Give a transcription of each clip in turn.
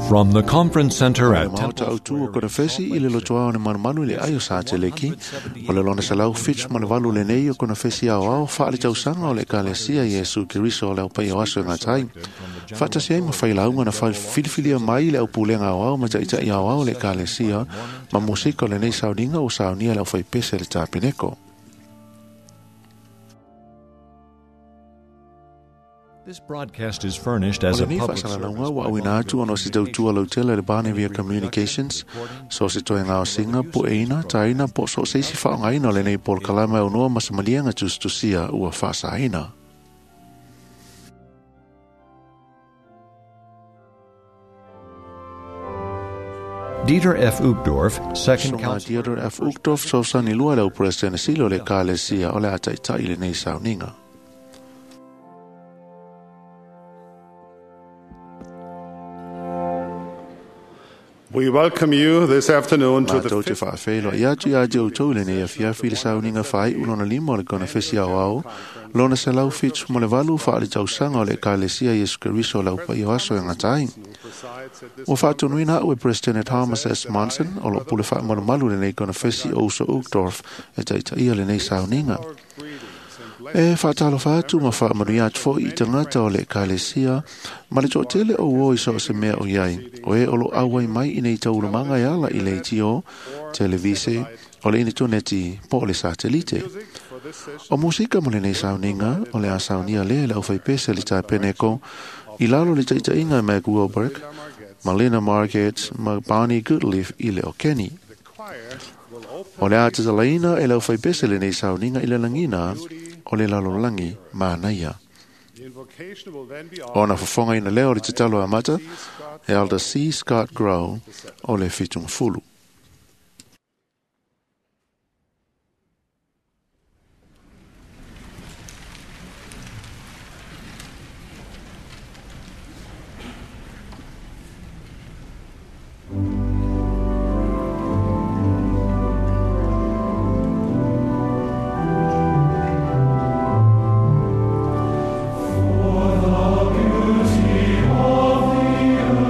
From the Conference Center at Maota Temple autu o konafesi i le lotoa o ne manumanu i le ai o sa te leki, o le lona 178 lenei o konafesi ao ao wha le tausaga o le Ekalesia Iesu Keriso o le au pai o aso e ngatai. Whaatasi ai ma whailaunga na whaifilifilia mai le au pulenga ao ao ma ta'itai ao ao le Ekalesia ma musika o lenei sauninga o saunia le au whaipese le tapeneko. This broadcast is furnished as O a lenei public faasalalauga service ua by auina atu ona o se tautua lautele le Barnevia Communications, so se toe ngaosiga, pueina, taina po so se isi faaaogaina o lenei polokalame aunoa ma se maliega tusitusia ua faasaina. Dieter F. Uchtdorf, second Soga counselor. Dieter F. Uchtdorf fesoasoani lua le au Peresetene Sili o le Ekalesia o le a taita'i lenei sauniga. We welcome you this afternoon to the Matou te fifth faafeiloai atu ia te outou i lenei afiafi i le sauniga faaiu lona lima o le konafesi aoao, lona 178 faale-tausaga o le Ekalesia Iesu Keriso o le aupai o aso e gatai. presides at this Ua faatonuina au e President Thomas S. Monson o loo pule faamalumalu lenei konafesi o uso Uchtdorf e taitaia lenei sauniga. our greetings and blessings E faatalofa atu ma faamanuia atu foi i tagata o le Ekalesia ma le toatele o uo i so o se mea o iai, o e o lo auai mai i nei taulumaga e ala i le leitio, televise, o le initoneti po o le satelite. for this session O musika mo lenei sauniga o le a saunia lea le aufaipese le tapeneko i lalo le taitaiga e Meg Wilberg, Malina Margaret ma Barney Goodleaf i le o Kenny. the choir will open O le a tatalaina e le aufaipese lenei sauniga i le lagina o le lalolagi manaia. the invocation will then be Ona offered fofogaina lea o le tatalo amata e Elder C. Scott Grow o le 70.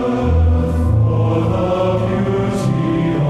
For the beauty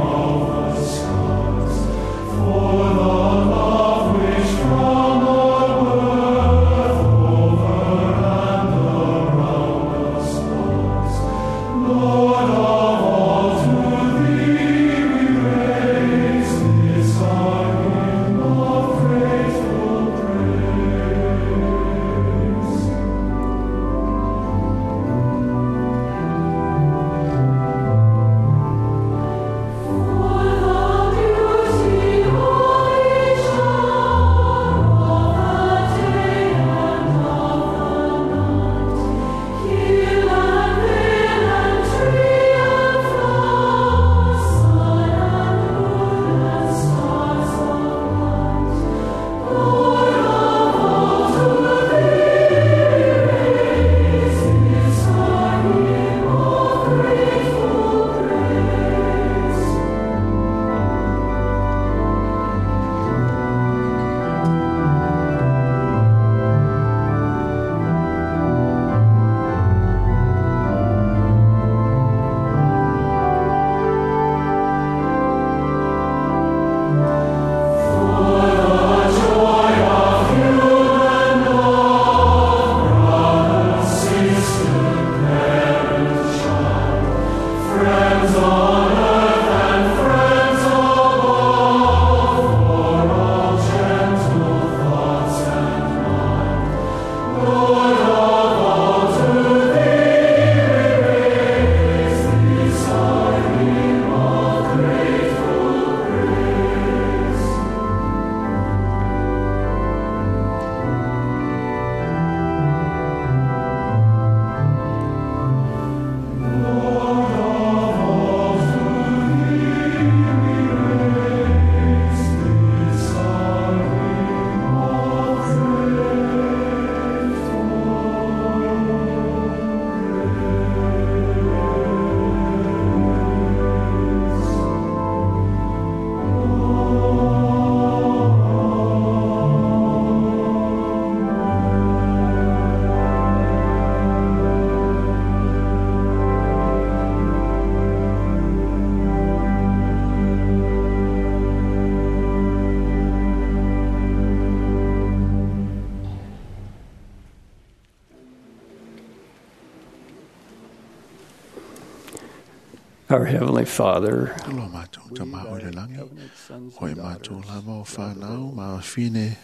Our Heavenly Father, Lo mātou ta maa o le langi, o e mātou lava o whanau, ma whine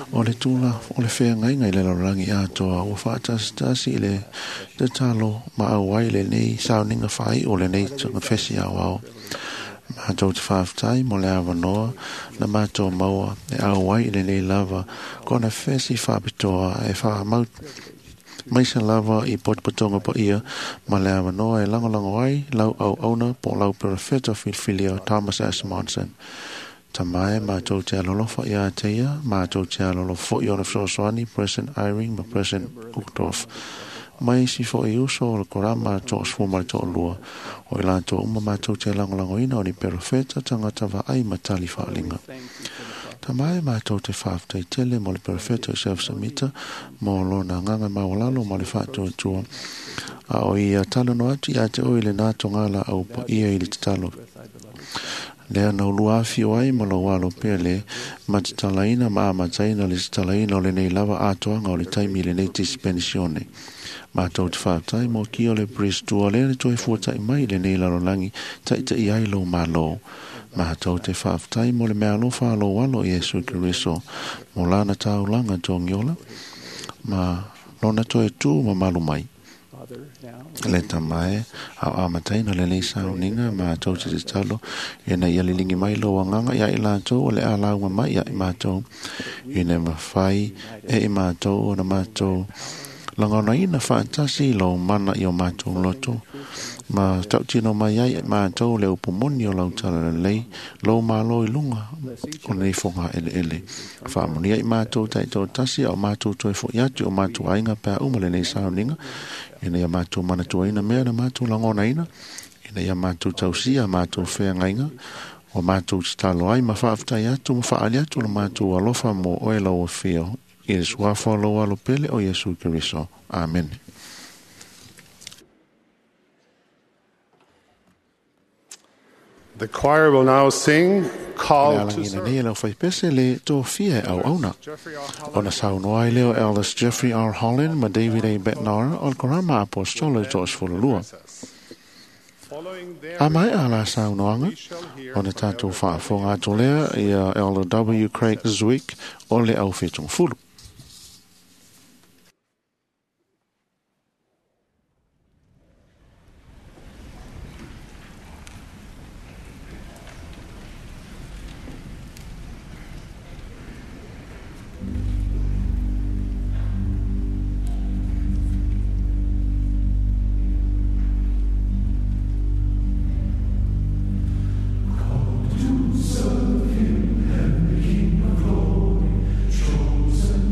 o le tula o le whea ngai ngai le rangi atoa, o whaatasitasi i le te talo ma au ai le nei sauninga whai o le nei tanga whesi au au. Mātou te whaaftai mo le awanoa na mātou maua e au ai i le nei lava kona whesi whapitoa e whaamau maisa lava i potopotonga pa ia ma le awanoa e langolango ai lau au auna po lau perefeta filfilia Thomas S. Monson. Tamae mātou te alolofa i a teia, mātou te alolofo i ona fesoasoani President Eyring ma President Uchtdorf. Mai si fo i uso o le korama to osfuma le to'olua. O i lātou uma mātou te langolangoina o ni perefeta tangata vaai matali whaalinga. Tamae mātou te whaaftai tele mo le perefeta Joseph Samita mo lona nganga mawalalo ma le whaatuatua. A o ia talano atu ia te oi le nāto ngāla au pa ia i le tatalo. Lea na ulua awhio ai ma lau alo pele ma te talaina ma amataina le tatalaina o lenei lava atoanga o le taimi le nei dispensione. Mātou te whaatai mo ki o le Bristua le le toi fuatai mai le nei lalolangi taitai ai lo malo. Mātou te whaaftai mo le mea alofa alo alo Iesu Keriso mo lana taulanga tongiola ma lona toe tū ma malu mai. Le tamae au amataina le nei sauninga mātou te tatalo e na ia lilingi mai lo anganga ia i lātou o le alaunga mai ia i mātou ina mawhai e i mātou o na mātou langonaina whaatasi lo mana i o mātou loto ma tautino mai ai mātou le upumoni o lau tala lelei lo malo i lunga o nei fonga ele ele whaamonia i mātou taito tasi au mātou toe fo iatu o mātou ainga pēa uma le nei sauninga ina ia mātou manatuaina mea na mātou langonaina ina ia mātou tausia mātou wheangainga o mātou titalo ai ma whaaftai atu ma whaali atu lo mātou alofa mo oe lau o whio i le suafa o lau alo pele o Iesu Keriso. Amen. The choir will now sing Call to Le Serve. nei lau whaipese le tōfia e au auna. Jeffrey R. Holland Ona saunoa ai leo Elders Jeffrey R. Holland ma David A. Bednar o le Korama Apostolo i to'osefululua. Following their A mai a la saunoanga, we shall hear ona from tātou Elder whaafonga atu lea ia Elder W. Craig Zwick o le au whitungfulu. Serve him, the King of glory, chosen.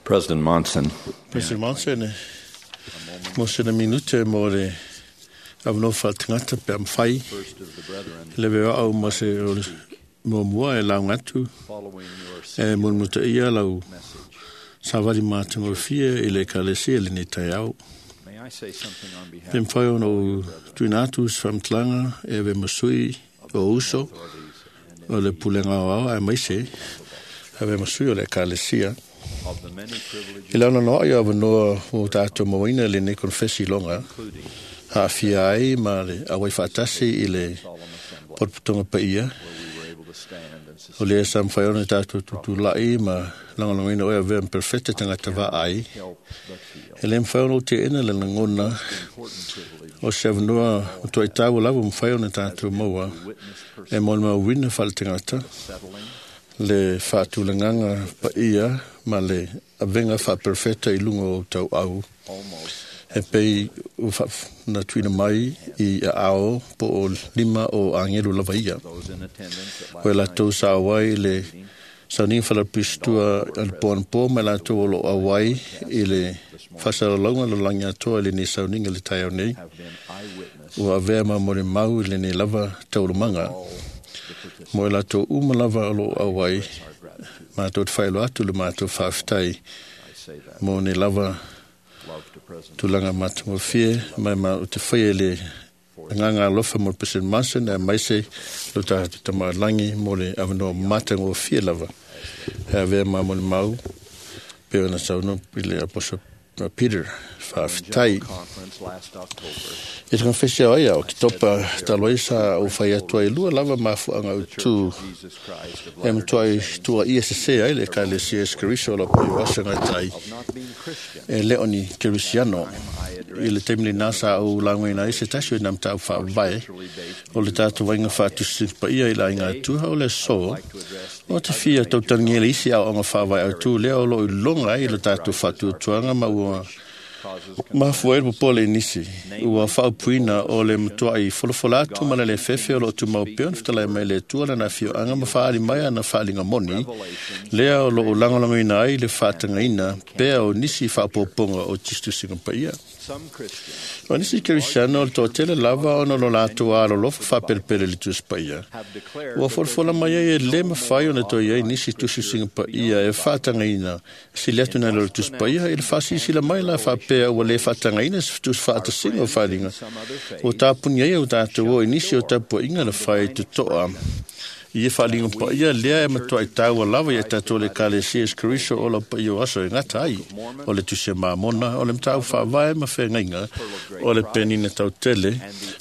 President Monson. President Monson, mo sena minute mo le avanoa faaletagata pe a mafai le veoa ma se muamua e lauga atu e mulimulitaia lau savali matagofie i le Ekalesia lenei taeao. Pe mafai ona ou tuuina atu se faamatalaga e avea ma sui o uso o le pulega aoao aemaise avea ma sui o le Ekalesia. I le anoanoai o avanoa ua tatou mauaina i lenei konofesi iloga, aafia ai ma le auai faatasi i le potopotoga paia, o lea sa mafai ona tatou tutulai ma lagolagoina oe avea ma perofeta tagata vaai, e le mafai ona ou teena le lagona o se avanoa matuai taua lava mafai ona tatou maua e molimauina faaletagata le faatulagaga paia ma le avega faaperofeta i luga o tauau e pei ua na tuuina mai i aao po o lima o agelu lava ia. O e latou sa auai i le sauniga faalaupisitua a le po ma latou o lo o auai i le faasalalauga lalolagi atoa i lenei sauniga i le taeao nei, ua avea ma molimau i lenei lava taualumaga. Mo e latou uma lava o lo o auai, matou te faailoa atu le matou faafetai mo nei lava tulaga matagofie ma o te faia i le agaga alofa mo le President Monson aemaise lo tatou Tama oi le Lagi mo le avanoa matagofie lava e avea ma molimau pei ona saunoa i le Apostle Peter. Faafetai. I te konofesi ao ai a Oketopa talu ai sa ou fai atu ai lua lava mafuaaga autu e matuai tuuaia sesē ai le Ekalesia Iesu Keriso o lau paia o aso e gata ai e le o ni Kerisiano. I le taimi lenā sa ou laugaina ai se tasi o ina mataupu faavae o le tatou vaiga faatusi paia i le aiga atua o le aso o te fia tautalagia le isi aoaoga faavae autu lea o loo iloga ai le tatou faatuatuaga ma ua mafua ai le popole i nisi ua faaupuina o le matuai folafola atu ma le lefefe o loo tumau pea ona fetalai mai le Atua lana afioaga ma faaali mai ana faaaliga moni lea o loo lagolagoina ai le faatagaina pea o nisi faaopoopoga o tusitusiga paia. O nisi Kerisiano o le toatele lava ona o lo latou alolofa faapelepele i le Tusi Paia. Ua folafola mai ai e lē mafai ona toe i ai nisi tusitusiga paia e faatagaina sili atu nai lo le Tusi Paia i le faasilasila mai la faapea ua lē faatagaina se tusi faatasiga o faaaliga ua tapuni ai au tatou o i nisi o tapuaiga na fai totoa i e faaliga paia lea e matuai taua lava ia tatou le Ekalesia Iesu Keriso o lau paia o aso e gata ai o le Tusi a Mamona o le mataupu faavae ma feagaiga o le penina tautele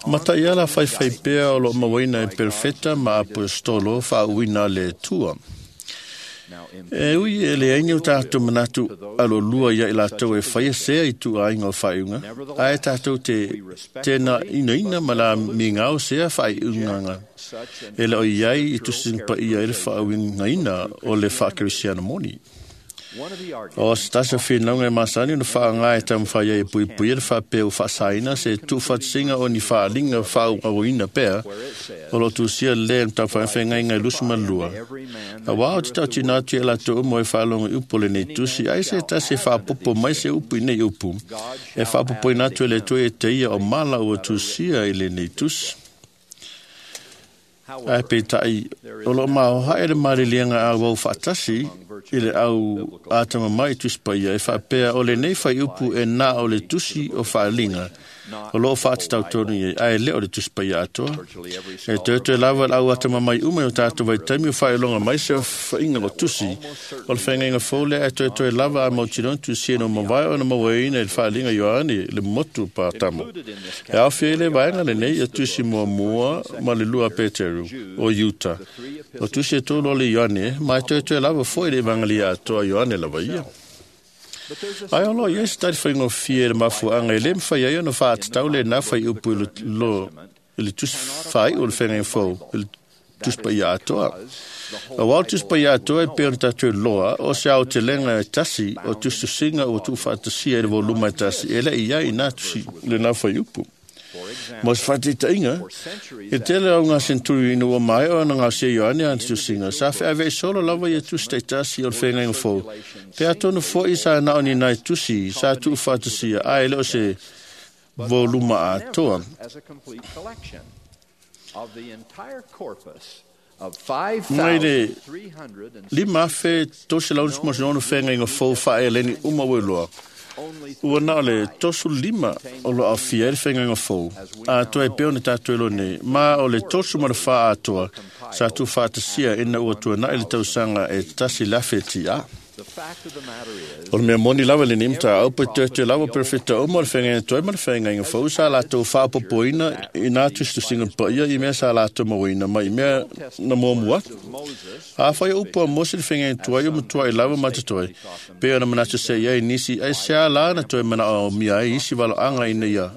ma taiala faifai pea o loo mauaina e perofeta ma apoestolo faauuina a le Atua. E ui e leai ni o tatou manatu alolua ia i latou e faia sea i tuuaiga o faaiuga, ae tatou te tena inaina ma la migao sea faaiugaga e le o i ai i tusiga paia i le faauigaina o le faakerisiano moni. O se tasi o finauga e masani ona faaaga e taumafai ai e puipuia le faapea ua faasaina se tuufatasiga o ni faaaliga faaauauina pea o loo tusia lē le mataupu feagaiga e 22. Auā o te tautino atu ia latou uma e faalogo i upu o lenei tusi, ai se tasi e faapopo mai se upu i nei upu e faapopoina atu e le Atua ia te ia o mala ua tusia i lenei tusi. Ae peitai o loo maoae le maliliega auau faatasi i le au atamamai i Tusi Paia e faapea o lenei faiupu e na o le tusi o faaliga o loo faatatau tonu i ai, ae le o le Tusi Paia atoa. E toetoe lava le au atamamai uma i o tatou vaitaimi o faailoga mai se faiga o tusi o le feagaiga fou lea, ae toetoe lava a mautinoa tusia na mavae ona mauaina i le faaliga Ioane le motu Patamo. E aofia ai le vaega lenei ia tusi muamua ma le lua Peteru o Iuta. O tusi e tolu o le Ioane, ma e toetoe lava foi le Evangelia atoa Ioane lava ia. Ae o loo i ai se tali faigofie i le mafuaaga e lē mafai ai ona faatatau lenā faiupu i le tusi faaiu o le feagaiga fou i le Tusi Paia atoa. Auā o le Tusi Paia atoa e pei ona tatou iloa o se aotelega e tasi o tusitusiga ua tuufaatasia i le voluma e tasi e le i ai i nā tusi lenā faiupu. Mo se faataitaiga, i le tele o auga senturi ina ua maea ona gaosia e Ioane ana tusiga, sa feaveai solo lava ia tusi taitasi o le feagaiga fou, pe atonu foi sa na o ni nai tusi sa tuufaatasia ae le o se voluma atoa. Mai le 5,366 feagaiga fou faa-Eleni uma ua iloa, ua na o le 35 o lo o aofia ai le feagaiga fou atoa e pei ona tatou iloa nei, ma o le 34 atoa sa tuufaatasia ina ua tuanai le tausaga e 1000 TA. O le mea moni lava lenei mataupu e toetoe lava perofeta uma o le feagaiga tuai ma le feagaiga fou sa latou faaopoopoina i nā tusitusiga paia i mea sa latou mauaina mai i mea na muamua atu. Afai o upu a Mose le feagaiga tuai o matuai lava ma totoe, pei ona manatu se i ai nisi, aisea la na toe manaomia ai isi valoaga ina ia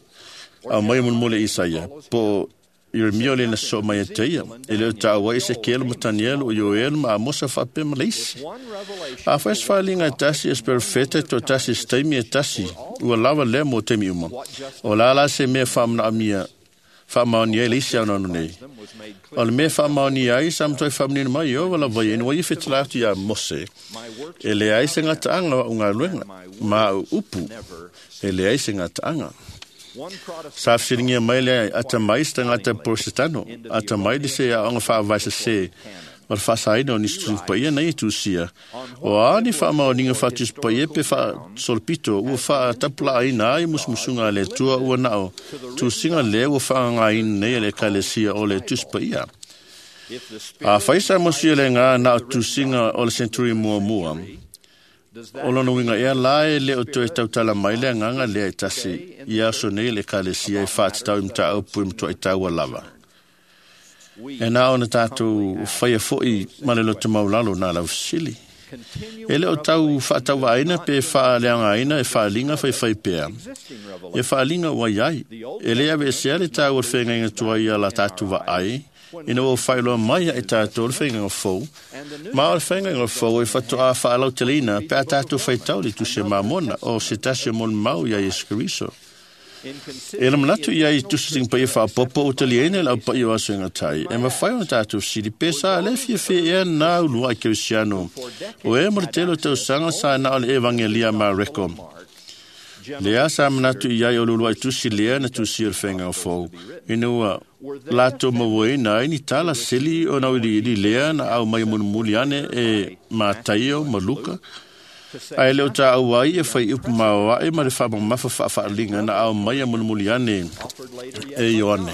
aumai mulimuli e Isaia, po o Ieremia o le na sosoo mai ia te ia, e le o taua ai Esekielu ma Tanielu, o Ioelu ma Amosa faapea ma le isi. Afai se faaaliga e tasi e se perofeta e toatasi i se taimi e tasi, ua lava lea mo taimi uma. O la la se mea faamanaomia faamaonia ai le isi anoano nei. O le mea faamaonia ai sa matuai faamanino mai Ieova lava ia ina ua ia fetala'i atu iā Mose, e leai se gataaga o a'u galuega, ma a'u upu, e leai se gataaga. Sa fesiligia mai le atamai se tagata Porosetano, atamai le se aoga faavae sesē o le faasaina o nisi tusi paia na ia tusia. O a ni faamaoniga faatusi paia pe faasolopito ua faatapulaaina ai musumusuga a le Atua ua na o tusiga lea ua faagagaina nei e le Ekalesia o le Tusi Paia. Afai sa mosia le gā na o tusiga o le senturi muamua, o lona uiga ea la e le o toe tautala mai le agaga lea e tasi i aso nei le Ekalesia e faatatau i mataupu e matuai taua lava. E na ona tatou faia foi ma le loto maulalo nā lau fesili. E le o tau faatauvaaina pe faaleagaina e faaliga faifai pea. E faaliga ua iai. E le aveesea le taua o le feagaiga tuai ia la tatou vaai, ina ua faailoa mai ia i tatou le feagaiga fou, ma o le feagaiga fou e faatoa faalauteleina pe a tatou faitau le tusi a Mamona o se tasi o molimau ia Iesu Keriso. E le manatu ia i tusitusiga paia faaopoopo ua taliaina i le aupaia o aso e gatai, e mafai ona tatou fesili pe sa le fiafia ea na uluai kerisiano o e mo le tele o tausaga sa na o le Evagelia ma Mareko. Lea sa manatu i ai o le uluai tusi lea na tusia o le feagaiga fou, ina ua latou mauaina ai ni tala sili ona auiliili lea na aumai mulimuli ane e Mataio ma Luka, ae le o taua ai e fai upu maoae ma le faamamafa faafaaliga na aumai mulimuli ane e Ioane.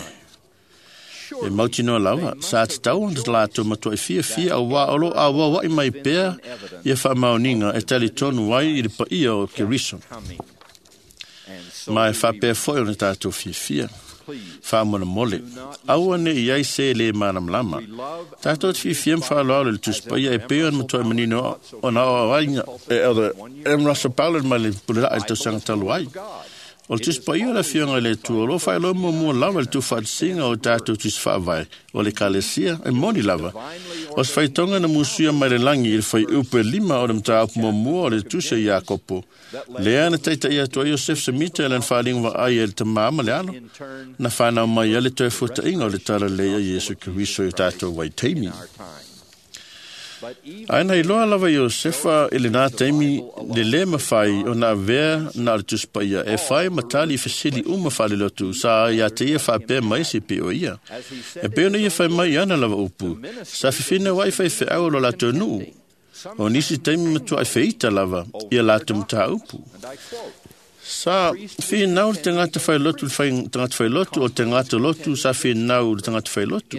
E mautinoa lava, sa tatau ona latou matuai fiafia auā o lo o auaua'i mai pea ia faamaoniga e talitonu ai i le paia o Keriso. Ma e faapea foi ona tatou fiafia. Faamolemole, aua ne i ai se lē malamalama. Tatou te fiafia ma faaaloalo i le Tusi Paia e pei ona matuai manino ona aoaoaiga e Elder M. Russell Ballard mai le Pulelaa i le tausaga talu ai. O le Tusi Paia o le Afioga i le Atua o lo o faailoa muamua lava i le tuufaatasiga o tatou tusi faavae o le Ekalesia e moni lava. O se faitoga na musuia mai le lagi i le fuaiupu e 5 o le mataupu muamua o le Tusi a Iakopo, lea na taitaia atu ai Iosefe Semita i lana faaliga vaai e le tamā ma le alo, na fanau mai ai le toe fuata'iga o le talalelei a Iesu Keriso i o tatou vaitaimi. Ae na iloa lava Iosefa i lenā taimi le lē mafai ona avea na o le Tusi Paia e fai ma tali i fesili uma faalelotu sa ia te ia faapea mai se pei o ia. E pei ona ia fai mai i ana lava upu, sa fifina ai faifeau o lo latou nuu. O nisi taimi matuai feita lava ia latou mataupu. Sa finau le tagata failotu le tagata failotu o tagata lotu sa finau le tagata failotu.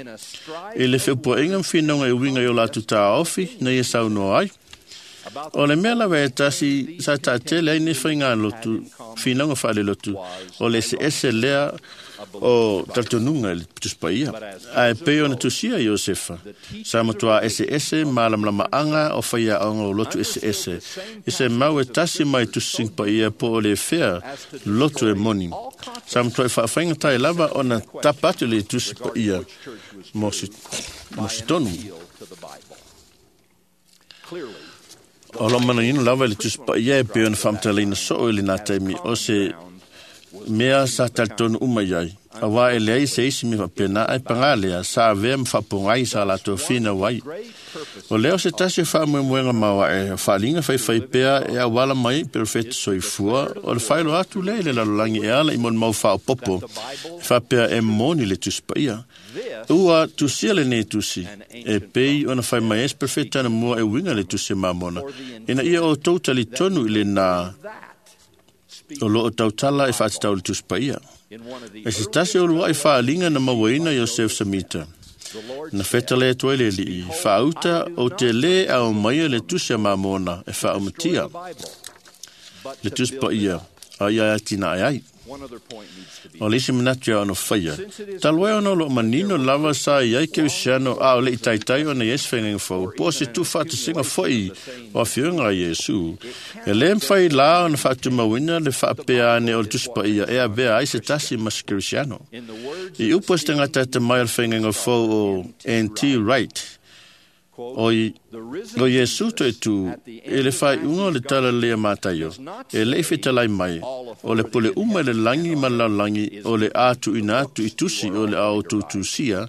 I le feupuaiga ma finauga e uiga i o latou taofi na ia saunoa ai. O le mea lava e tasi sa taatele ai nei faigalotu, finauga faalelotu, o le eseese lea o talitonuga i le Tusi Paia. Ae pei ona tusia Iosefa, sa matuā eseese malamalamaaga o faiaoga o lotu eseese, i se mau e tasi mai tusitusiga paia po o le fea lotu e moni. Sa matuai faafaigatai lava ona tapa atu le Tusi Paia mo se tonu. O lo manaino lava i le Tusi Paia e pei ona faamatalaina soo i lenā taimi o se mea sa talitonu uma i ai. Auā e leai se isi mea faapena, ae pagā lea, sa avea ma faapogai sa latou finau ai. O lea o se tasi o faamoemoega maoae o faaliga faifaipea e auala mai i perofeta soifua, o le faailoa atu lea i le lalolagi e ala i molimau faaopoopo e faapea e moni le Tusi Paia. Ua tusia lenei tusi, e pei ona fai mai ai se perofeta anamua e uiga i le Tusi a Mamona, ina ia outou talitonu i lenā o loo tautala e faatatau i le Tusi Paia. E se tasi o uluai faaliga na mauaina Iosef Samita, na fetale atu ai le alii, faauta o te lē aumaia le Tusi a Mamona e faaumatia le Tusi Paia a ia atinae ai. O le isi manatu ia ona faia, talu ai ona o loo manino lava sa i ai kerisiano a o le i taitai ona i ai se faigaga fou, po o se tuufaatasiga foi o afioga a Iesu, e lē mafai la ona faatumauina le faapea ane o le Tusi Paia e avea ai se tasi ma se kerisiano. I upu a se tagata atamai o le faigaga fou o N.T. Wright, o Iesu toe tū i le faaiuga o le tala lea Mataio, e lei fetalai mai, o le pule uma i le lagi ma le lalolagi o le a tuuina atu i tusi o le a outou tusia,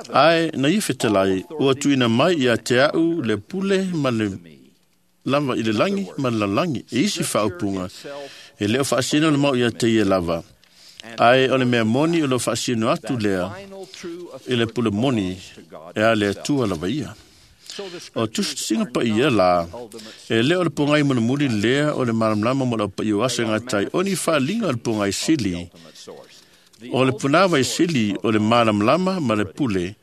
ae na ia fetalai, ua tuuina mai ia te au le pule ma le lava i le lagi ma le lalolagi. E isi faaupuga, e le o faasino le mau ia te ia lava, ae o le mea moni o lo faasino atu lea i le pule moni e a le Atua lava ia. O tusitusiga paia la, e le o le pogai mulimuli lea o le malamalama mo le aupaia o aso e gatai, o ni faaliga o le pogai sili, o le punāvai sili o le malamalama ma le pule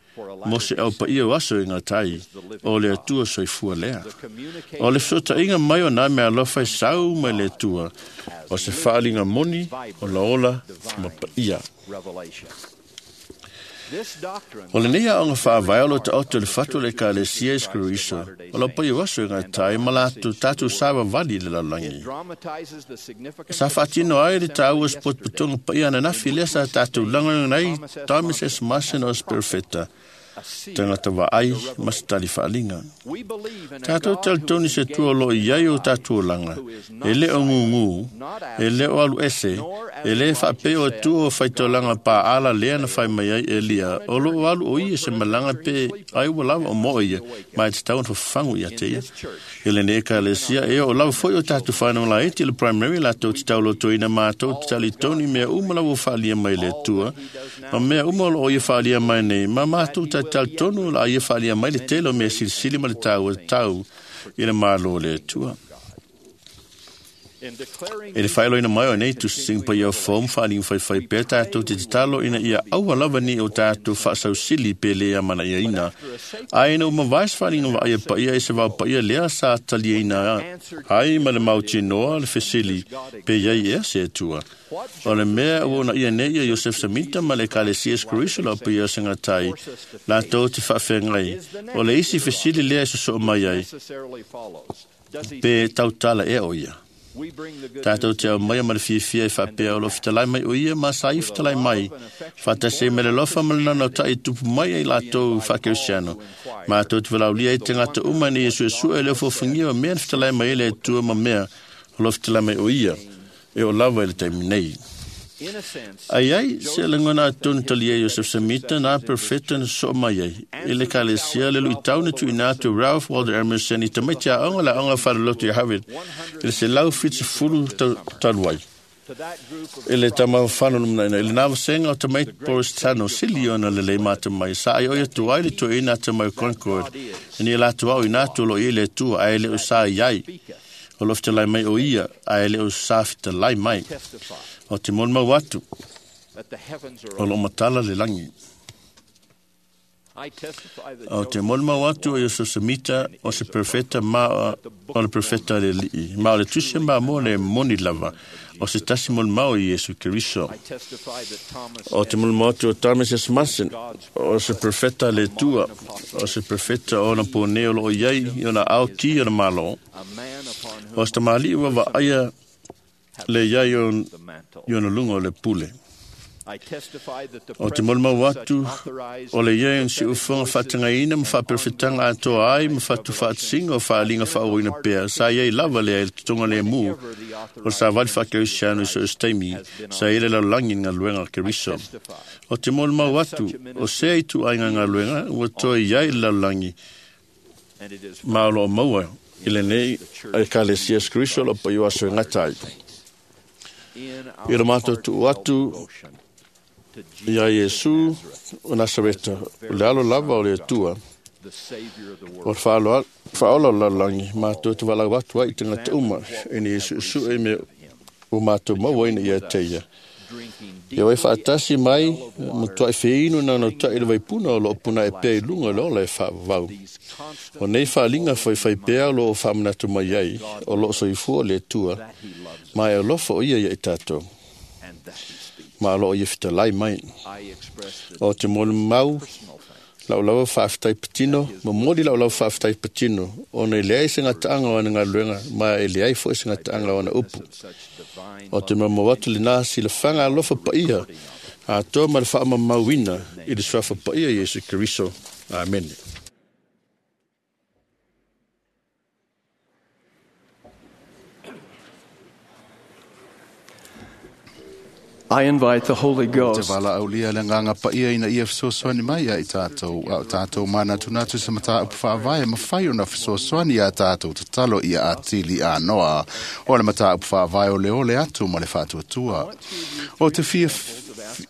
mo se aupaia o aso e gatai, o le Atua soifua lea. O le fesootaiga mai o nā mea alofa e sau mai le Atua, o se faaliga moni o laola ma paia. O lenei aoga faavae o lo taoto i le fatu o le Ekalesia Iesu Keriso, o lau paia o aso e gatai ma latou tatou savavali i le lalolagi. Sa faatino ai le taua o se potopotoga paia ananafi lea sa tatou lagolagoina ai Thomas S. Mason o se perofeta, tagata vaai ma se tali faaliga. Tatou talitonu i se Atua o loo i ai o tatou olaga, e le o gugū, e le o alu ese, e lē faapea o Atua o faitolaga paala lea na fai mai ai Elia, o loo alu o ia se malaga pe ai ua lava o moo ia, ma e tatau ona fafagu ia te ia. I lenei Ekalesia, e oo lava foi o tatou whanau laiti i le primary latou te taulotoina matou te talitonu i mea uma lava ua faalia mai le Atua, ma mea uma o loo ia faalia mai nei, ma matou talitonu o le a ia faalia mai le tele o mea silisili ma le taua tau i le Malo o le Atua. E le faailoaina mai o nei tusitusiga paia o fou ma faaliga faifaipea tatou te tatalo ina ia aua lava ni o tatou faasausili pe lē amanaiaina, ae ina ua mavae se faaliga vaaia paia e se vaopaia lea sa taliaina ai ma le mautinoa le fesili pe iai ea se Atua. O le mea ua uunaia nei ia Iosef Samita ma le Ekalesia Iesu Keriso lau paia o segatai latou te faafeagai, o le isi fesili lea e sosoo mai ai, pe tautala ea o ia. Tatou te aumaia ma le fiafia e faapea o loo fetalai mai o ia ma sa ia fetalai mai, faatasi ai ma le alofa ma le naunautai e tupu mai ai latou faakerisiano. Matou te valaaulia ai tagata uma ina ia suesue le ofofogia o mea na fetalai mai ai le Atua ma mea o loo fetalai mai o ia, e oo lava i le taimi nei. Ai ai se lagona atonu talia Iosef Samita na perfeta na sosoo mai ai i le Ekalesia le luitau na tuuina atu e Ralph Waldo Emerson i tamaiti aoga le aoga faaloloto i Harvard i le 170 talu ai. I le tamafafano lumanai i lena vasega o tamaiti Boris Tano sili ona lelei matamai sa ai oi atu ai le toeaina atamai o Concord ina ia latou aoina atu o loo i ai le Atua ae le o sa i ai. O loo fetalai mai o ia ae le o sa fetalai mai. O te molimau atu, o loo matala le lagi. O te molimau atu o Iosef Samita o se perfeta ma o le perfeta le alii, ma o le Tusi a Mamoa le moni lava, o se tasi molimau i Iesu Keriso. O te molimau atu o Thomas S. Mason, o se perfeta le Atua, o se perfeta o ona pō nei o loo i ai i ona ao ki o le Malo, o se tamalii ua vaaia le iai i ona luga o le pule. O te molimau atu o le ia e siufoga faatagaina ma faaperefetaga atoa ai ma fatufaatasiga o faaliga faaauauina pea sa iai lava lea i le totoga lemu o le savali faakerisiano i so o se taimi sa i le lalolagi i le galuega a Keriso. O te molimau atu o sea ituaiga galuega ua toe iai i le lalolagi ma o loo maua i lenei Ekalesia Iesu Keriso o loo paia o aso e gata ai. I le matou tuu atu ia Iesu o Nasareta, o le alo lava o le Atua, o le faaola o le lalolagi, matou te valaau atu ai i tagata uma, ina ia suesue i mea ua matou maua ina ia te ia. Ia oi faatasi mai, matuai feinu naunautai i le vaipuna o loo punae pea i luga o le ola e faavavau. O nei faaliga faifai pea o loo faamanatu mai ai, o loo soifua le Atua, ma e alofa o ia ia i tatou. Ma o loo ia fetalai mai. O te molimau lau lava faafetai patino, momoli lau lava faafetai patino, ona e leai se gataaga o ana galuega, ma e leai foi se gataaga o ana upu. O te molimau atu lena silafaga alofa paia, atoa ma le faamamauina i le suafa paia Iesu Keriso. Amene. I invite the Holy Te Ghost valaaulia le agaga paia ina ia fesoasoani mai ia i tatou, a o tatou manatunatu se mataupu faavae mafai ona fesoasoani iā tatou tatalo ia atili anoa o le mataupu faavae o le ole atu ma le faatuatua. O te fia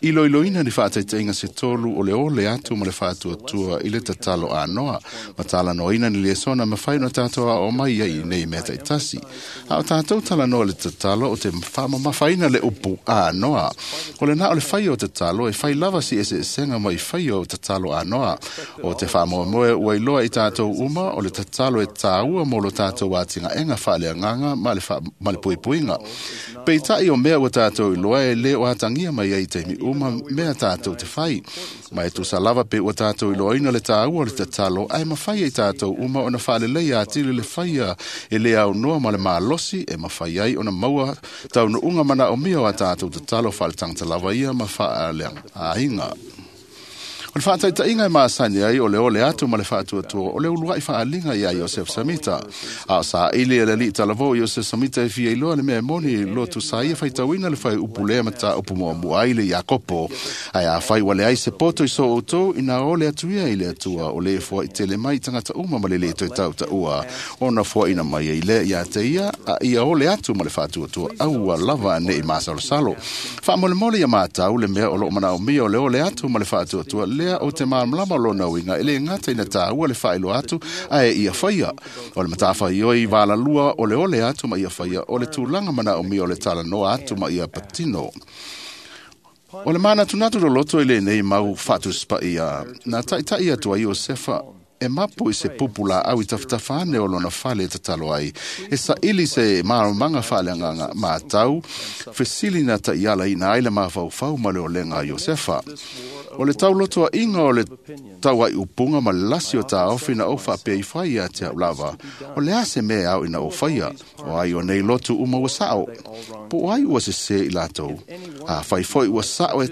iloiloina ni faataitaiga se tolu o le ole atu ma le faatuatua i le tatalo anoa ma talanoaina ni lesona mafai ona tatou aoao mai ai i nei mea taitasi. A o tatou talanoa i le tatalo o te faamamafaina le upu anoa. O lena o le fai o tatalo e fai lava si eseesega mai fai o tatalo anoa. O te faamoemoe ua iloa i tatou uma o le tatalo e tāua mo lo tatou atinaega faaleagaga ma le, ma le puipuiga. Peitai o mea ua tatou iloa e le o atagia mai ai i taimi uma mea tatou te fai. Ma e tusa lava pe ua tatou iloaina le tāua o le tatalo, ae mafai ai tatou uma ona faaleleia atili le faia e le aunoa ma le malosi e mafai ai ona maua taunuuga manaomia o a tatou tatalo faaletagata lava ia ma faaleaiga. O le faataitaiga e masani ai o le ole atu ma le faatuatua o le uluai faaliga ia Iosef Samita. A o saili e le alii talavou Iosef Samita e fia iloa le mea e moni lotu sa ia faitauina le fai upu lea mataupu muamua ai le Iakopo. Ae afai ua leai se poto i so outou ina ole atu ia i le Atua o le foai tele mai i tagata uma ma le lē toe tautaua ona foaina mai ai lea ia te ia a ia ole atu ma le faatuatua aua lava nei masalosalo. Faamolemole ia matau le mea o loo manaomia o le ole atu ma le faatuatua lea o te malamalama lona uiga e le gata ina tāua le faailoa atu ae ia faia. O le matafaioi valalua o le ole atu ma ia faia o le tulaga manaomia o le talanoa atu ma ia patino. O le manatunatu loloto i lenei mau faatuspaia na taitai atu ai Iosefa e mapu i se pupu laau i tafatafa ane o lona fale e tatalo ai. E saili se malamalamaga faaleagaga matau, fesili na taiala ina ai le mafaufau ma le olega a Iosefa. O le taulotoaʻiga o le tauaiupuga ma le lasi o taofi na ou faapea ifo ai ia te au lava. O le a se mea ao ina ou faia, o ai o nei lotu uma ua sao. Po o ai ua sesē i latou. Afai foi ua sao e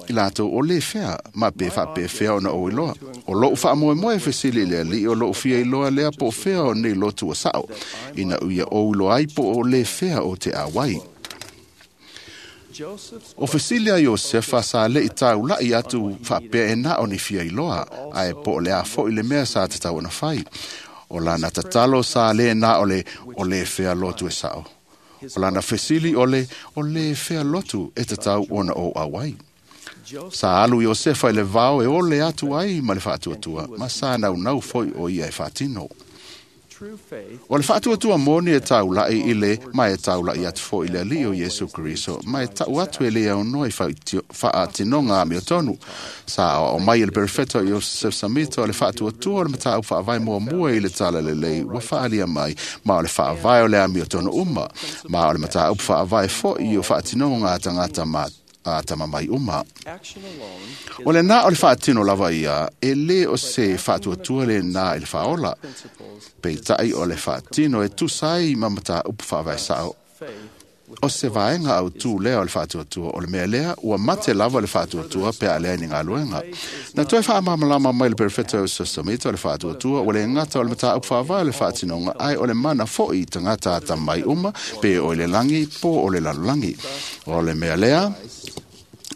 i latou o lē fea, ma pe faapefea ona ou iloa. O lou faamoemoe e fesili i le alii o lou fia iloa lea po o fea o nei lotu ua sao, ina ia ou iloa ai po o lē fea o te auai. O fesili a Iosefa sa leʻi taulaʻi atu faapea e na o ni fia iloa, ae po o le a foi le mea sa tatau ona fai. O lana tatalo sa lē na o le o lē fea lotu e sao. O lana fesili o le o lē fea lotu e tatau ona ou auai. Sa alu Iosefa i le vao e ole atu ai ma le faatuatua, ma sa naunau foi o ia e faatino. O le faatuatua moni e taulaʻi i le ma e taulaʻi atu foi i le alii o Iesu Keriso, ma e taʻu atu e le aunoa i faatinoga amiotonu. Sa aoao mai e le perofeta o Iosef Samito o le faatuatua o le mataupu faavae muamua i le talalelei ua faaalia mai, ma o le faavae o le amiotonu uma, ma o le mataupu faavae foi o faatinoga a tagata ma a tamamai uma. O lena o le faatino lava ia, e lē o se faatuatua lenā i le faaola. Peitai o le faatino e tusa ai ma mataupu faavae sao. O se vaega autū lea o le faatuatua o le mea lea ua mate lava le faatuatua pe a leai ni galuega. Na toe faamalamalama mai le Perofeta Iosefo Semita o le faatuatua ua le gata o le mataupu faavae o le faatinoga ae o le mana foi i tagata atamai uma pe o i le lagi po o le lalolagi. O le mea lea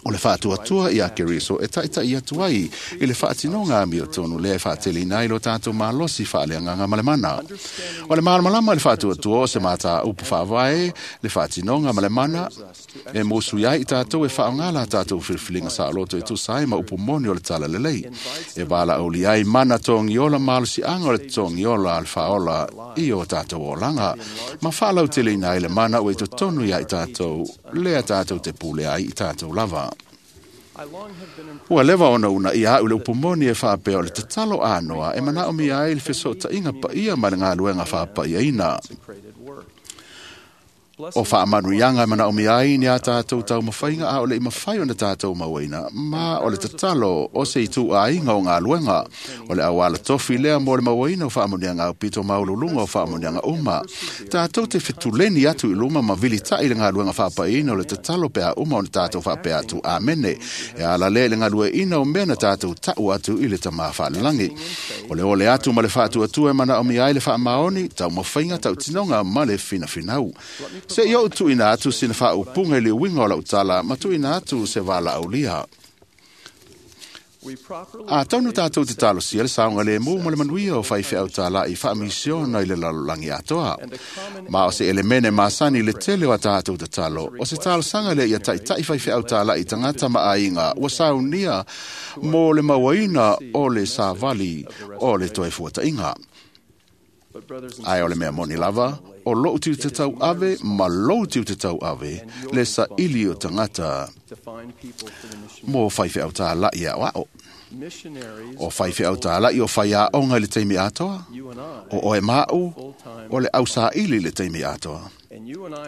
o le faatuatua iā Keriso e taʻitaʻi atu ai i le faatinoga amiotonu lea e faateleina ai lo tatou malosi faaleagaga ma le mana. O le malamalama i le faatuatua o se mataupu faavae le faatinoga ma le mana e musui ai i tatou e faaaogā la tatou filifiliga saoloto e tusa ai ma upu moni o le Talalelei. E valaaulia ai mana togiola malosiaga o le togiola a le faaola i o tatou olaga ma faalauteleina ai le mana ua i totonu iā i tatou lea tatou te pule ai i tatou lava. Ua leva ona uunaia a'u i le upu moni e faapea o le tatalo anoa e manaomia ai le fesoʻotaʻiga paia ma le galuega faapaʻiaina. O faamanuiaga e manaomia ai ni a tatou taumafaiga a o leʻi mafai ona tatou mauaina, ma o le tatalo o se ituʻaiga o galuega. O le auala tofi lea mo le mauaina o faamanuiaga aupito maualuluga o faamanuiaga uma. Tatou te fetuleni atu i luma ma vilitaʻi le galuega faapaʻiaina o le tatalo pe a uma ona tatou faapea atu Amene. E ala lea i le galueaiina o mea na tatou taʻu atu i le Tamā Faalelagi. O le ole atu ma le faatuatua e manaomia ai le faamaoni, taumafaiga, tautinoga ma le finafinau. Seʻi oʻu tuuina atu sina faaupuga i le uiga o lau tala ma tuuina atu se valaaulia. Atonu tatou te talosia le saogalēmū ma le manuia o faifeau tālaʻi faamisiona i le lalolagi atoa. Ma o se elemene masani i le tele o a tatou tatalo, o se talosaga lea ia taʻitaʻi faifeau tālaʻi tagata ma aiga ua saunia mo le mauaina o le savali o le toe fuataʻiga. Ae o le mea moni lava, o loʻu tiute tauave ma lou tiute tauave le saʻili o tagata mo faifeau tālaʻi e aʻoaʻo. O faifeau tālaʻi o faiaoga i le taimi atoa, o oe maʻu o le ʻausaʻili i le taimi atoa.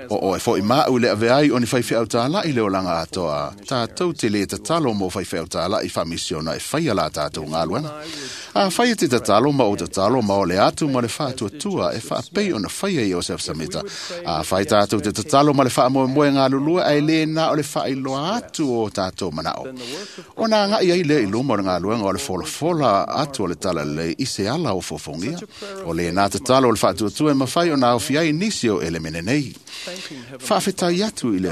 O oe foʻi maʻu i le ave ai o ni faifeau tālaʻi le olaga atoa, tatou te lē tatalo mo faifeau tālaʻi faamisiona e faia la tatou galuega. Afai e te tatalo ma ou tatalo ma o le atu ma le faatuatua e faapei ona faia i Iosefo Samita. Afai tatou te tatalo ma le faamoemoe galulue ae lē na o le faailoa atu o tatou manaʻo. Ona agaʻi ai lea i luma o le galuega o le folafola atu o le Talalelei i se ala o fofogia. O lēnā tatalo o le faatuatua e mafai ona aofia ai nisi o elemene nei. Faafetai atu i le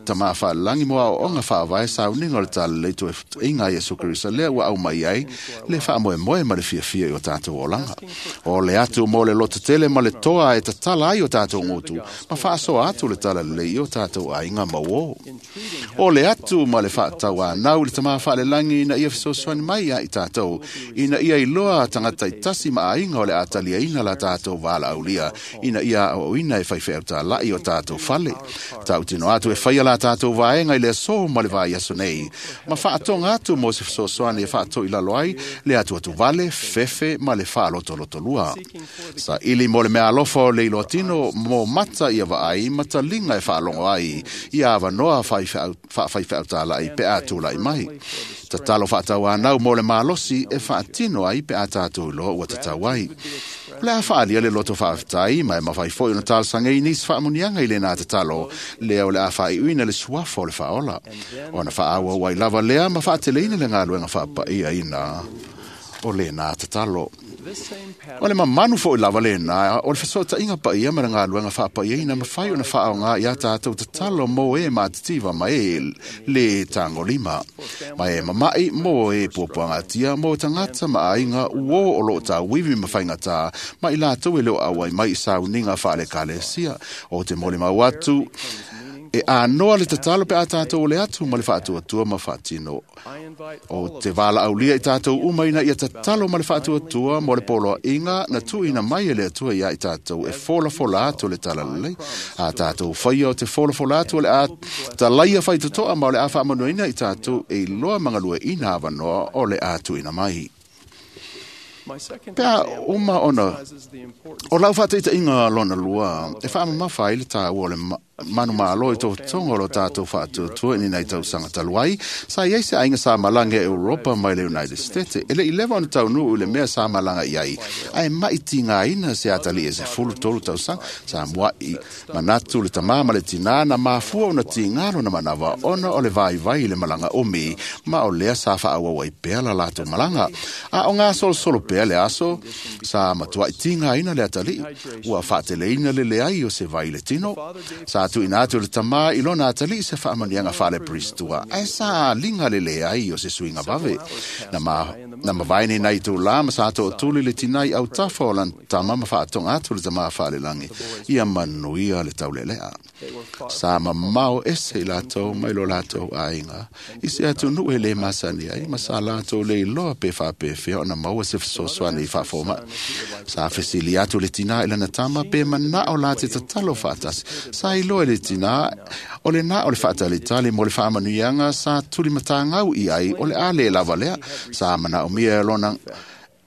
Tamā Faalelagi mo aoaoga faavae sauniga o le Talalelei toefuataʻiga a Iesu Keriso lea ua aumai ai le faamoemoe ma le fiafia i o tatou olaga. O le atu mo le lototele ma le toa e tatala ai o tatou gutu ma faasoa atu le Talalelei i o tatou aiga mauō. O le atu ma le faatauanau i le Tamā Faalelagi ina ia fesoasoani mai ia i tatou, ina ia iloa tagata itasi ma aiga o le a taliaina la tatou valaaulia, ina ia aoaoina e faifeau tālaʻi o tatou fale. Tautino atu e faia la tatou vaega i le aso ma le vaiaso nei, ma faatoga atu mo se fesoasoani e faatoʻilalo ai le atuatuvale, fefe ma le faalotolotolua. Saʻili mo le mea alofa o le iloatino mo mata ia vaai ma taliga e faalogo ai ia avanoa faafaifeau tālaʻi pe a tulaʻi mai. Tatalo faatauanau mo le malosi e faatino ai pe a tatou iloa ua tatau ai. O le a faaalia le loto faafetai ma e mafai foʻi ona talosagaina nisi faamanuiaga i lenā tatalo lea o le a faaiuina le suafa o le faaola. Ona faaauau ai lava lea ma faateleina le galuega faapaʻiaina o lenā tatalo. O le mamanu foʻi lava lenā o le fesoʻotaʻiga paia ma le galuega faapaʻiaina mafai ona faaaogā iā tatou tatalo mo e matitiva ma e lē tagolima, ma e mamaʻi mo e puapuagatia mo tagata ma aiga uō o loo tauivi ma faigatā ma i latou e le o ʻauai mai i sauniga faaleekalesia. O te molimau atu e anoa le tatalo pe a tatou o le atu ma le faatuatua ma faatino. O te valaaulia i tatou uma ina ia tatalo ma le faatuatua mo le poloaʻiga na tuuina mai e le Atua iā i tatou e folafola atu le Talalelei. A tatou faia o te folafola atu o le a talaia faitotoa ma o le a faamanuaina i tatou e iloa ma galueaiina avanoa o le a tuuina mai. Pe a uma ona o lau faataʻitaʻiga lona lua e faamamafa ai le tāua o le Manumalo i totoga o lo tatou faatuatua i lenei tausaga talu ai, sa i ai se aiga sa malaga i Europa mai le United States. E le i leva ona taunuu i le mea sa malaga i ai, ae mai tigaina se atalii e 13 tausaga. Sa mua'i manatu le tamā ma le tinā na mafua ona tiga lona manava ona o le vaivai i le malaga umi, ma o lea sa faaauau ai pea la latou malaga. A o gasolosolo pea le aso, sa matua'i tigaina le atalii, ua faateleina le leai o se vai i le tino. Sa tuuina atu le tamā i lona atalii se faamanuiaga faale-Peristua, ae sa aliga le leai o se suiga vave. Na mavae nei itulā ma sa tootuli le tinā i autafa o lana tama ma faatoga atu le tamā faalelagi ia manuia le taulelea. Sa mamao ese i latou mai lo latou aiga i se atunuu e lē masani ai, ma sa latou le iloa pe faapefea ona maua se fesoasoani i faafoma'i. Sa fesili atu le tinā i lana tama pe manao la te tatalo faatasi. Sa iloa e le tinā o lenā o le faatalitali mo le faamanuiaga sa tulimatagau i ai o le a lē lava lea. Sa manaomia e lona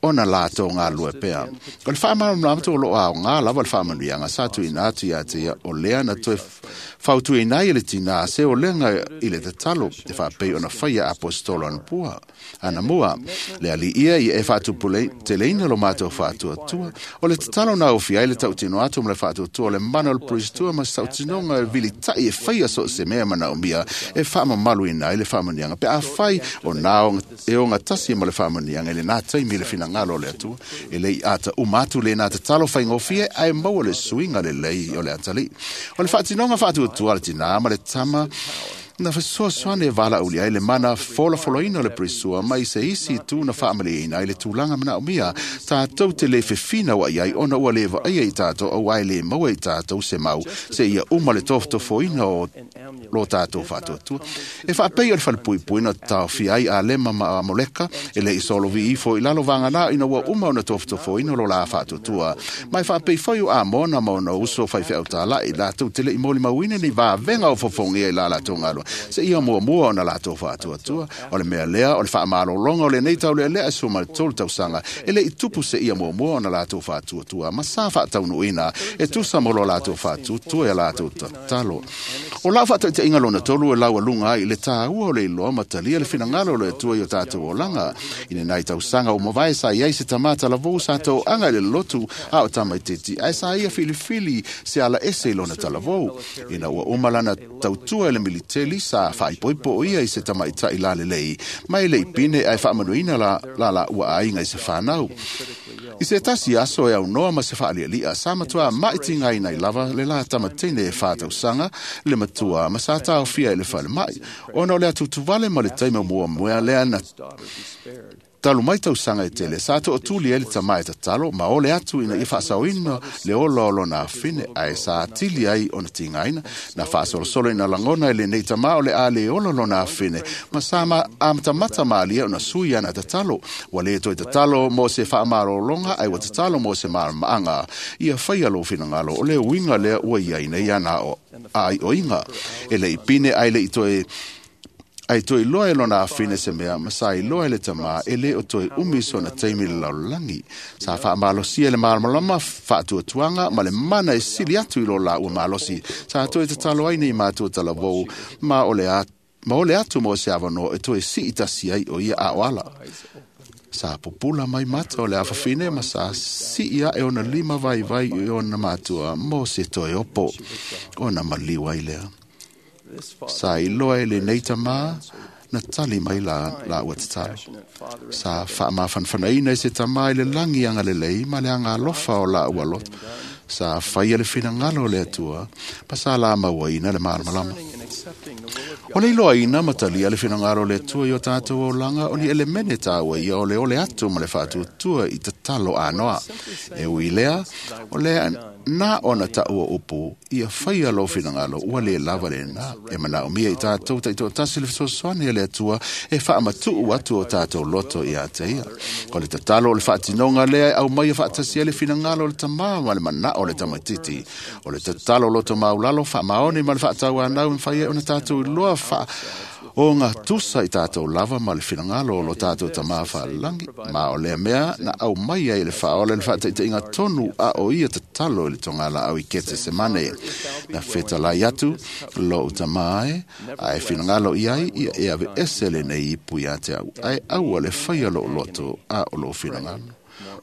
ona latou galulue pea. O le faamalamalama o loo aogā lava le faamanuiaga sa tuuina atu ia te ia, o lea na toe fautuaina ai e le tinā se olega i le tatalo e faapei ona faia aposetolo anamua. Le alii ia e faatuputeleina lo matou faatuatua. O le tatalo na ofia ai le tautino atu ma le faatuatua o le mana o le Peristua ma se tautinoga e vilitai e faia so o se mea manaomia e faamamaluina ai le faamanuiaga pe afai o na e ogatasi ma le faamanuiaga i lenā taimi i le finagalo o le Atua. E lei ata uma atu lenā tatalo faigofie, ae maua le suiga lelei o le atalii. O le faatinoga faatuatua a le tinā ma le tama na fesoasoani e valaaulia ai le mana folafolaina o le Perisua mai se isi itu na faamalieina ai le tulaga manaomia tatou te lē fefinaua'i ai ona ua lē vaaia i tatou auā e lē maua i tatou se mau seia uma le tofotofoina o lo tatou faatuatua. E faapei o le falepuipui na taofia ai Alema ma Amoleka e lē i solovi ifo i lalo vaganā ina ua uma ona tofotofoina lo la faatuatua, ma e faapei foi o Amona ma ona uso faifeau tāla'i latou te le'i molimauina ni vavega o fofogia i la latou galua seia muamua ona latou faatuatua. O le mea lea o le faamalologa o lenei taulealea e 13 tausaga e lei tupu seia muamua ona latou faatuatua ma sa faataunuuina e tusa mo lo latou faatuatua e latou tatalo. O lau faataitaiga lona tolu e laualuga ai i le tāua o le iloa ma talia le finagalo o le Atua i o tatou olaga. I lenai tausaga ua mavae sa i ai se tamā talavou sa toaga i le lotu a o tamaititi, ae sa ia filifili se ala ese i lona talavou. Ina ua uma lana tautua i le militeli, sa faaipoipo o ia i se tamaita'i lalelei ma e lei pine ae faamanuina la laua aiga i se fanau. I se tasi aso e aunoa ma se faalialia, sa matuā maitigaina ai lava le la tamatene e 4 tausaga le matua ma sa taofia i le falema'i ona o le atutuvale ma le taimi muamua lea na talu mai tausaga e tele. Sa tootuli ai le tamā e tatalo ma ole atu ina ia faasaoina le ola o lona afine, ae sa atili ai ona tigaina. Na faasolosolo ina lagona e lenei tamā o le a le ola lona afine, ma sa amatamata malia ona sui ana tatalo. Ua lē toe tatalo mo se faamalologa, ae ua tatalo mo se malamaaga ia faia lou finagalo. O le uiga lea ua iai nei ana aioiga e lei pine, ae lei toe ae toe iloa e lona afine se mea, ma sa iloa e le tamā e lē o toe umi sona taimi i le lalolagi. Sa faamalosia le malamalama faatuatuaga ma le mana e sili atu i lo laua malosi. Sa toe tatalo ai nei matua talavou ma o le atu mo se avanoa e toe sii tasi ai o ia ao ala. Sa pupula mai mata o le afafine ma sa sii ae ona lima vaivai i ona matua mo se toe opo ona maliu ai lea. Sa iloa e lenei tamā na tali mai la ua tatalo. Sa faamafanafanaina e se tamā i le lagi agalelei ma le agalofa o la ua loto. Sa faia le finagalo o le Atua ma sa la mauaina le malamalama. O le iloaina ma talia le finagalo o le Atua i o tatou olaga o ni elemene tāua ia o le ole atu ma le faatuatua i tatalo anoa. E ui lea, o lea na ona taua upu ia faia lou finagalo ua lē lava lenā. E manaomia i tatou taitoatasi le fesoasoani a le Atua e faamatuu atu o tatou loto ia te ia. O le tatalo o le faatinoga lea e aumaia faatasi ai le finagalo o le tamā ma le manao o le tamaititi. O le tatalo loto maulalo faamaoni ma le faatauanau e mafai ai ona ona tātou iloa wha o ngā tusa i tātou lava ma le whinangalo o lo tātou tamā whalangi. Ma o lea mea na au mai ai le whaola le whaataitaiga tonu a o ia tatalo i le tongala au i kete se mane. Na whetalai atu lo utamā e, a e whinangalo i ai ia e ave ese le nei ipu ia te au. Ai aua le whaia lo loto a o lo whinangalo.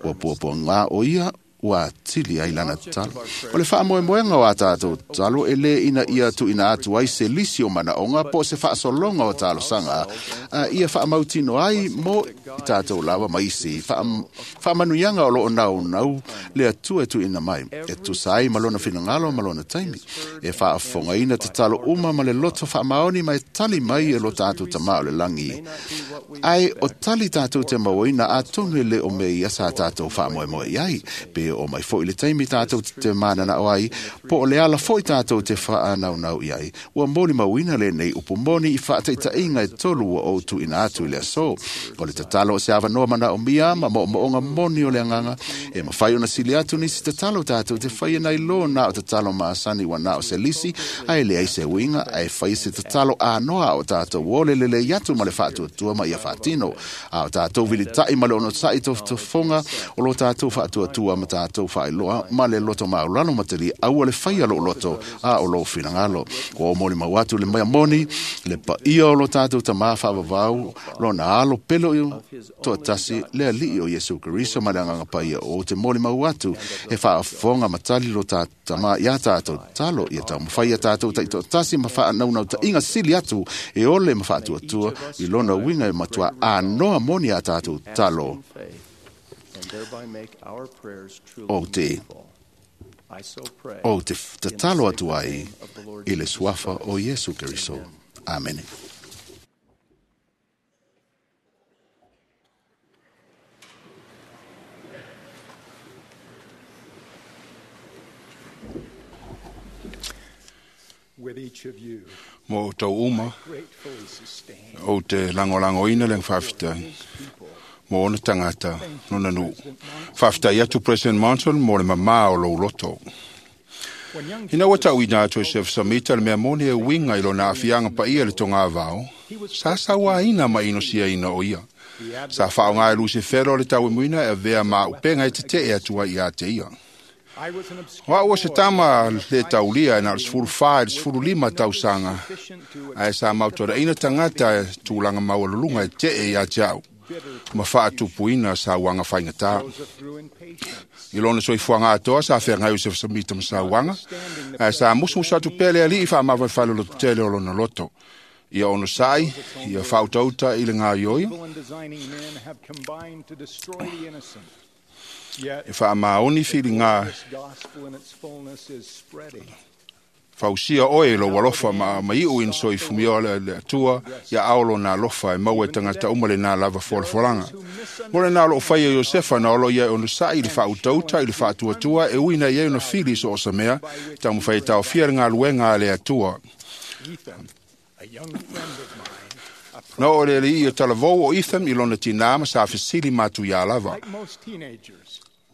Ua puapua ngā o ia ua tili ai lana talo. O le whaamoemoenga o a tātou talo e le ina ia tu ina atu ai se lisi o manaonga po se whaasolonga o talo sanga. A ia whaamautino ai mo i tātou lawa maisi. Whaamanuianga o loo nau nau le atua e tu ina mai. E tusa ai malona whinangalo malona taimi. E whaafonga ina te talo uma ma le loto whaamaoni mai tali mai e lo tātou tamā o le langi. Ai o tali tātou te mauina a tonu e le o me ia sa tātou whaamoemoe ai. Pe o mai foi le taimi tātou te mānana o ai, po o le ala foi tātou te whaanau nau i ai. Ua moli mauina le nei upu moni i whaataitainga e tolu ua o tu ina atu i le aso. O le tatalo o se awanoa mana o mia ma mo moonga moni o le anganga, e mawhai ona sili atu nisi tatalo tātou te whai nei lo nā o tatalo maasani wa nā o se lisi, a e le ai se winga, a e whai se tatalo anoa o tātou o le lele iatu ma le whaatuatua ma ia whaatino. A o tātou vilitai ma le ono tai tofonga o lo tātou whaatuatua ma tātou whailoa ma le loto maulalo matali aua le whaia lo loto a o lo whinangalo. Ko o moli mau atu le mea moni, le pa ia o lo tātou tamā whaavavau, lo na alo pelo i toa tasi le alii o Yesu Keriso ma le anganga paia o te moli mau atu e whaafonga matali lo tama ia tātou talo ia tau mawhai ia tātou tai toa tasi ma whaanaunau ta inga sili atu e ole ma whaatuatua i lona winga e matua anoa moni a tātou talo. O te o te tatalo atu ai i le suafa o Yesu Keriso. Amen. Mo tau uma o te langolango ina le whawhitai mo ona tangata nona nu. Whawhitai atu President Monson mo le mamā o lou loto. Ina ua tau ina atu e Sef Samita le mea moni e winga i lona afianga pa ia le tonga vao, sa saua ina ma ino sia ina o ia. Sa whaonga e Lucy Fero le tau e muina e vea ma upenga e te te e atua i a te ia. Wa ua se tama le taulia e na le sefulu wha e le sefulu lima tausanga. Ae sa mautora ina tangata e tūlanga maualulunga e te e ia te au. Ma whaatupuina sa wanga whaingata. I lona soifuaga atoa sa feagai o Josefa Samita ma sauaga, ae sa musumusu atu pea le alii faamavae lototele o lona loto. Ia onosai, ia faautauta i le gaioia, e faamaoni filiga fausia oe lo alofa ma maiu in soifumia o le Atua ia ao lona alofa e maua e tagata uma lenā lava folafolaga. Mo lenā o loo faia Iosefa na olo ia e onosaʻi i le faautauta i le faatuatua e uina i ai ona fili so o sa mea taumafai e taofia le galuega a le Atua. Na oo le alii o talavou o Ethan i lona tinā ma sa fesili matuiā lava.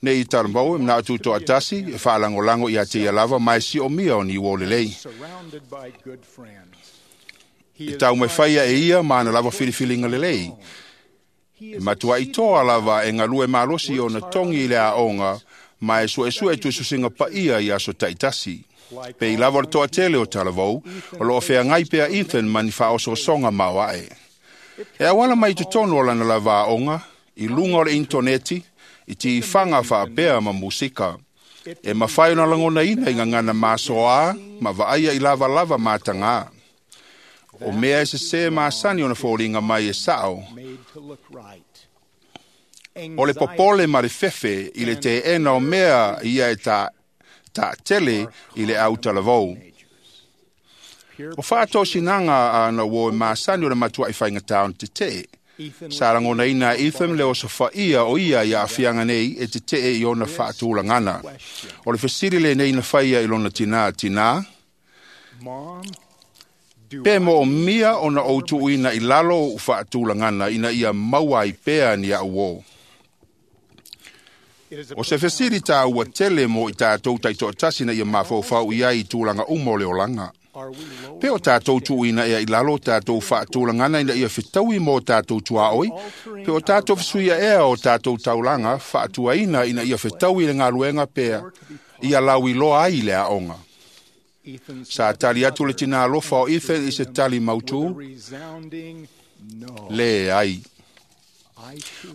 Nei i talamau e mana atu toatasi e faalagolago ia te ia lava ma e siomia o ni uo lelei. E taumafaia e ia ma ana lava filifiliga lelei. E matuaʻitoa lava e galue malosi ona togi i le aoga ma e suesue tususiga paia i aso taʻitasi. Pe i lava o le toatele o talavou, o loo feagai pea Ethan ma ni faaosoosoga maoaʻe. E auala mai totonu o lana lava aoga, i luga o le intoneti, i tifaga faapea ma musika. E mafai ona lagonaina i gagana masoā ma vaaia i lavalava matagā. O mea e sesē masani ona foliga mai e saʻo. O le popole ma le fefe i le teena o mea ia e taatele i le autalavou. O faatosinaga ana ua e masani o le matuaʻi faigatā ona tetee. Sa lagonaina Ethan le osofaia o ia ia afiaga nei e tetee i ona faatulagana. O le fesili lenei na faia i lona tinā tinā, pe mo o mia ona ou tuuina i lalo o faatulagana ina ia maua ai pea ni au o. O se fesili tāua tele mo i tātou taitoatasi na ia mafaufau i ai i tulaga uma o le olaga. Pe o tātou tuuina ea i lalo o tātou faatulagana ina ia fetaui mo tātou tuaoi, pe o tātou fesuia ea o tātou taulaga faatuaina ina ia fetaui le galuega pea ia lauiloa ai le aoga. Sa tali atu le tinā alofa o Ethan i se tali mautū, leai.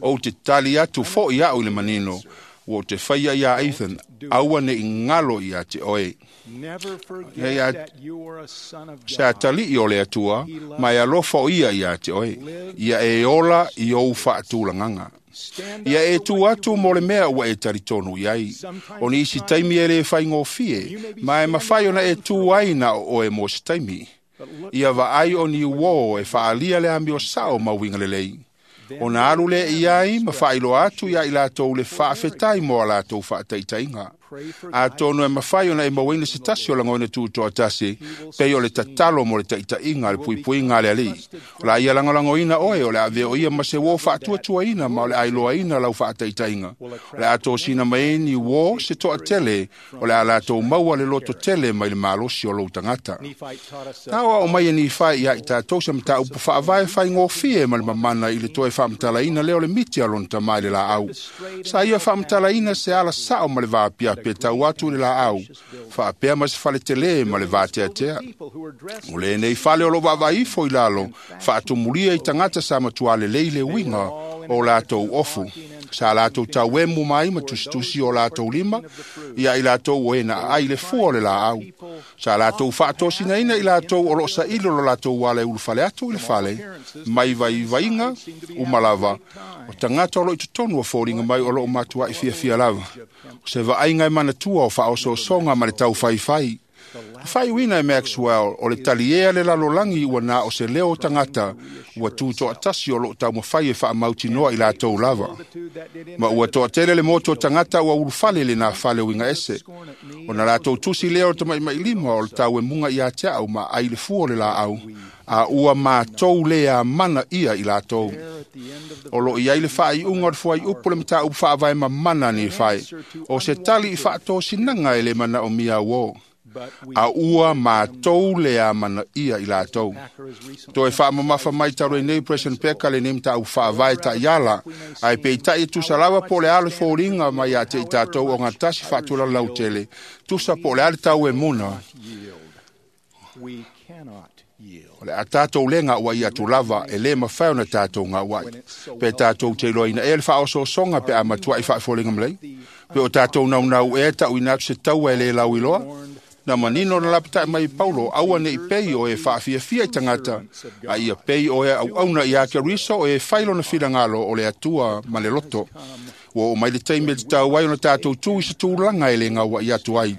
Ou te tali atu fo'i a'u i le manino, ua ou te faia iā Ethan, aua ne'i galo iā te oe. Se atalii o le Atua, ma e alofa o ia iā te oe, ia e ola i ou faatulagaga. Ia e tu atu mo le mea ua e talitonu i ai. O nisi taimi e le faigofie, ma e mafai ona e tu ai na o oe mo se taimi. Ia vaai o ni uō e faaalia le amio sao ma uiga lelei. Ona alu lea i ai ma faailoa atu iā i latou le faafetai mo a latou faataitaiga. Atonu e mafai ona e mauaina se tasi o lagona tutoatasi, pei o le tatalo mo le taitaiga le puipuiga a le Alii. O la ia lagolagoina oe, o le a avea o ia ma se uō faatuatuaina ma o le a iloaina lau faataitaiga. O le a tosina mai ai ni uō se toatele, o le a latou maua le loto tele mai le malosi o lou tagata. Na aoao mai e Nifai iā i tatou se mataupu faavae faigofie ma le mamana i le toe faamatalaina lea o le miti a lona tamā i le laau. Sa ia faamatalaina se ala sao ma le vaapiapi e tau atu i le laau, faapea ma se fale telē ma le vateatea. O lenei fale o loo vaavaai ifo i lalo, faatumulia i tagata sa matuā lelei le uiga o latou ofu. Sa latou tauemu mai ma tusitusi o latou lima ia i latou o e na aai le fua o le laau. Sa latou faatosinaina i latou o loo saili o lo latou ala e ulufale atu i le fale, mai vaivaiga uma lava, o tagata o loo i totonu o foliga mai o loo matuai fiafia lava. O se vaaiga e manatua o faaosoosoga ma le taufaifai. Le faaiuina e Maxwell o le taliea le lalolagi ua na o se leo o tagata ua tutoatasi o loo taumafai e faamautinoa i latou lava. Ma ua toatele le motu o tagata ua ulufale i lenā fale uiga ese. Ona latou tusi lea o le tamatamailima o le tauemuga iā te a'u ma ai le fua o le laau, a ua matou le amana ia i latou. O loo i ai le faaiuga o le fuaiupu le mataupu faavae mamana a Nifai, o se tali i faatosinaga e le manaomia uō. A ua matou le amana ia i latou. Toe faamamafa mai talu ai nei President Peka lenei mataupu faavae taiala, ae peitai e tusa lava po o le a le foliga mai ia te i tatou o gatasi faatulaga lautele, tusa po o le a le tauemuna. O le a tatou le gauai atu lava, e le mafai ona tatou gauai. Pe tatou te iloaina ea le faaosoosoga pe a matuai faafoliga malei. Pe o tatou naunau ea tauina atu se taua e le lauiloa. Na manino na lapatai mai Paulo, aua ne'i pei o e faafiafia i tagata, a ia pei o e auauna iā Keriso o e fai lona finagalo o le Atua ma le loto. Ua oo mai le taimi e tatau ai ona tatou tu i se tulaga e le gauai atu ai.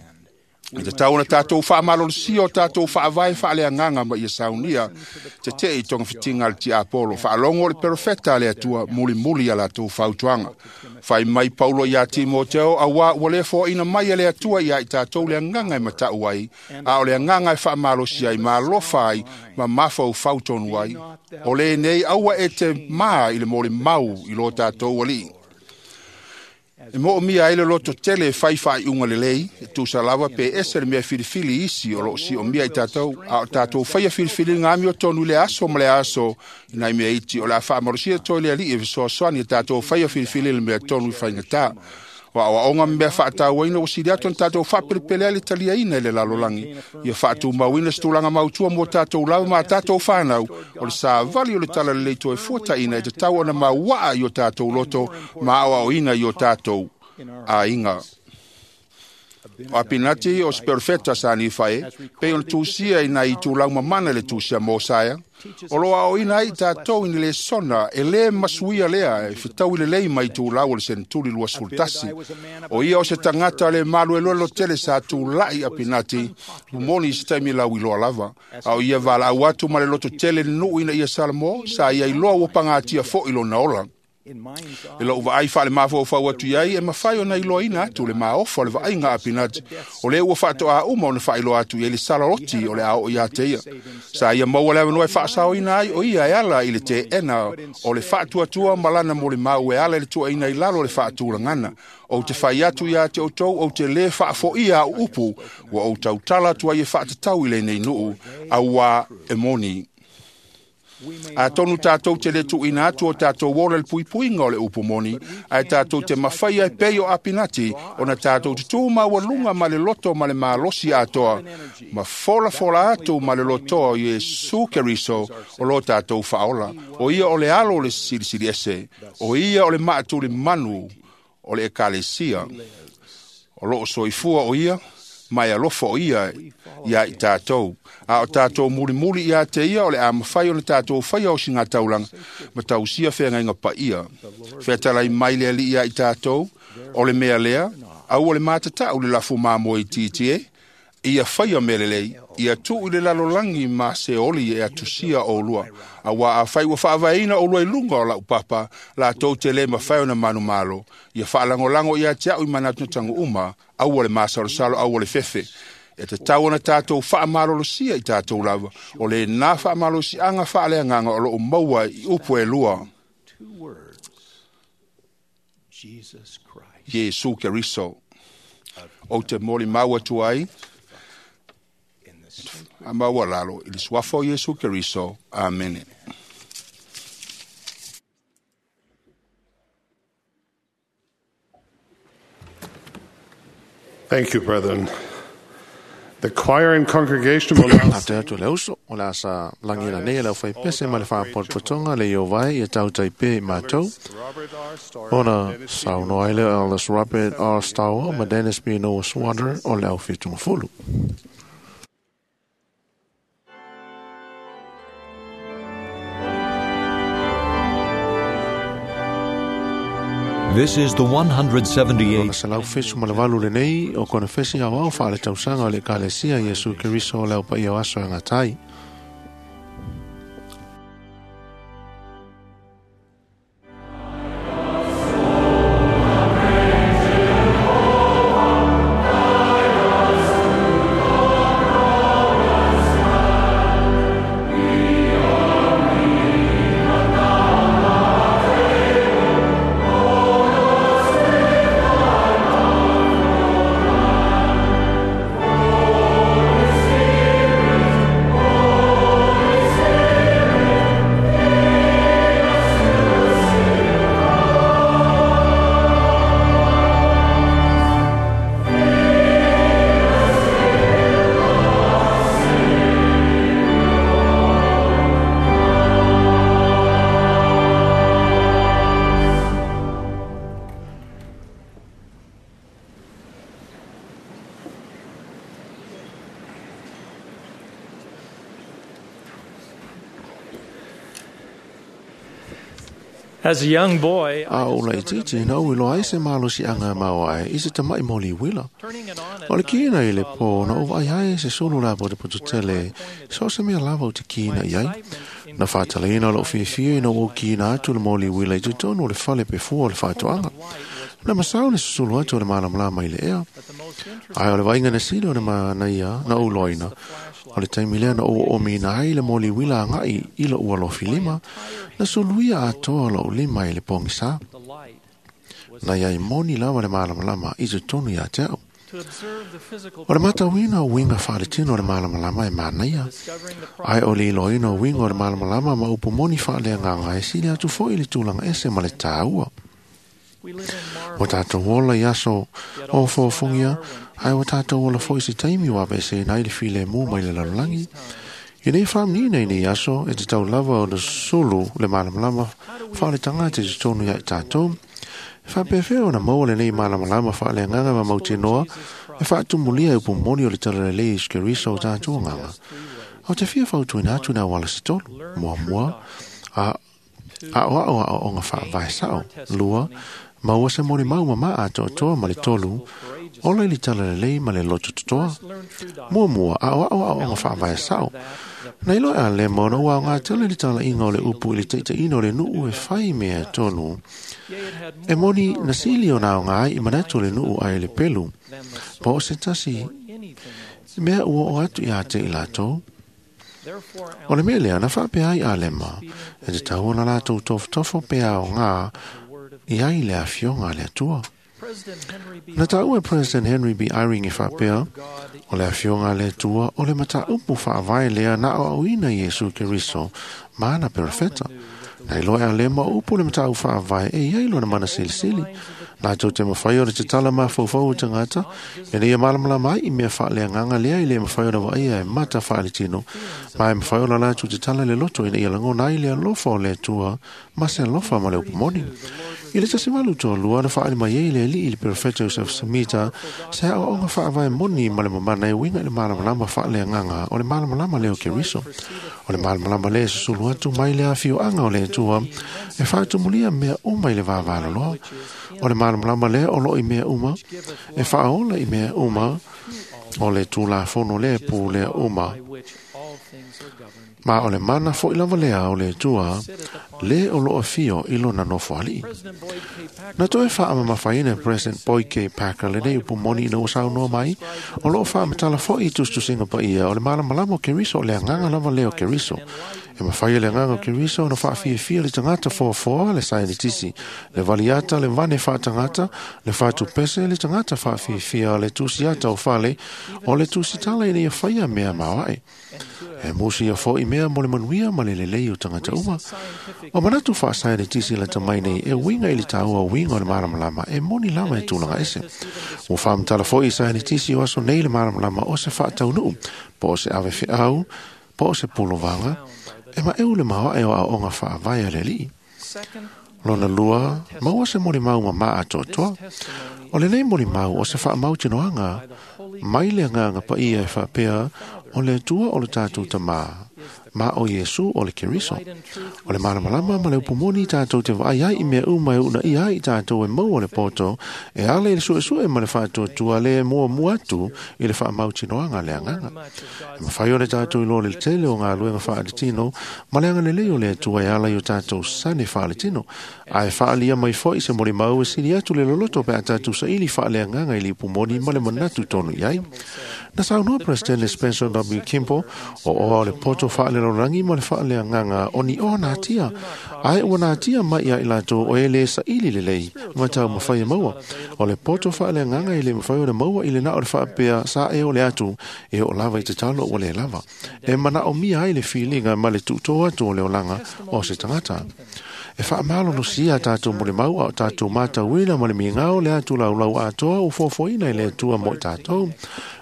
E tatau ona tatou faamalolosia o tatou faavae faaleagaga ma ia saunia tetee i togafitiga a le tiapolo. Faalogo o le perofeta a le Atua mulimuli ia latou fautuaga. Fai mai Paulo iā Timoteo, auā ua le foaina mai e le Atua iā i tatou le agaga e matau ai, a o le agaga e faamalosi ai, ma alofa ai, ma mafaufau tonu ai. O lenei aua e te mā i le molimau i lo tatou Alii. E moomia ai le loto tele e fai faaiuga lelei, e tusa lava pe ese le mea filifili isi o loo siomia i tatou, a o tatou faia filifiliga amiotonu i le aso ma le aso i nai mea iti o le a faamalosia toe le Alii e fesoasoani e tatou faia filifili le mea tonu i faigatā. O aoaoga ma mea faatauaina ua sili atu ona tatou faapelepele ai le taliaina i le lalolagi, ia faatumauina se tulaga mautua mo tatou lava ma tatou fanau, o le savali o le talalelei toe fuataina e tatau ona mauaa i o tatou loto ma aoaoina i o tatou aiga. O Apinati o se perofeta sa Nifae, pei ona tusia i nai itulau mamana i le tusi a Mosaia, o loo aoaoina ai i tatou i ni lesona e lē masuia lea e fetaui lelei mai itulau o le senetuli 21. O ia o se tagata le maluelolo tele sa tula'i Apinati, momoli i se taimi lauiloa lava, a o ia valaau atu ma le loto tele le nuu ina ia Salamo, sa ia iloa ua pagatia fo'i lona ola. E lou vaai faale-mafaufau atu i ai e mafai ona iloaina atu le maofa o le vaaiga a Apinati, o lea ua faatoā uma ona faailoa atu i ai le salaloti o le a oo iā te ia. Sa ia maua le avanoa e faasaoina ai o ia e ala i le teena o le faatuatua ma lana molimau e ala i le tuuaiina i lalo o le faatulagana. Ou te fai atu iā te outou ou te lē faafoia au upu ua ou tautala atu ai e faatatau i lenei nuu, auā e moni. Atonu tātou te le tuuina atu o tātou ola i le puipuiga o le upu moni, ae tātou te mafaia e pei o Apinati ona tātou te tū maualuga ma le loto ma le malosi atoa, ma folafola atu ma le lotoa o Iesu Keriso o lo tātou faaola. O ia o le alo o le Silisili Ese, o ia o le maatulimanu o le Ekalesia. O loo soifua o ia, ma e alofa o ia iā i tātou. A o tātou mulimuli iā te ia o le a mafai ona tātou faia o singa taulaga ma tausia feagaiga paia. Featalai mai le Alii iā i tātou, o le mea lea, aua le matatau le lafu mamoe itiiti e, ia faia mea lelei, ia tuu i le lalolagi ma se oli e atusia oulua. Auā afai ua faavaeina oulua i luga o lau papa, latou te lē mafai ona manumalo. Ia faalagolago ia te au i manatunataga uma, aua le masalosalo, aua le fefe. E tatau ona tātou faamalolosia i tātou lava, o lenā faamalosiaga faaleagaga o loo maua i upu e lua. Iesu Keriso. Ou te molimau atu ai, a maualalo i le suafa o Iesu Keriso. Amene. Thank you, brethren. The choir and congregation will now Ate atu le uso, o le asa lagi nei le au pese ma le whaapotopotonga le i o vai i tau taipe i mātou. Ona saunoa ai le Elders Robert R. Stower ma Dennis B. Noah Swander o le au whitungafulu. This is the 178th Ona se lau fesu ma le valu lenei o kona fesi au au whaale tausaga o le Ekalesia Iesu Keriso o le au paia o aso e ngatai. As a young boy, A o la itiiti na ui loa ai se malosiaga maoae i se tama'i moli uila. O le kina i le pō na o vaai ai se sulu la po te poto tele, so se mea lava o te kina i ai. Na whātalaina o loo fiafia ina o kina atu le moli uila i te tonu o le fale pe fua o le whaatoanga. Na masao le susulu atu o le malamalama i le ea. Ai o le vainga na sila o le manaia na o loina. O le taimi lea na o o mina ai le moli uila ngai i lo ua lofi lima, na suluia atoa lo lima i le pongisa. Na iai moni lava le malamalama i te tonu ia te au. O le matauina o winga whaaletino o le malamalama e manaia. Ai o le iloina o winga o le malamalama ma upu moni whaalea nganga e sili atu foi i le tulaga ese ma le tāua. O tātou ola i aso o fōfongia, ai o tātou ola foi se taimi wa vese nai le file mō mai le lalolagi. I nei whamnina i nei aso, e te tau lava o le sulu le malamalama whaale tangata te tonu ia i tātou. E whapewhea o na maua le nei malamalama whaale nganga ma mautinoa, e whaatumulia e upumoni o le talalelei i skeriso o tātou nganga. O te fia whautuina atu nā wala se tolu, mua mua, a a o a o nga whaavae sao, lua, maua se moni mau ma maa toa toa ma le tolu, Ola i le tala lelei ma le loto totoa. Muamua, aoao aoaoga faavae sao. Na iloa e Alema ona ua aoga tele le talaiga o le upu i le taitaiina o le nuu e fai mea tonu. E moni na sili ona aoga ai i manatu o le nuu ae le pelu. Po o se tasi mea ua oo atu ia te i latou. O le mea lea na faapea ai Alema, e tatau ona latou tofotofo pe aoga i ai le afioga a le Atua. Na taua e President Henry B. Eyring e faapea, o le afioga a le Atua o le mataupu faavae lea na aoaoina Iesu Keriso ma ana perofeta. Na iloa e Alema o upu le mataupu faavae e i ai lona mana silisili. Latou te mafai ona tatala mafaufau o tagata, ina ia malamalama ai i mea faaleagaga lea e le mafai ona vaaia e mata faaletino, ma e mafai ona latou tatala le loto ina ia lagona ai le alofa o le Atua ma se alofa ma le upu moni. I le 1832 na faaali mai ai le alii i le perofeta Joseph Smita se aoaoga faavae moni ma le mamana e uiga i le malamalama faaleagaga o le malamalama lea o Keriso. O le malamalama lea e susulu atu mai le afioaga o le Atua e faatumulia mea uma i le vavaloloa. O le malamalama lea o loo i mea uma, e faaola i mea uma, o le Tulafono lea e pulea uma. Ma o le mana foi lava lea o le Atua, le o loo afio i lona nofo alii. Na toe faamamafaina e President Boyd K. Packer lenei upu moni ina ua saunoa mai, o loo faamatala foi i tusitusiga paia o le malamalama o Keriso o le agaga lava lea o Keriso. E mafai e le agaga o Keriso ona faafiafia le tagata foafoa, le saienitisi, le valiata, le vane faatagata, le faatupese, le tagata faafiafia, le tusiata o fale, o le tusitala ina ia faia mea maoae. E musi ia foi mea mo le manuia ma le lelei o tagata uma. O manatu faasaienitisi lata mai nei e uiga i le taua uiga o le malamalama e moni lava e tulaga ese. Ua faamatala foi i saienitisi o aso nei le malamalama o se faataunuu, po o se avefeau, po o se pulovaga, e maeu le maoae o aoaoga faavae a le alii. Lona lua, maua se molimau mamaa atoatoa. O lenei molimau o se faamautinoaga mai le agaga paia e faapea o le Atua o le tatou Tamā, ma o Iesu o le Keriso. O le malamalama ma le upu moni tatou te vaai ai i mea uma e uunaia ai i tatou e maua le poto, e ala i le suesue ma le faatuatua le muamua atu i le faamautinoaga a le agaga. E mafai ona tatou iloa le tele o galuega faaletino ma le agalelei o le Atua e ala i o tatou sane faaletino. Ae faaalia mai foi se molimau e sili atu le loloto pe a tatou saili faaleagaga i le upu moni ma le manatu tonu i ai. Na saunoa President Spencer W. Kimball o oa o le poto faalelolagi ma le faaleagaga o ni oa natia, ae ua natia mai ia i latou o e le saili lelei ma taumafai e maua. O le poto faaleagaga e le mafai ona maua i le na o le faapea sa e o le atu e oo lava i tatalo ua le lava. E manaomia ai le filiga ma le tuutō atu o le olaga o se tagata. E faamalolosia tatou molimau a o tatou matauina ma le migao le atu laulau atoa ua foafoaina i le Atua mo i tatou.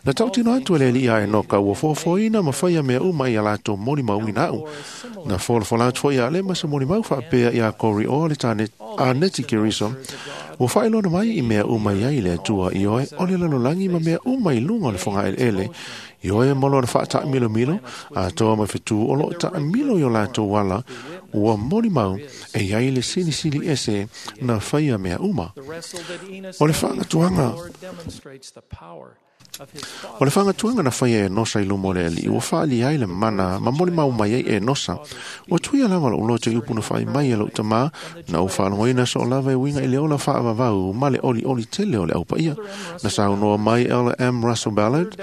Na tautino atu e le alii a Enoka ua foafoaina ma faia mea uma i a latou molimauina au. Na folafola atu foi ia Alema se molimau faapea ia Kori o le tane a Neti Keriso. Ua faailoa mai i mea uma i ai le Atua i oe o le lalolagi ma mea uma i luga o le fogaeleele. I oe ma lona faataamilomilo, atoa ma fetu o loo taamilo i o latou ala, ua molimau e i ai le silisili ese na faia mea uma. O le faagatuaga O le faagatuaga na faia e Enosa i luma o le alii, ua faaali ai le mana ma molimau mai ai e Enosa. Ua tuia lava lou loto i upu na fai mai e lou tamā, na ou faalogoina soo lava e uiga i le ola faavavau ma le olioli tele o le aupaia. Na saunoa mai Ella M. Russell Ballard,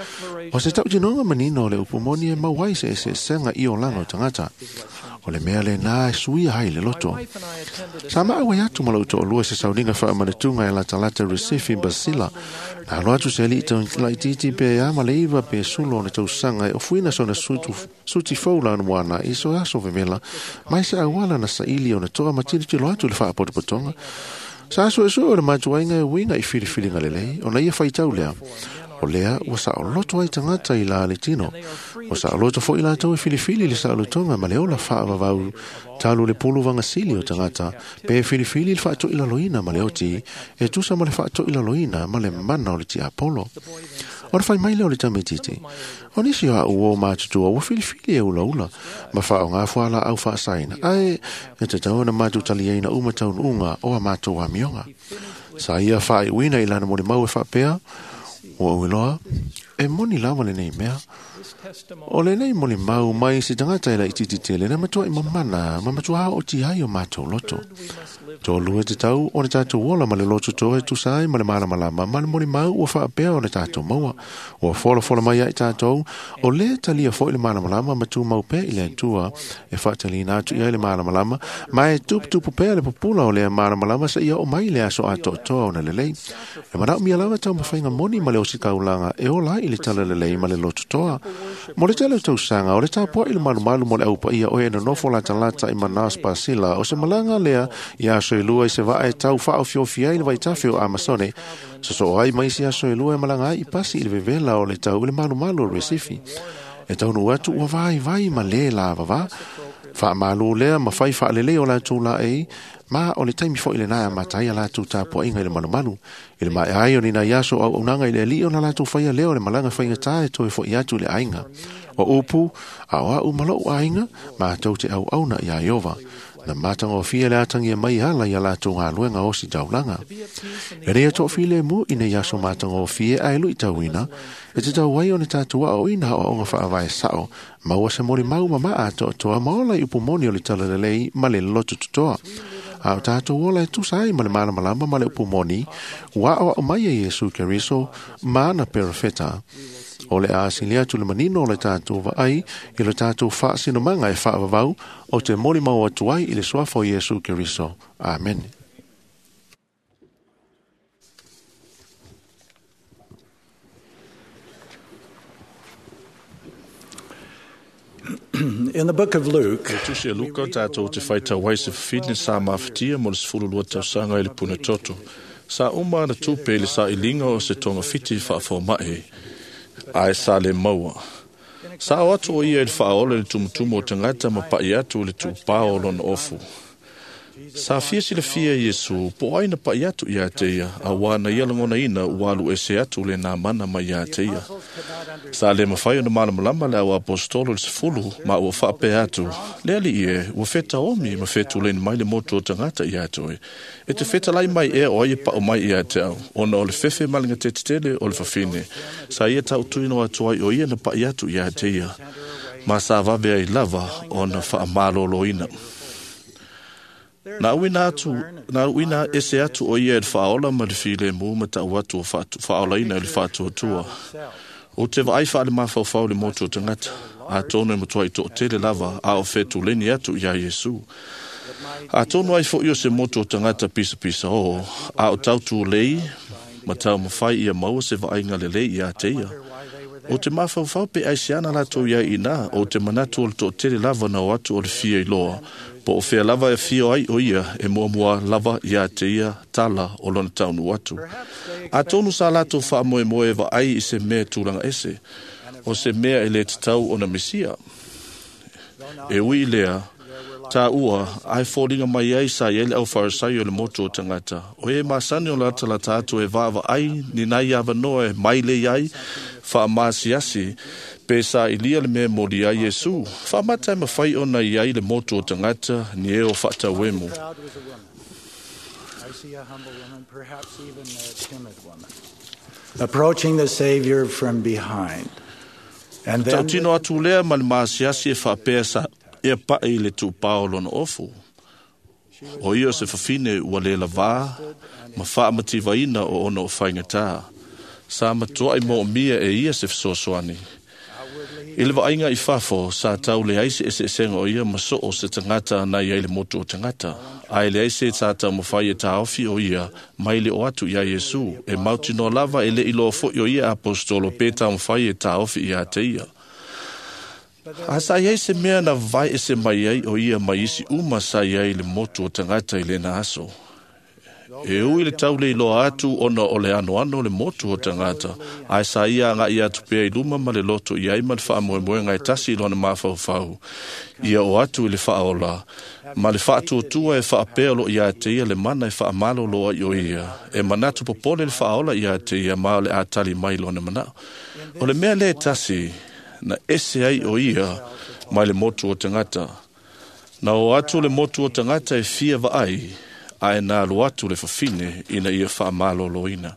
o se tautinoga manino o le upu moni e mau ai se eseesega i olaga o tagata. O le mea lenā e suia ai le loto. Sa maau ai atu ma lou toalua se sauniga faamanatuga e latalata Recife Basila. Na alo atu se alii laitiiti pe ia ma le 9 pe 10 ona tausaga e ofuina sona suti fou lana moana i so aso vevela, mai se auala na saili ona toa ma tilotilo atu i le faapotopotoga. Sa suesue o le matuaiga e uiga i filifiliga lelei, ona ia faitau lea. O lea ua saoloto ai tagata i la le tino. Ua saoloto foi latou e filifili le saolotoga ma le ola faavavau talu le pulu vagasili o tagata, pe filifili le faatoilaloina ma le oti, e tusa ma le faatoilaloina ma le mana o le tiapolo. O le fai mai lea o le tamaitiiti. O nisi o au o matutua ua filifili e ulaula, ma faaaoga fualaau faasaina, ae e tatau ona matou taliaina uma taunuuga o a matou amioga. Sa ia faaiuina i lana molimau e faapea, Ua uiloa, e moni lava lenei mea. O lenei molimau mai se tagata e laitiiti tele na matuai mamana ma matua aooti ai o matou loto. Tolu e tatau ona tatou ola ma le loto toa e tusa ai ma le malamalama ma le molimau ua faapea ona tatou maua. Ua folafola mai ai tatou, o lea talia foi le malamalama ma tumau pea i le Atua e faatalina atu i ai le malamalama, ma e tuputupu pea le pupula o lea malamalama seia oo mai le aso atoatoa ona lelei. E manaomia lava taumafaiga moni ma le ositaulaga e ola ai i le talalelei ma le loto toa. Mo le tele o tausaga, o le tapuai le malumalu mo le aupaia o e nonofo latalata i Manaus Pasila, o se malaga lea i aso e lua i se vaa e tau faaofiofia ai le vaitafe o Amasone. Sosoo ai ma isi aso e lua e malaga ai i pasi i le vevela o le tau i le malumalu o Recife. E taunuu atu ua vaivai ma lē lavavā. Faamālū lea ma fai faalelei o latou laei, ma o le taimi foi lenā e amata ai a latou tapuaiga i le malumalu. I le maea ai o ni nai aso o auaunaga i le alii ona latou faia lea o le malaga faigata e toe fo'i atu i le aiga. O upu, a o a'u ma lo'u aiga, matou te auauna iā Ieova. Na matagofie le atagia mai ala i a latou galuega osi taulaga. E lei toafilemu i nei aso matagofie ae luitauina, e tatau ai ona tatou aoaoina aoaoga faavae sao, maua se molimau mamaa atoatoa ma ola i upu moni o le talalelei ma le loto totoa. A o tatou ola e tusa ai ma le malamalama ma le upu moni, ua aoao mai e Iesu Keriso ma ana perofeta. O le a asili atu le manino o le tatou vaai i le tatou faasinomaga e faavavau o te molimau atu ai i le suafa o Iesu Keriso. Amene. In the book of Luke, Le tusi e Luka tatou te faitau ai se fafine sa mafatia mo le 12 tausaga i le puna toto. Sa uma ana tupe i le sailiga o se togafiti faafomai, ae sa le maua. Sa o atu o ia i le faaola i le tumutumu o tagata ma pa'i atu i le tuupā o lona ofu. Sa fia silafia Iesu po o ai na pa'i atu iā te ia, auā na ia lagonaina ua alu ese atu lenā mana mai iā te ia. Sa le mafai ona malamalama le au aposetolo i le 10 ma ua faapea atu, le alii e, ua fetaomi ma fetuleni mai le motu o tagata iā te oe. E te fetalai mai ea o ai e pa'u mai iā te au, ona o le fefe ma le gatetetele o le fafine. Sa ia tautuino atu ai o ia na pa'i atu iā te ia, ma sa vave ai lava ona faamalōlōina. Na uina atu, na uina ese atu o ia e le faaola ma le filemu ma ta'u atu o faaolaina i le faatuatua. O te vaai faalemafaufau le motu o tagata, atonu e matuai to'atele lava a o fetuleni atu iā Iesu. Atonu ai fo'i o se motu o tagata pisapisa oo, a o tautulei ma taumafai ia maua se vaaiga lelei iā te ia. O te mafaufau pe aisiana latou iai inā, o te manatu o le to'atele lava na o atu o le fia iloa, po o fea lava e fio ai o ia e muamua lava iā te ia tala o lona taunuu atu. Atonu sa latou faamoemoe e vaai i se mea tulaga ese, o se mea e lē tatau ona misia. E ui i lea, tāua, ae foliga mai ai sa i ai le aufarisai o le motu o tagata. O e masani o latalata atu e vaavaai ni nai avanoa e mailei ai, faamasiasi, pe sa ilia le mea moli ai Iesu. Faamata e mafai ona i ai le motu o tagata ni e o faatauemu. crowd was a woman. I see a humble woman, perhaps even a timid woman, approaching the Savior from behind. And then Tautino atu lea ma le masiasi e faapea sa ia pa'i i le tuupā o lona ofu. O ia o se fafine ua le lavā ma faamativaina o ona o faigatā. Sa matuai moomia e ia se fesoasoani. I le vaaiga i fafo, sa tau leai se eseesega o ia ma soo se tagata na i ai le motu o tagata. Ae leai se sa taumafai e taofi o ia mai le o atu iā Iesu, e mautinoa lava e le iloa fo'i o ia aposetolo pe taumafai e taofi iā te ia. A sa i ai se mea na vae ese mai ai o ia mai isi uma sa i ai le motu o tagata i lena aso. E ui le tau le iloa atu ona o le anoano le motu o tagata, ae sa ia aga'i atu pea i luma ma le loto i ai ma le faamoemoega e tasi i lona mafaufau. Ia o atu i le faaola, ma le faatuatua e faapea o loo iā te ia le mana e faamalōlō ai o ia. E manatu popole le faaola iā te ia ma o le a tali mai lona manao. O le mea lea e tasi, na ese ai o ia mai le motu o tagata. Na o atu le motu o tagata e fia vaai, ae na alu atu le fafine ina ia faamalōlōina.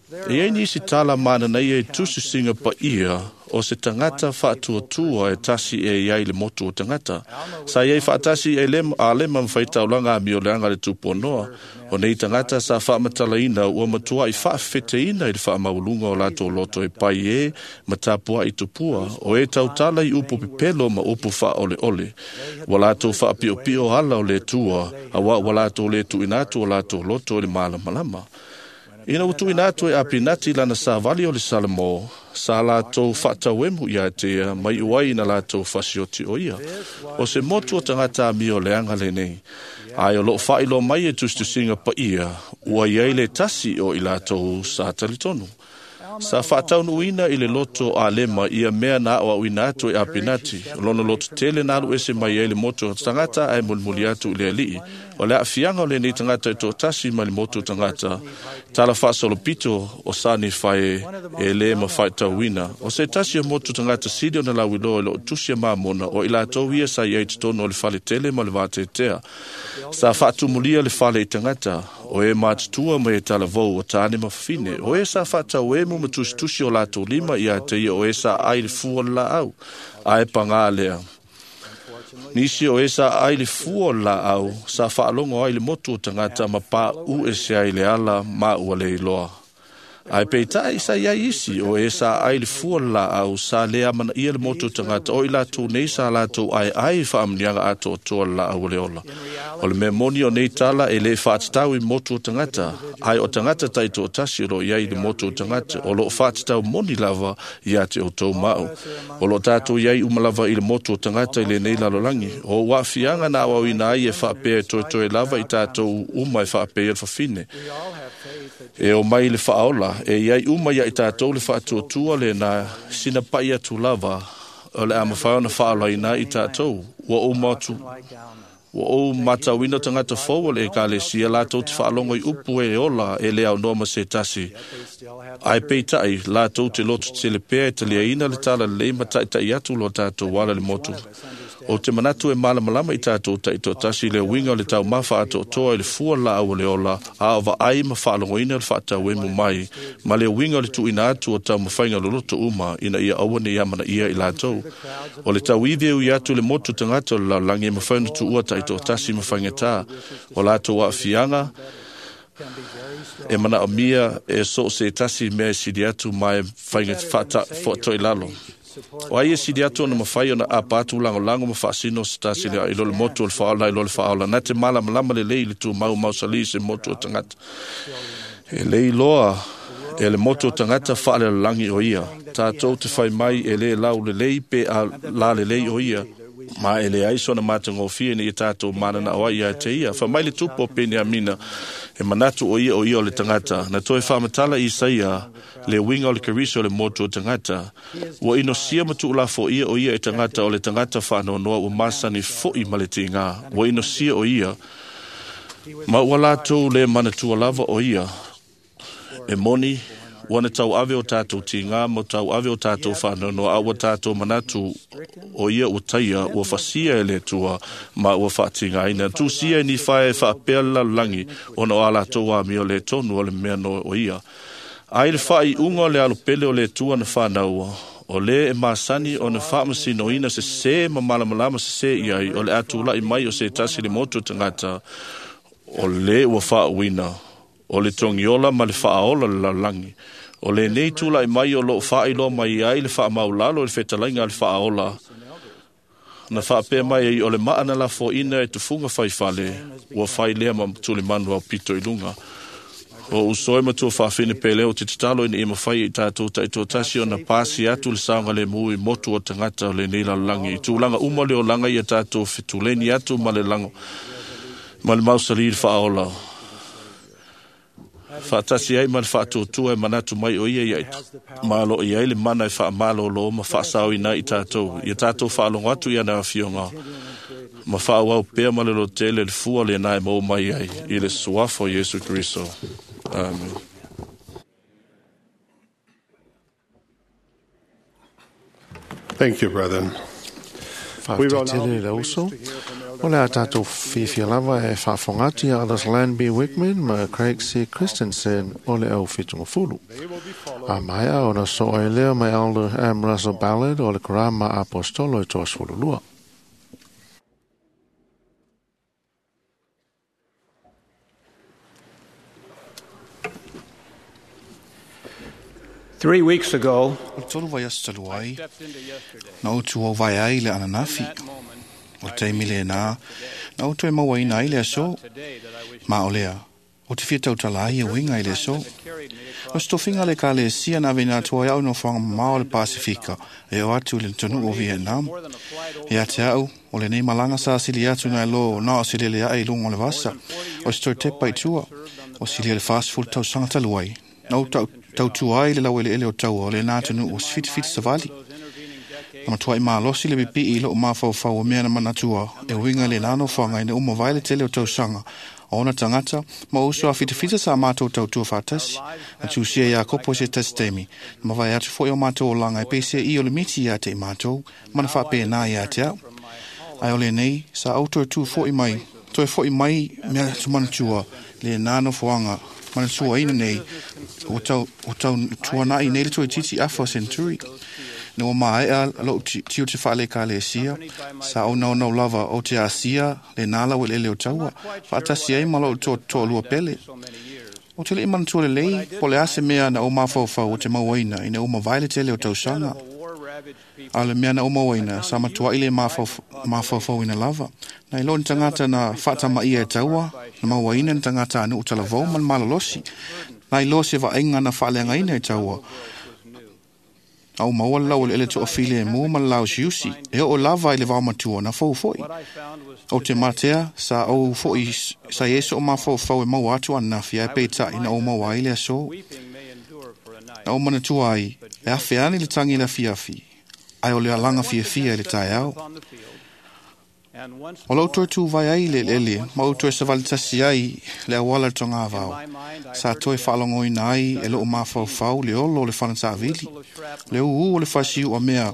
E iai nisi tala mananaia i tusisiga paia o se tagata faatuatua e tasi e iai le motu o tagata. Sa iai faatasi e Alema ma faitaulaga amioleaga le tupuonoa. O nei tagata sa faamatalaina ua matuai faafefeteina i le faamaualuga o latou loto e pai e ma tapuai tupua, o e tautala i upu pepelo ma upu faaoleole. Ua latou faapiopio ala o le Atua, auā ua latou lē tuuina atu o latou loto i le malamalama. Ina ua tuuina atu e Apinati lana savali o le Salamo, sa latou faatauemu ia te ia ma iu ai ina latou fasioti o ia. O se motu o tagata amioleaga lenei. Ae o loo faailoa mai e tusitusiga paia, ua iai le tasi o i latou sa talitonu. Sa faataunuuina i le loto Alema ia mea na aoaoina atu e Apinati, o lona loto tele na alu ese mai ai le motu o tagata ae mulimuli atu i le alii. O le aafiaga o lenei tagata e toatasi mai le motu o tagata, tala faasolopito o sa Nifae e lē mafaitauina. O se tasi o motu tagata sili ona lauiloa i loo tusi a Mamona, o i latou ia sa iai totonu o le faletele ma le vateatea. Sa faatumulia le fale i tagata, o e matutua ma e talavou o tane ma fafine, o e sa faatauemu ma tusitusi o latou lima ia te ia o e sa ai le fua o le laau, ae pagā lea. Nisi o e sa ai le fua o le laau, sa faalogo ai le motu o tagata ma paū ese ai le ala ma ua le iloa. Ae peitai sa iai isi o e sa ai le fua o le laau sa lē amanaia le motu o tagata, o i latou nei sa latou aeae i faamuniaga atoatoa le laau o le ola. O le mea moni o nei tala e lē faatatau i motu o tagata, ae o tagata taitoatasi o loo iai i le motu o tagata, o loo faatatau moni lava ia te outou ma au. O loo tatou iai uma lava i le motu o tagata i lenei lalolagi. O ou aafiaga na aoaoina ai e faapea e toetoe lava i tatou uma e faapea le fafine. E o mai le faaola, e iai uma ia i tatou le faatuatua lena sina pai atu lava o le a mafai ona faaolaina i tatou. Ua ou matauina tagata fou o le ekalesia latou te faalogo i upu e ola e le aunoa ma se tasi. Ae peitai latou te loto tele pea e taliaina le tala lelei ma taʻitaʻi atu lo tatou ala le motu. O te manatu e malamalama i tatou taitoatasi le uiga o le taumafa atoatoa i le fua laau o le ola, a o vaai ma faalogoina le faatauemu mai, ma le uiga o le tuuina atu o taumafaiga loloto uma ina ia aua ne i amanaia i latou. O le tauivi e ui atu le motu tagata o le lalolagi e mafai ona tuua taitoatasi ma faigatā. O latou aafiaga e manaomia e so o se tasi mea e sili atu ma e faiga faatoilalo. O ai e sili atu ona mafai ona apa atu lagolago ma faasino se tasi i lo le motu o le faaola i lo le faaola. Na te malamalama lelei i le tumau mausali se motu o tagata. E le iloa e le motu o tagata faalelalagi o ia. Tatou te fai mai e le lau lelei pe a la lelei o ia. Ma e leai sona matagofie ina ia tatou mananao ai ia te ia. Faamai le tupu o Peniamina, e manatu o ia o ia o le tagata. Na toe faamatala Isaia le uiga o le Keriso o le motu o tagata. Ua inosia ma tuulafoia o ia e tagata o le tagata faanoanoa ua masani foʻi ma le tigā. Ua inosia o ia, ma ua latou le manatua lava o ia. E moni, ua na tauave o tatou tigā ma tauave o tatou faanoanoa, a ua tatou manatu o ia ua taia, ua fasia e le Atua ma ua faatigaina. Tusia e Nifae e faapea le lalolagi ona o a latou amio le tonu o le mea no o ia. Ai le faaiuga o le alopele o le Atua na fanaua, o lē e masani ona faamasinoina sesē ma malamalama sesē i ai, o le a tulaʻi mai o se tasi le motu o tagata, o lē ua faauuina, o le togiola ma le faaola le lalolagi. O lenei tulaʻi mai o loo faailoa mai ai le faamaulalo i le fetalaiga a le faaola, na faapea mai ai o le maa na lafoaina e tufuga faifale, ua fai lea ma tulimanu aupito i luga. O uso e matua faafine pele o te tatalo ina ia mafai i tatou taitoatasi ona pasi atu le saogalemu i motu o tagata o lenei lalolagi. I tulaga uma le olaga ia tatou fetuleni atu ma le lago ma le mausali i le faaola. Faatasi ai ma le faatuatua e manatu mai o ia ia malo i ai le mana e faamalōlō ma faasaoina i tatou. Ia tatou faalogo atu i ana afioga ma faaauau pea ma le lotele le fua lena e maua mai ai i le suafa o Iesu Keriso. Amen. Thank you, brethren. We Faafetai will now tele be le pleased uso. to hear from O le a tātou fiafia lava e faafofoga atu ia Elders Lan B. Wickman ma Craig C. Christensen o le au fitugafulu. A maea ona soo ai lea mai Elder M. Russell Ballard o le Karama Apostolo e 32. 3 weeks ago, O le tolu vaiaso talu ai, na ou tuau vae ai le ananafi. O le taimi lena, na ou toe mauaina ai le aso. Ma o lea, o te fia tautala ai e uiga i le aso. O se tofiga le Ekalesia na aveina atu ai au i nofoaga mamao o le Pasifika e oo atu i le atunuu o Vietnam. Ia te au, o lenei malaga sa sili atu nai lo na o se lele ae i luga o le vasa, o se toe tepa i tua, o silia le 40 tausaga talu ai. Na ou tautua ai le laueleele o taua o lena atunuu o se fitifiti savali. Na matuai malosi le pipii i loo mafaufau o mea na manatua e uiga i lena nofoaga ina uma vae le tele o tausaga o ona tagata ma uso a fitafita sa matou tautua faatasi. Na tusia ia Kopo se tasi taimi, na mavae atu foi o matou olaga e peisia i o le miti ia te i matou, ma na faapena ia te au. Ae o lenei, sa ou toe tu foi mai, toe foi mai mea tumanatua lena nofoaga manatuaina nei ua tautuana'i nei le toeitiiti afa o Century. Na ua maea lou tiute faale-Ekalesia, sa ou naunau lava ou te asia lena laueleele o taua, faatasi ai ma lou toalua pele. Ou te le'i manatua lelei po o le a se mea na ou mafaufau ou te mauaina ina ua mavae le tele o tausaga. A o le mea na ou mauaina, sa matua'i le mafaufauina lava. Na iloa ni tagata na faatamaia e taua, na mauaina ni tagata a nuu talavou ma le malolosi. Na iloa se vaaiga na faaleagaina e taua. A ou maua le laueleele toafilemu ma le laosiusi, e oo lava i le vaomatua na fou foi. Ou te matea sa ou foi sa i ai so'u mafaufau e maua atu ananafi ae peitai na ou maua ai le aso. Na ou manatua ai, e afe ane le tagi i le afiafi, ae o le alaga fiafia i le taeao. O lou toe tuvae ai i le eleele ma ou toe savali tasi ai le auala i le togavao, sa toe faalogoina ai e loo mafaufau le olo o le fanatavili, le ūū o le fasiu'a mea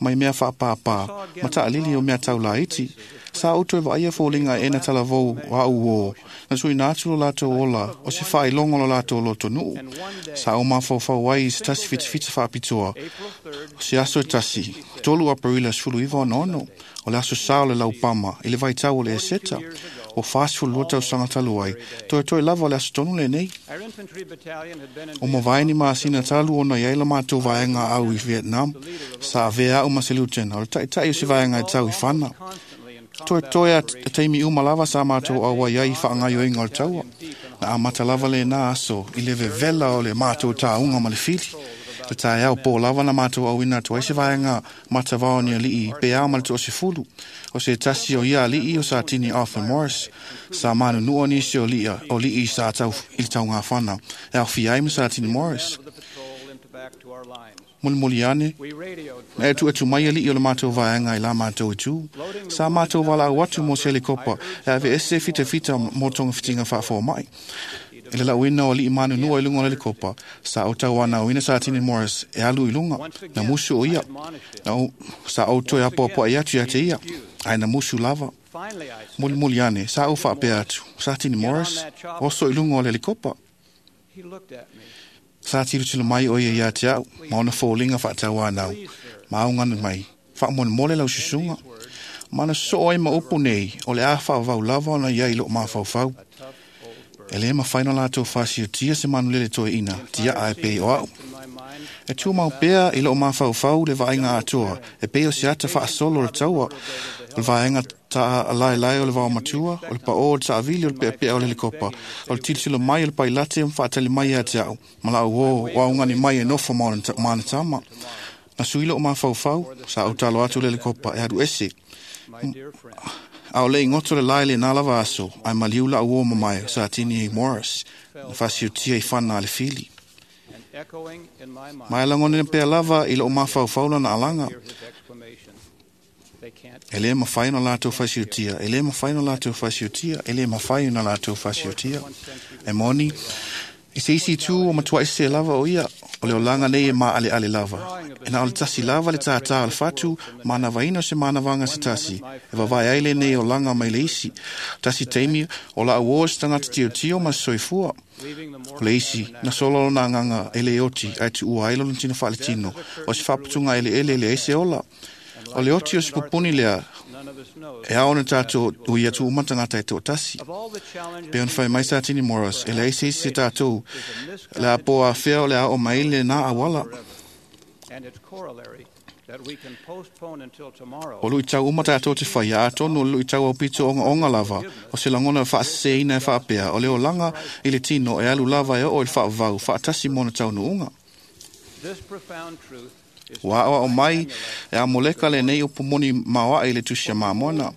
mai mea faapāpā ma taʻalili o mea taulaiti. Sa ou toe vaaia foliga e ena talavou a'u uō, na tuuina atu lo latou ola o se faailoga o lo latou lotonuu. Sa ou mafaufau ai i se tasi fitifiti faapitoa, o se aso e tasi, 3 Aperila 1966, o le aso sa o le laupama i le vaitau o le Eseta, o 42 tausaga talu ai, toetoe lava o le aso tonu lenei. O mavae ni masina talu ona i ai la matou vaega au i Vietnam, sa avea a'u ma se liutena o le taʻitaʻi o se vaega e tau i Fana. Toetoe a taimi uma lava sa matou auai ai i faagaoioiga o le taua. Na amata lava lena aso i le vevela o le matou tāuga ma le fili. Le taeao pō lava na matou auina atu ai se vaega matavao ni ali'i pe a ma le toasefulu. O se tasi o ia ali'i o Satini Arthur Morris, sa manunua nisi o li'i sa tau i le taugafana e aofia ai ma Satini Morris. Mulimuli ane, na e tuʻu mai aliʻi o le matou vaega i la matou i tū. Sa matou valaau atu mo se helikopa e ave ese fitafita mo togafitiga faafoamaʻi. I le lauina o aliʻi manunua i luga o le helikopa, sa ou tauanauina Satini Morris e alu i luga, na musu o ia. Na sa ou toe apoapoaʻi atu ia te ia, ae na musu lava. Mulimuli ane, sa ou faapea atu, Satini Morris, oso i luga o le helikopa. Sa tilotilo mai o ia ia te au, ma ona foliga faatauanau, ma augani mai, faamolemole lau susuga. Ma na sosoo ai ma upu nei, o le a faavavau lava ona ia i loo mafaufau. E lē mafai ona latou faasiotia se manulele toeʻina, tiaa e pei o a'u. E tumau pea i loo mafaufau le vaaiga atoa, e pei o se ata faasolo o le taua, o le vaega taalaelae o le vaomatua, o le paʻō o le taavili o le peapea o le helikopa, o le tilotilo mai o le pailate ma faatali mai ia te a'u, ma la'u ō o augani mai e nofo ma ona tama. Na sui loo mafaufau, sa ou talo atu le helikopa e alu ese. A o le i goto le lae lenā lava aso, ae maliu la'u ō mamae o Satini Morris, na faasiotia i fana a le fili. Ma e lagona pea lava i loo mafaufau lana alaga. E lē mafai ona latou fasiotia, e lē mafai ona latou fasiotia, e lē mafai ona latou fasiotia. E moni, I se isi itu o matua i se lava o ia, o le olaga nei e maaleale lava. E na o le tasi lava le tātā o le fatu, manavaina o se manavaga se tasi, e vavae ai lenei olaga mai le isi. Tasi taimi o la uo se tagata tiotio ma se soifua. O le isi, na solo lona agaga e le oti, ae tuua ai lona tino faaletino, o se faaputuga eleele e leai se ola. O le oti o se pupuni lea, e ao ona tātou ui atu uma tagata e toatasi. Pe ona fai mai Satini Morris, e leai se isi se tātou, le a po afea o le a o mai le nā awala. O lui tau uma tātou te whai, a tonu o lui tau au pito onga onga lava, o se langona e whaaseseina e whaapea, o le olaga i le tino e alu lava e o i le whaavau, whaatasi mona tau nuunga. Ua awa o mai e a moleka le nei upu moni maoa i le tusi a mamona.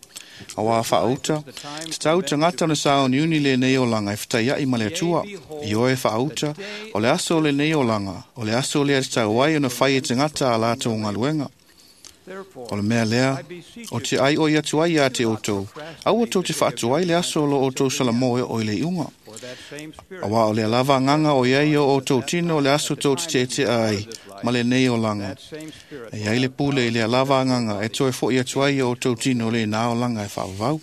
A wā whaauta, te tau tangata na sa o niuni le nei olaga e whatai ma le atua. I oe whaauta, o le aso le nei olaga, o le aso le te tau ai o na whai e tangata a lātou ngaluenga. O le mea lea, o te ai o i atu ai a te outou, aua tou te whaatu ai le aso lo outou salamo e o i le iunga. A wā o le lava nganga o iai o outou tino o le aso tou te te ai, ma le nei olaga. E ai le pule i le lava nganga e toe fo i atu ai o outou tino le nā olaga e whaavau.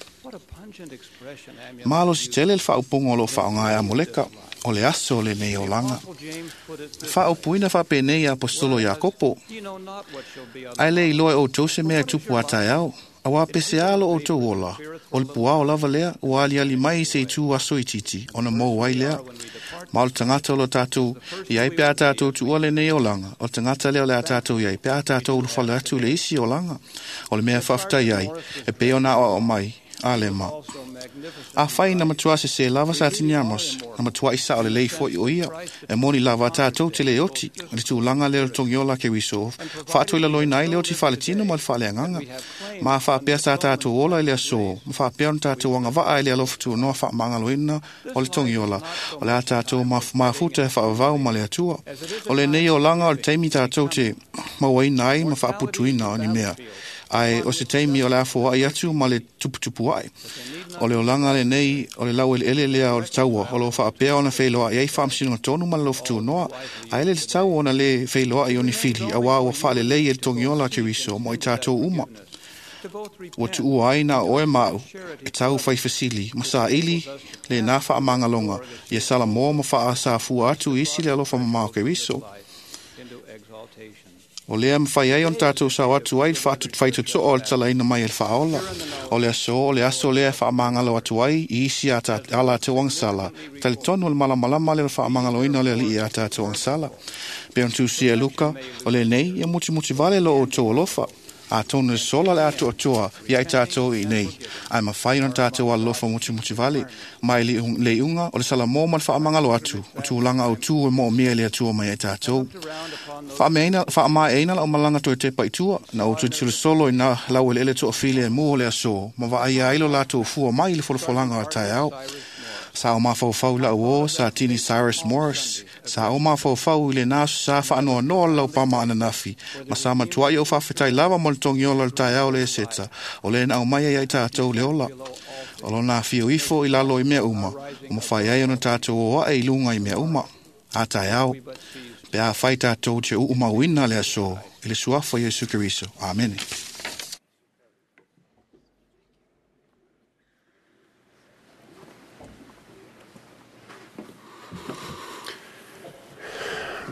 Malo si tele le whaupongo o lo whaonga e amoleka, o le aso le nei olaga. Whaopuina whapenei apostolo Iakopo. Ai le iloa e outou se mea e tupu a taeao. A wā pese alo o tau ola, o le puao lava lea, o ali ali mai se i tū aso i titi, ona mou ai lea. Ma o le tangata o lo tātou, i ai pe a tātou tuua le nei olaga, o le tangata lea o le a tātou i ai pe a tātou ulufale atu le isi olaga, o le mea whaaftai ai, e pe ona o mai, a le ma. A whai na matua se se lava sa tini amos, na matua isa o le lei fo i o ia, e moni lava tātou te le oti, le tūlanga le o tongiola ke wiso, whaatoi la loina ai le oti whaletino ma le whaleanganga. Ma whaapea sa tātou ola i le aso, ma whaapea ona tātou anga waa i le alofa noa whaamangaloina o le tongiola, o le a tātou mafuta e whaavau ma le atua. O le nei olaga o le taimi tātou te mauaina ai ma whaaputuina o ni mea. Ai o se taimi o le afo ai atu ma le tuputupu ai. O le olaga le nei o le lau ele lea o le taua, o lo whaapea ona whailoa i ai whaamsino tonu ma le lofutu noa, a ele le tau ona le whailoa i oni fili, a wā ua whaale lei e le tongiola ke wiso mo i tātou uma. Ua tuua ai nā oe mau, e tau whai whasili, ma sa ili le nā whaamangalonga, ia sala moa ma wha sa fua atu isi le alofa mamao ke wiso. O lea mwhai ai on tātou sao atu ai whaitutoa o le talaina mai e le whaola. O le aso, o le aso lea whaamangalo atu ai i isi a ala te wangsala. Tale tonu o le malamalama le whaamangaloina o le alii a tātou wangsala. Pe on tūsi e Luka, o le nei, ia muti muti vale lo o tō alofa. A tonu le sola le atu atua i ai tātou i nei. Ai mawhai on tātou alofa muti muti vale. Mai le unga o le salamo ma le whaamangalo atu. O tūlanga au tū e mo mea le atua mai ai tātou. Whaamaeina la o malanga toi te paitua, na o tui solo i nā lau ele ele toa file e mua le aso, ma wa ai ailo lātou fua mai i le folafolanga o taeao. Sa o mawhauwhau la o, sa tini Cyrus Morris, sa o mawhauwhau i le nāsu sa whaanoa noa lau pama ananafi, ma sa matua i o whawhetai lava mo le tongiola le taeao le eseta, o le na au mai ai tātou le ola. O lo nā whio ifo i lalo i mea uma, o mawhai ai ona tātou o ae i lunga i mea uma. A taeao, pe a whai tātou te uumauina le aso, i le suafa Iesu Keriso. Amene.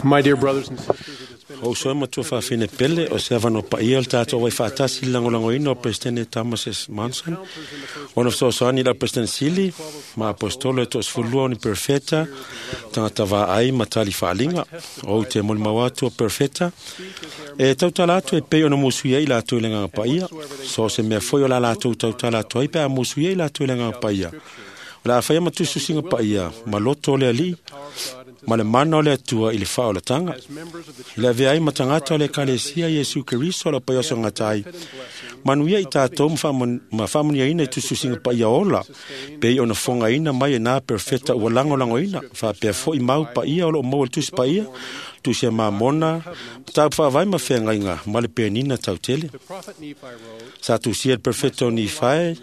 My dear brothers and sisters, it has been O soe matua whaafine pele o se awano paia le tātou wai whaatasi langolangoina o Presidente Thomas S. Monson. Ona fesoasoani la President Sili, ma apostolo e toasefulua o ni perfeta, tagata vaai ma tali faaaliga. O te molimau atu o perfeta, e tautala atu e pei ona musui ai latou i le agaga paia. So se mea foi o la latou tautala atu ai pe a musui ai latou i le agaga paia. O le a whaia matususinga paia, ma loto o le alii, ma le mana o le atua i le whaolatanga. I le avea ai matangata o le ekalesia Iesu Keriso la pai o sangata ai. Manuia i tātou ma whamuniaina i tususinga paia ola, pei ona fongaina mai e nā perfeta ua langolangoina, whaapea foi mau paia o lo mau le tusi paia, tusi a mamona, tau whaavai ma whengainga, ma le penina tau tele. Sa tusia le perfecto ni whae,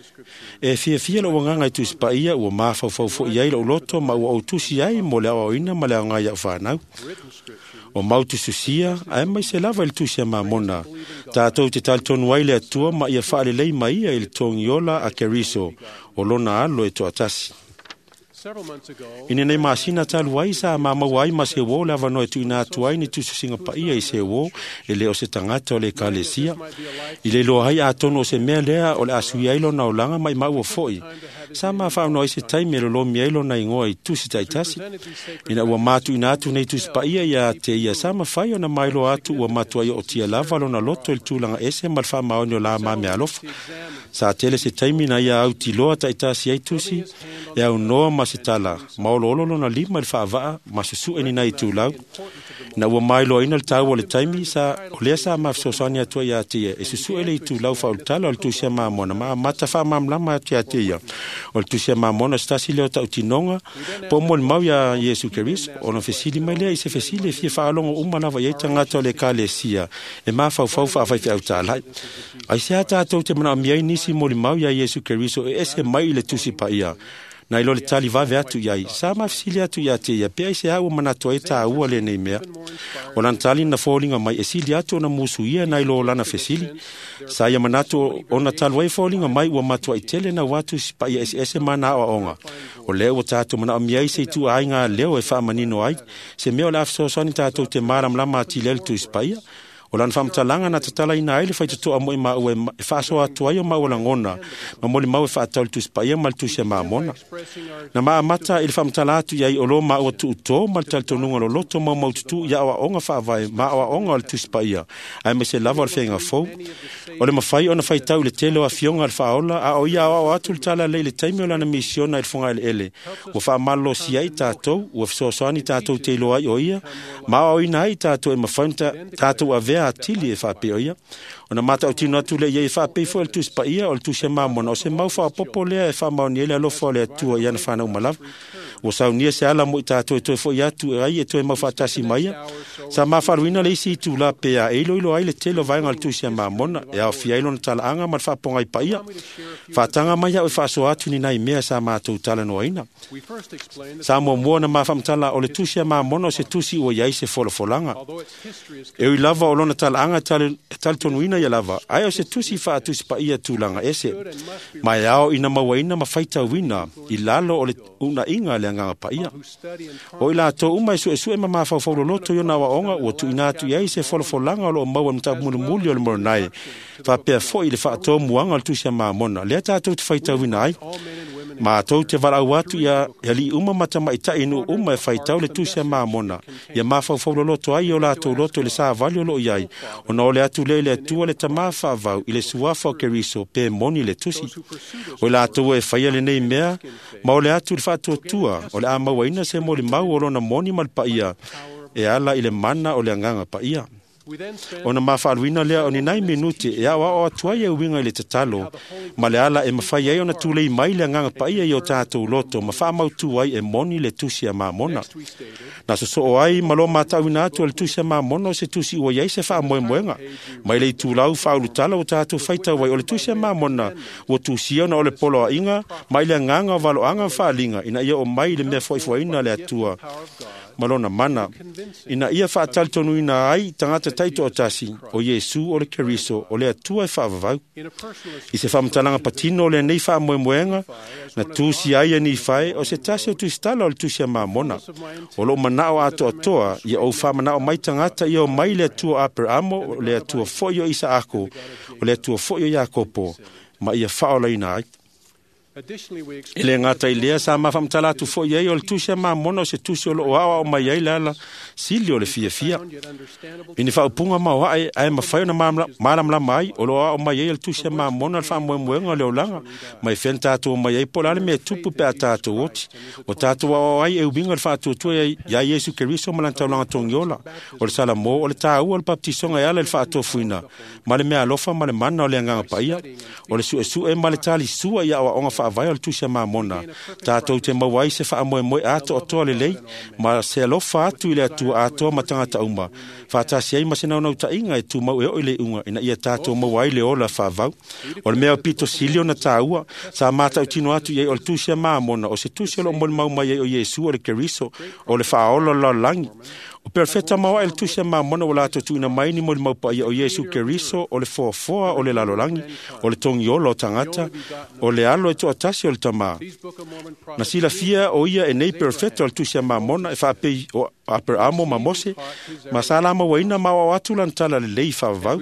E fiafia lou agaga i Tusi Paia ua mafaufau foʻi ai loʻu loto ma ua ou tusi ai mo le aoaoina ma le aoga i a'u fanau. O mau tususia ae maise lava i le Tusi a Mamona tatou te talitonu ai le Atua ma ia faalelei mai ia i le togiola a Keriso o lona alo e toatasi. I lenei masina talu ai sa mamaua ai ma se uō le avanoa e tuuina atu ai ni tusitusiga paia i se uō e lē o se tagata o le Ekalesia. I le iloa ai atonu o se mea lea o le a suia ai lona olaga ma imaua foʻi. Sa mafaaunoa ai se taimi e lolomi ai lona igoa i tusi taitasi. Ina ua matuuina atu nei tusi paia ia te ia sa mafai ona mailoa atu ua matuai ootia lava lona loto i le tulaga ese ma le faamaoni o la ma meaalofa. Sa tele se taimi na ia autiloa taitasi ai tusi e aunoa ma se tala ma oloolo lona lima i le faavaa ma susuʻe ni nai itulau. Na ua mailoaina le taua o le taimi sa o lea sa mafesoasoani atu ai ia te ia e susuʻe le itulau faaulutala o le Tusi a Mamona ma amata faamalamalama atu ia te ia. O le Tusi a Mamona o se tasi lea o tautinoga po o molimau iā Iesu Keriso ona fesili mai lea i se fesili e fia faalogo uma lava i ai tagata o le Ekalesia e mafaufau faafaifeau talai. Aisea tatou te manaomia ai nisi molimau iā Iesu Keriso e ese mai i le Tusi Paia? Na ilo le tali vave atu i ai, sa mafesili atu ia te ia, pe aisea ua manatu ai e taua lenei mea. O lana tali na foliga mai e sili atu ona musuia na ilo o lana fesili. Sa ia manatu ona talu ai foliga mai ua matuai tele na atu si paia eseese ma na aoaoga. O lea ua tatou manaomia ai se ituaiga leo e faamanino ai, se mea o le a fesoasoani tatou te malamalama atili ai le Tusi Paia. O lana faamatalaga na tatalaina ai le faitotoa mo i maua e faasoa atu ai o maua lagona ma molimau e faatatau i le Tusi Paia ma le Tusi a Mamona. Na maamata i le faamatala atu i ai o lo maua tuutō ma le talitonuga loloto maumaututu i aoaoga faavae ma aoaoga o le Tusi Paia, aemaise lava o le feaga fou. O le mafai ona faitau i le tele o afioga a le faaola, a o ia aoao atu le tala lea i le taimi o lana misiona i le fogaeleele. Ua faamalolosi ai tatou, ua fesoasoani tatou te iloa ai o ia, ma aoaoina ai tatou e mafai ona tatou avea atili e faapea o ia. Ona matautino atu lea i ai e faapei foi o le Tusi Paia o le Tusi a Mamona o se mau faaopoopo lea e faamaonia ai le alofa o le Atua i ana fanau uma lava. Ua saunia se ala mo i tatou e toe foʻi atu ai e toe mau faatasi mai ia. Sa mafaaluina le isi itulā pea e iloilo ai le tele o vaega o le Tusi a Mamona e aofia ai lona talaaga ma le faapogai paia. Faataga mai au e faasoa atu ni nai mea sa matou talanoaina. Sa muamua na mafaamatala o le Tusi a Mamona o se tusi ua i ai se folafolaga. E ui lava o lona talaaga e talitonuina ia lava, ae o se tusi faatusi paia tulaga ese. Ma e ao ina mauaina ma faitauina i lalo o le unaiga a le Agaga Paia. O i latou uma e suesue ma mafaufau loloto i ona aoaoga ua tuuina atu i ai se folafolaga o loo maua i le mataupu mulimuli o le Moroni, faapea foʻi i le faatomuaga o le Tusi a Mamona, lea tatou te faitauina ai. Matou te valaau atu ia alii uma ma tamaitai i nuu uma e faitau le Tusi a Mamona, ia mafaufau loloto ai o latou loto i le savali o loo i ai, ona ole atu lea i le Atua le Tamā faavau i le suafa o Keriso pe moni le tusi. O i latou e faia lenei mea, ma ole atu i le faatuatua, o le a mauaina se molimau o lona moni ma le paia, e ala i le mana o le Agaga Paia. Ona mafaaluina lea o ni nai minute e aoao atu ai e uiga i le tatalo, ma le ala e mafai ai ona tulei mai le Agaga Paia i o tatou loto ma faamautū ai e moni le Tusi a Mamona. Na sosoo ai ma lo matauina atu o le Tusi a Mamona o se tusi ua i ai se faamoemoega. Mai le itulau faaulutala ua tatou faitau ai o le Tusi a Mamona ua tusia ona o le poloaiga mai le agaga o valoaga ma faaliga ina ia o mai i le mea foa'ifo'aina a le Atua ma lona mana, ina ia faatalitonuina ai tagata taitoatasi o Iesu o le Keriso o le Atua e faavavau. I se faamatalaga patino o lenei faamoemoega na tusi ai e Nifae o se tasi o tusitala o le Tusi a Mamona. O loo manao atoatoa ia ou faamanao mai tagata ia o mai le Atua Aperamo, o le Atua foʻi o Isaako, o le Atua foʻi o Iakopo, ma ia faaolaina ai. E le gata i lea sa mafaamatala atu foʻi ai o le Tusi a Mamona o se tusi o loo aoao mai ai le ala sili o le fiafia. I ni faaupuga maoaʻe ae mafai ona malamalama ai o loo aoao mai ai le Tusi a Mamona le faamoemoega o le olaga mai fea na tatou omai ai po o le a le mea tupu pe a tatou oti. O tatou aoao ai e uiga i le faatuatua iā Iesu Keriso ma lana taulaga togiola. O le Salamo o le taua o le papatisoga e ala i le faatofuina ma le meaalofa ma le mana o le Agaga Paia. O le suesue ma le talisua i aoaoga faavae faavae o le Tusi a Mamona, tātou te maua ai se faamoemoe atoatoa lelei ma se alofa atu i le Atua atoa ma tagata uma, faatasi ai ma se naunautaiga e tumau e oo i le iuga ina ia tātou maua ai le ola faavau. O le mea pito sili ona tāua, sa matautino atu i ai o le Tusi a Mamona, o se tusi o loo molimau mai ai o Iesu o le Keriso, o le faaola o le lalolagi. O perofeta maoae le Tusi a Mamona ua latou tuuina mai ni molimau paia o Iesu Keriso, o le foafoa o le lalolagi, o le togiola o tagata, o le alo e toatasi o le Tamā. Na silafia o ia e nei perofeta o le Tusi a Mamona e faapei o Aperamo ma Mose, ma sa lamauaina ma aoao atu lana tala lelei faavavau.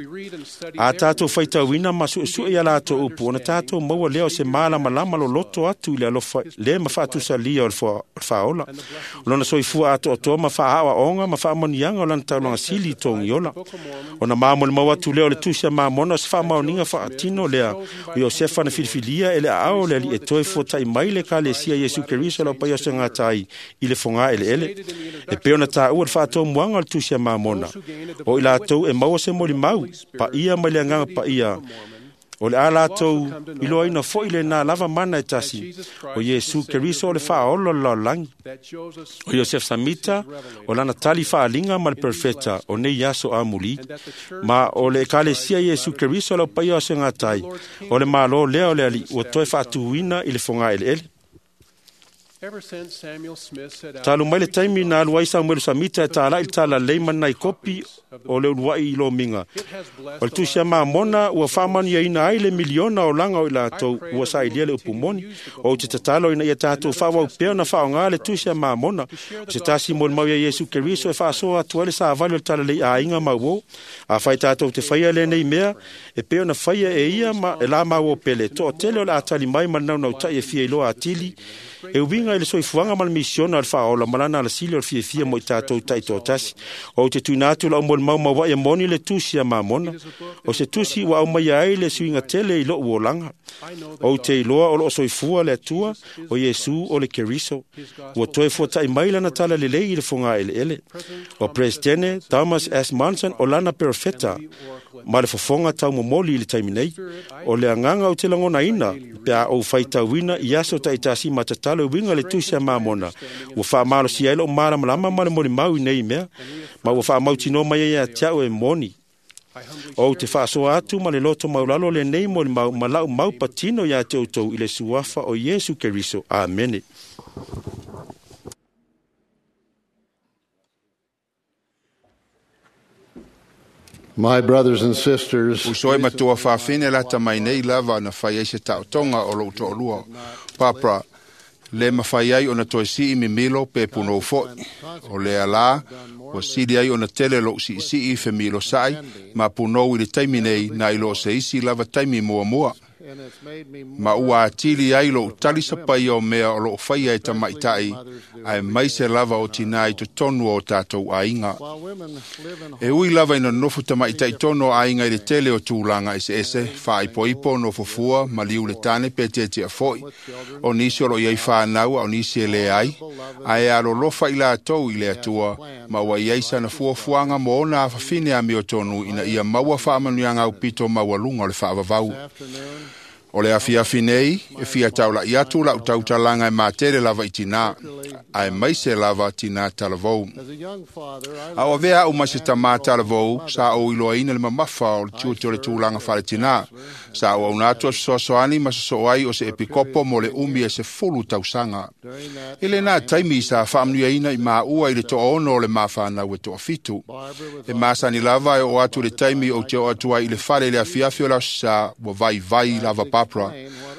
A tātou faitauina ma suesue ia latou upu, ona tātou maua lea o se malamalama loloto atu i le alofa le ma faatusalia o le faaola. O lona soifua atoatoa ma faaaoaoga ma faamanuiaga o lana taulaga sili i togiola. Ona mamolimau atu lea o le Tusi a Mamona o se faamaoniga faatino lea o Iosefa na filifilia e le aao o le Alii e toe fuatai mai le Ekalesia Iesu Keriso lau paia o se gata ai i le fogā eleele. E pei ona tāua le faatomuaga o le Tusi a Mamona, o i latou e maua se molimau paia mai le agaga paia, o le a latou iloaina foi lena lava mana e tasi, o Iesu Keriso o le faaola o le lalolagi. O Iosef Samita, o lana tali faaliga ma le perfeta o nei aso amuli, ma o le Ekalesia Iesu Keriso lau paia o se gatai, o le malo lea o le Alii ua toe faatuina i le fogā eleele. Talu mai le taimi na alu ai Samuelu Samita e tālai le tala lelei ma nai kopi o le uluai i lomiga. O le Tusi a Mamona ua faamanuiaina ai le miliona o laga o i latou ua sailia le upu moni. O te tatalo ina ia tātou faaauau pea ona faaaoga le Tusi a Mamona, o se tasi molimau ia Iesu Keriso e faasoa atu ai le savali o le talalelei aiga ma uo. Afai tātou te faia lenei mea, e pei ona faia e ia ma e la maua pele, toatele o le a tali mai ma le naunautai e fia iloa atili, e uiga i le soifuaga ma le misiona o le faaola ma lana alasili o le fiafia mo i tātou taitoatasi. O te tuuina atu lau molimau mauaʻi e moni le Tusi a Mamona, o se tusi ua aumaia ai le suiga tele i lou olaga. Ou te iloa o loo soifua le Atua, o Iesu o le Keriso, ua toe fuataʻi mai lana tala lelei i le fogā eleele. O Presidene Thomas S. Monson o lana perofeta ma le fofoga taumomoli i le taimi nei. O le agaga ou te lagonaina pe a ou faitauina i aso taitasi ma tatalo e uiga le Tusi a Mamona, ua faamalosia ai lou malamalama ma le molimau i nei mea, ma ua faamautinoa mai ai ia te au e moni. Ou te faasoa atu ma le loto maulalo lenei molimau ma lau mau patino ia te outou i le suafa o Iesu Keriso. Amene. My brothers and sisters, Uso e matua faafine lata mai nei lava na fai ai se taotoga o lou toalua. Barbara, le mafai ai ona toe sii mimilo pe punou foʻi. O lea lā, ua sili ai ona tele lou siisii femilosaʻi ma punou i le taimi nei na i loo se isi lava taimi muamua. Ma ua atili ai lou tali sapaia o mea o loo faia e tamaʻitaʻi, ae maise lava o tinā i totonu o tātou aiga. E ui lava ina nonofo tamaʻitaʻi tonu o aiga i le tele o tulaga eseese, faaipoipo, nofofua, maliu le tane pe tietia foʻi. O nisi o loo iai fanau a o nisi e lē ai, ae alolofa i latou i le Atua, ma ua iai sana fuafuaga mo ona afafine amiotonu ina ia maua faamanuiaga aupito maualuga o le faavavau. O le afiafi nei, e fia taulaʻi atu lau tautalaga e matele lava i tinā, ae maise lava tinā talavou. A o avea au ma se tamā talavou, sa ou iloaina le mamafa o le tiute o le tulaga faaletinā. Sa ou auna atu a fesoasoani ma sosoo ai o se epikopo mo le umi e 10 tausaga. I lenā taimi sa faamanuiaina i maua i le 6 o le mafanau e 7. E masani lava e oo atu le taimi ou te oo atu ai i le fale i le afiafi o le aso sa ua vaivai lava Barbara.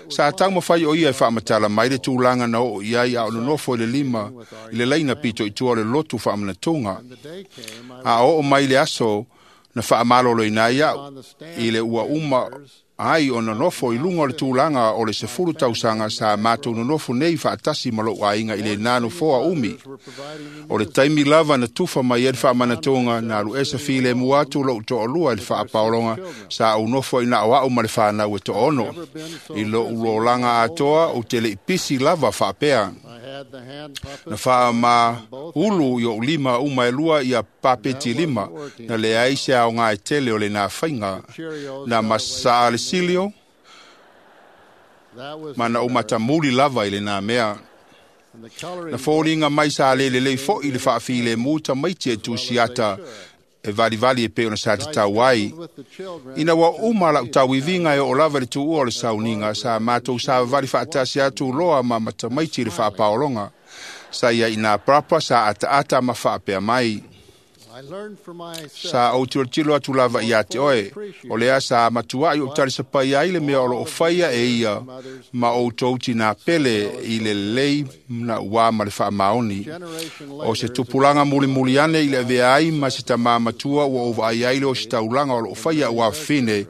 Sa taumafai o ia e faamatala mai le tulaga na oo i ai a o nonofo i le lima i le laina pito i tua o le lotu faamanatuga. A oo mai le aso na faamaloloina ai au i le ua uma ai o nonofo i luga o le tulaga o le 10 tausaga sa matou nonofo nei faatasi ma lou aiga i lenā nofoa umi. O le taimi lava na tufa mai ai le faamanatuga na alu ese filemu atu lou toalua i le faapaologa sa ou nofo i na o au ma le fanau e 6. I lou lolaga atoa ou te leʻi pisi lava faapea. Na faamaulu i ou lima uma e lua ia papeti lima, na leai se aoga e tele o lenā faiga. Na masaa le silio, Ma na ou matamuli lava i lenā mea. Na foliga mai sa lē lelei foʻi le faafilemu tamaiti e tusiata e valivali e pei ona sa tatau ai. Ina ua uma lau tauiviga e oo lava i le tuua o le sauniga, sa matou savavali faatasi atu loa ma matamaiti i le faapaologa. Sa ia inā parapa sa ataata ma faapea mai. Sa ou tilotilo atu lava iā te oe, o lea sa matuaʻi ou talisapaia ai le mea o loo faia e ia ma outou tinā pele i le lelei na uā ma le faamaoni. O se tupulaga mulimuli ane i le avea ai ma se tamā matua ua ou vaai ai le ositaulaga o loo faia auā fafine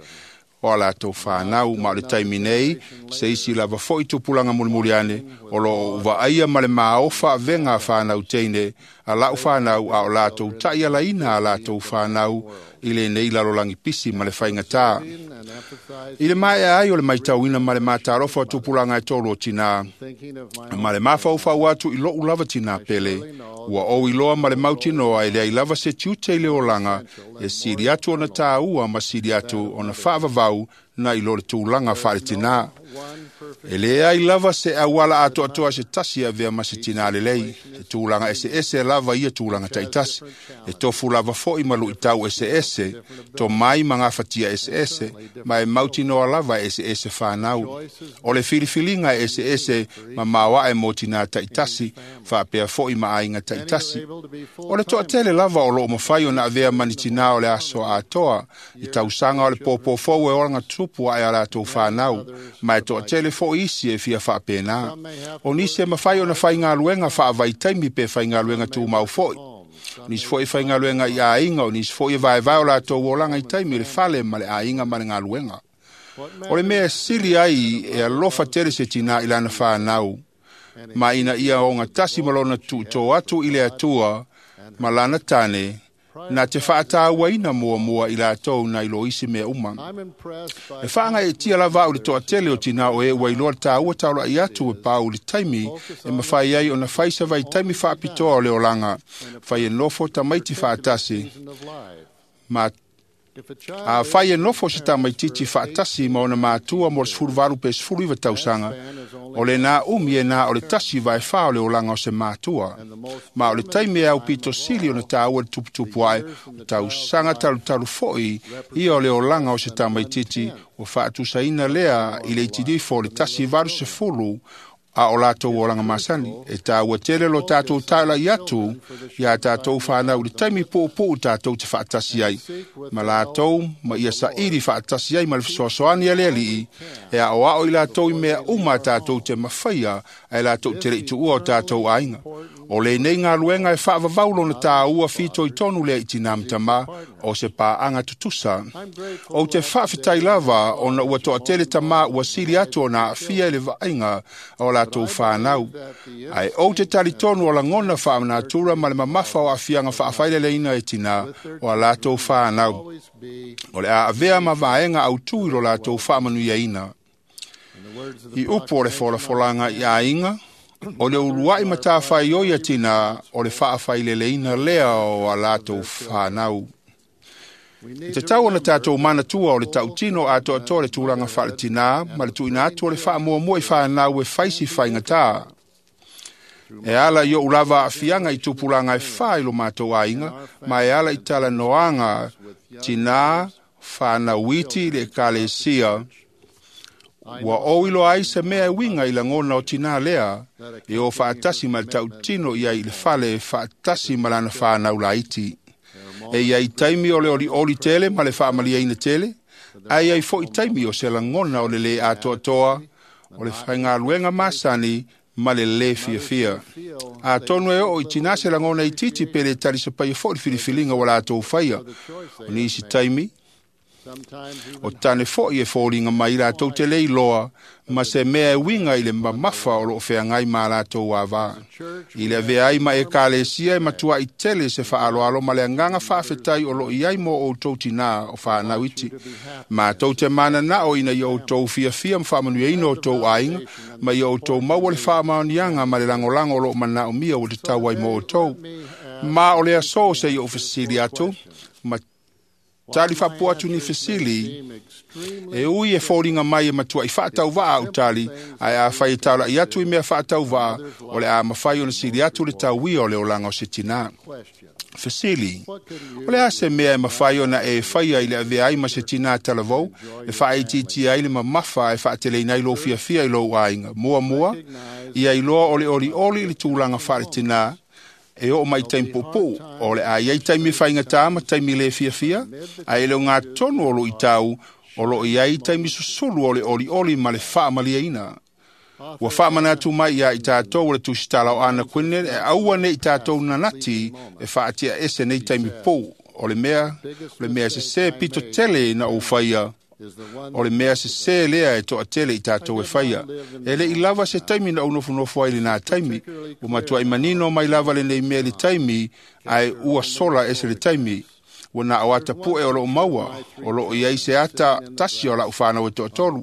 o a latou fanau, ma o le taimi nei, se isi lava foʻi tupulaga mulimuli ane, o loo ou vaaia ma le maofa avega a fanau teine a lau fanau a o latou taʻialaina a latou fanau i lenei lalolagi pisi ma le faigatā. I le maea ai o le maitauina ma le matalofa o tupulaga e tolu o tinā, ma le mafaufau atu i loʻu lava tinā pele, ua ou iloa ma le mautinoa e leai lava se tiute i le olaga e sili atu ona tāua ma sili atu ona faavavau na i lo le tulaga faaletinā. E leai lava se auala atoatoa se tasi e avea ma se tinā lelei, e tulaga eseese lava ia tulaga taitasi, e tofu lava foʻi ma luʻitau eseese, tomai ma gafatia eseese, ma e mautinoa lava e eseese fanau. O le filifiliga e eseese ma maoaʻe mo tinā taitasi, faapea foʻi ma aiga taitasi. O le toatele lava o loo mafai ona avea ma ni tinā o le aso atoa, i tausaga o le pōpō fou e olaga tupu aʻe a latou fanau, ma e toatele foʻi isi e fia faapena. O nisi e mafai ona faigaluega faavaitaimi pe faigaluega tumau foʻi. O nisi foʻi faigaluega i aiga, o nisi foʻi e vaevae o latou olaga i taimi i le fale ma le aiga ma le galuega. O le mea e sili ai e alofa tele se tinā i lana fanau, ma ina ia ogatasi ma lona tuutō atu i le Atua ma lana tane, na te faatāuaina muamua i latou na i lo isi mea uma. E faagaeetia lava au i le toatele o tinā o e ua iloa le tāua taulaʻi atu e pau i le taimi e mafai ai ona fai se vaitaimi faapitoa o le olaga, fai e nofo tamaiti faatasi ma a fai e nofo se tamaititi faatasi ma ona matua mo le 18 pe 19 tausaga, o lenā umi e nā o le 1/4 o le olaga o se matua. Ma o le taimi e aupito sili ona tāua le tuputupu ae, o tausaga talutalu foʻi ia o le olaga o se tamaititi ua faatusaina lea i le itilifo o le 1/80 a o latou olaga masani. E tāua tele lo tātou taulaʻi atu iā tātou fanau i le taimi puupuu tātou te faatasi ai ma latou ma ia saili faatasi ai ma le fesoasoani a le Alii e aʻoaʻo i latou i mea uma a tātou te mafaia ae latou te leʻi tuua o tātou aiga. O lenei galuega e faavavau lona tāua fitoitonu lea i tinā ma tamā o se paaga tutusa. Ou te faafetai lava ona ua toatele tamā ua sili atu ona aafia i le vaaiga o latou fanau. Ae ou te talitonu o lagona faanatura ma le mamafa o aafiaga faafaileleina e tinā o a latou fanau. O le a avea ma vaega autū i lo latou faamanuiaina. I upu o le folafolaga i aiga, o le uluaʻi matafaioi a tinā o le faafaileleina lea o a latou fanau. E tatau ona tātou manatua o le tautino atoatoa le tulaga faaletinā ma le tuuina atu o le faamuamua i fanau e faisi faigatā. E ala i ou lava aafiaga i tupulaga e fā i lo matou aiga, ma e ala i talanoaga tinā fanau iti i le ekalesia, ua ou iloa ai se mea e uiga i lagona o tinā lea, e o faatasi ma le tautino ia i le fale e faatasi ma lana fanau laiti. E iai taimi o le olioli tele ma le faamaliaina tele, ae iai foʻi taimi o se lagona o le lē atoatoa, o le faigaluega masani ma le lē fiafia. Atonu e oo i tinā se lagona itiiti pe le talisapaia foʻi le filifiliga ua latou faia. O nisi taimi, o tane foʻi e foliga mai latou te le iloa ma se mea e uiga i le mamafa o loo feagai ma latou avā. I le avea ai ma ekalesia e matuaʻi tele se faaaloalo ma le agaga faafetai o loo i ai mo outou tinā o fanau iti. Matou te mananao ina ia outou fiafia ma faamanuiaina outou aiga, ma ia outou maua le faamaoniaga ma le lagolago o loo manaomia ua tatau ai mo outou. Ma o le asō se i ou fesili atu, ma Tali faapu atu ni fesili, e ui e fōlinga mai e matua i whaatauvaa au tali, ae a whai e taula i atu i mea whaatauvaa, o le a mawhai o na sili atu le tauia o le olanga o se tina. Fesili, o le a se mea e mawhai ona e whaia i le avea ai ma se tina talavou, e whaaitiiti ai le mamafa e whaateleina i lo fiafia i lou aiga. Mua mua, ia iloa o le oli oli i le tūlanga whaale tina, e o mai taimi puupuu, o le a iai taimi whaingatā ma taimi le fiafia, a e leo ngā tonu o lo i tau, o lo iai taimi susulu o le oli oli ma le whaamaliaina. Ua whaamanatu mai ia i tātou o le tusitala o Ana Quinnet, e aua nei i tātou nanati e whaatia ese nei taimi pō. O le mea se se pito tele na o whaia, o le mea se se lea e toa tele i tātou e whaia. E le i lava se taimi na unofonofo ai le nā taimi, ua matua i manino mai lava le nei mea le taimi, ai ua sola ese le taimi. Ua na o ata pue o loo maua, o loo iai se ata tasi o lau whanau e toatolu,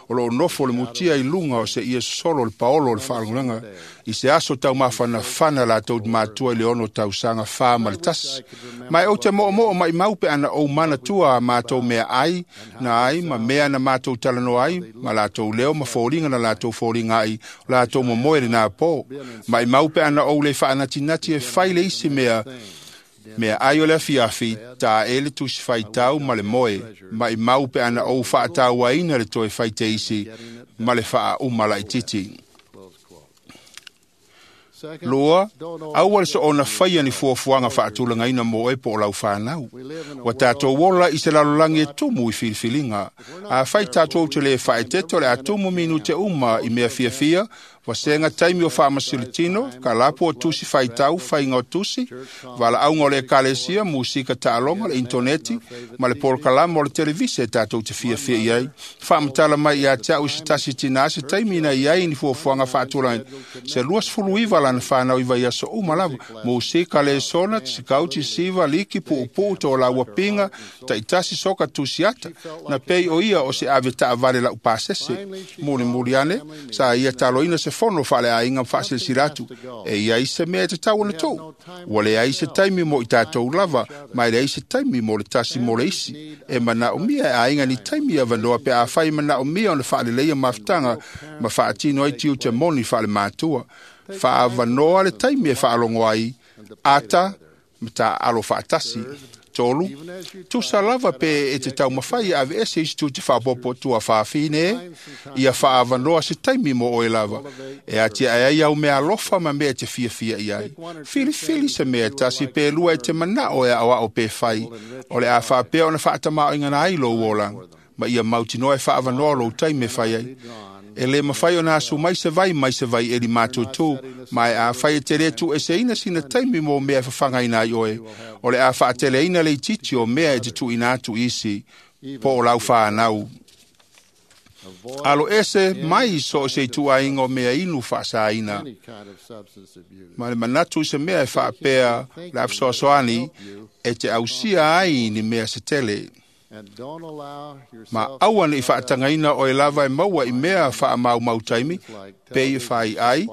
o loo nofo le mutia i lunga o se ia solo le paolo o le whaalangulanga, i se aso tau mawhana whana la tau mātua i le ono tau sanga wha ma le tasi. Mai o te moo moo mai maupe ana o mana tua a mātou mea ai, na ai, ma mea na mātou talano ai, ma lātou leo ma fōlinga na lātou fōlinga ai, o lātou momoe le nā pō. Mai maupe ana o le whaanatinati e whai le isi mea, mea ai o le afiafi, tā e le tusi whaitau ma le moe, mai maupe ana o whaatau aina le toe whaite isi, ma le whaa umala i titi. Lua, aua le so ona whaia ni fuafuanga whaatulanga mō e po o lau whanau. Wa tātou ola i se lalolangi e tumu i filifiliga. A whai tātou te le whaeteto le atumu minu te uma i mea fiafia, wa senga taimi o whaamasiritino, ka lapo o tusi whaitau, whainga o tusi, wala aunga o le ekalesia, musika taaloga, le interneti, ma le polokalama o le televise e tātou te fiafia i ai. Whaamatala mai ia te au i se tasi tina se taimi na i ai ni fuafuaga faatulaina. Se 29 lana whanau i vai aso uma lava, musika le sona, tsikau tisiva, liki, puupuu, tō laua pinga, taitasi soka tusiata, na pei o ia o se ave taavale lau pasese. Muli muli ane, sa ia taloina se fono whaale a inga whaasilasila e ia i se mea e te tau ona tō. Ua le ai se taimi mo i tātou lava, mai le ai se taimi mo le tasi mo le isi. E mana o mia e a inga ni taimi a vanoa pe a whai mana o mia ona whaaleleia mafutanga, ma whaatino ai tiu te moni whaale mātua. Whaavanoa le taimi e whaalongo ai, ata, ma tā alo whaatasi. Tolu, tusa lava pe e te taumawhai ave ese isi tu te whaapopo tua whaafine, ia whaavanoa se taimi mo oe lava. E atia e ai au mea alofa ma mea te fiafia i ai. Filifili se mea tasi pe lua e te manao e awao pe whai, o le a whaapea ona whaatamao ingana ai lo uolanga, ma ia mautinoa e whaavanoa lo taimi e whai ai. E le mawhai o nā su mai se vai e li mātūtū, mai a whai e te retu e se ina sina taimi mō mea e whawhangaina ai oe, o le a whaatele ina le titi o mea e te tuina atu isi, po o lau whanau. Alo ese mai so se i tuainga o mea inu whaasaina. Ma le manatu se mea e whaapea le awhisoasoani e te ausia ai ni mea se tele. Ma aua ni whaatangaina o e lava e maua i mea wha mau taimi, pe i whai ai,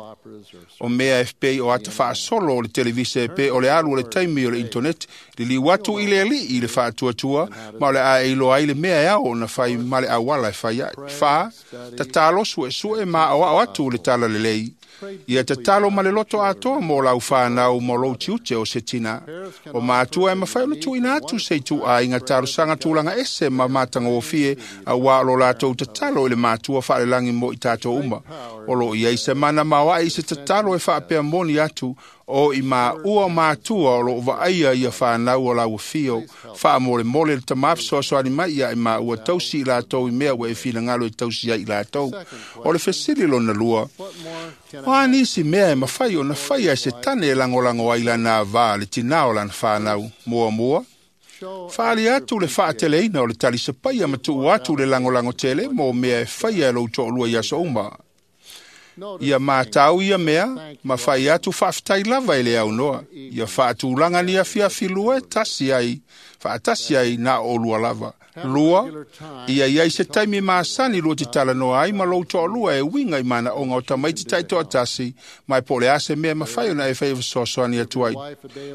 o mea FP o ata whaasolo o le televise pe o le alu o le taimi o le internet, li li watu i le ali i le whaatuatua, ma o le a e iloa ai le mea e ao na whai ma le awala e whai ai. Wha, tatalo sue sue ma o ao atu le tala lelei. Ia tatalo ma le loto atoa mō lau whanau mō lou tiute o se tina. O mātua e mawhai ona tuina atu se i tu a inga tarosanga tūlanga ese ma mātanga o fie a wā lo lātou tatalo i le mātua whaalelangi mō i tātou uma. O lo ia i se mana mawa i se tatalo e whaapea moni atu o i mā ua mātua o lo vaaia ia whanau o lau fio. Wha mole mole le tamawhisoasoani mai ia i mā ua tausi i lātou i mea ua e whinangalo i tausi ai i lātou. O le fesili lona lua, o anisi mea e mawhai o na whai ai se tane e langolango ai lana vā le tina o lana whanau mua mua. Whaali atu le whaateleina o le talisapaia ma tuu atu le langolango tele mō mea e whaia e lou to'olua i aso uma. Ia mātau ia mea, ma whai atu whaaftai lava e le au noa. Ia whaatulanga ni afiafi lua e tasi ai, whaatasi ai nā o lua lava. Lua, ia iai se taimi masani lua te talanoa ai ma lou toalua e uiga i manaoga o tamaiti taitoatasi, ma e po o le a se mea e mafai ona e faia fesoasoani atu ai.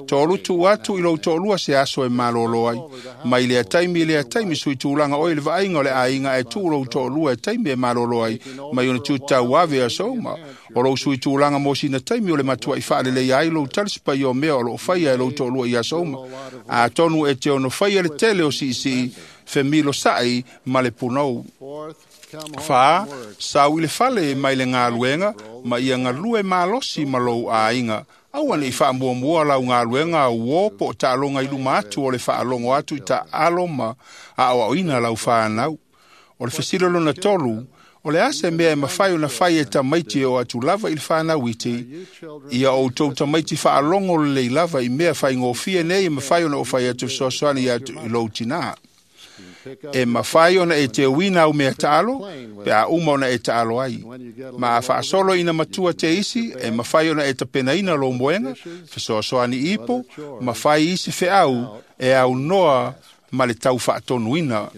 Tolu, tuu atu i lou toalua se aso e malōlō ai. Mai lea taimi i lea taimi sui tulaga oe i le vaaiga o le aiga ae tuu lou toalua e taimi e malōlō ai, mai ona tiute ave aso uma. O lou sui tulaga mo sina taimi o le matuaʻi faaleleia ai lou talisapaia o mea o loo faia e lou toalua i aso uma. Atonu e te ono faia le tele o siisii, femilosaʻi ma le punou. Fa, sau i le fale mai le galuega ma ia galue malosi ma lou aiga. Aua neʻi faamuamua lau galuega uō po o taaloga i luma atu o le faalogo atu i taalo ma aoaoina lau fanau. O le fesili lona tolu, o le a se mea e mafai ona fai e tamaiti e oo atu lava i le fanau iti, ia outou tamaiti faalogo lelei lava i mea faigofie nei e mafai ona ou fai atu fesoasoani i lou tinā. E mafai ona e teuina au mea taalo, pe a uma ona e taalo ai. Ma a faasolo ina matua te isi, e mafai ona e tapenaina lou moega, fesoasoani ipo, ma fai isi feau e aunoa ma le tau faatonuina.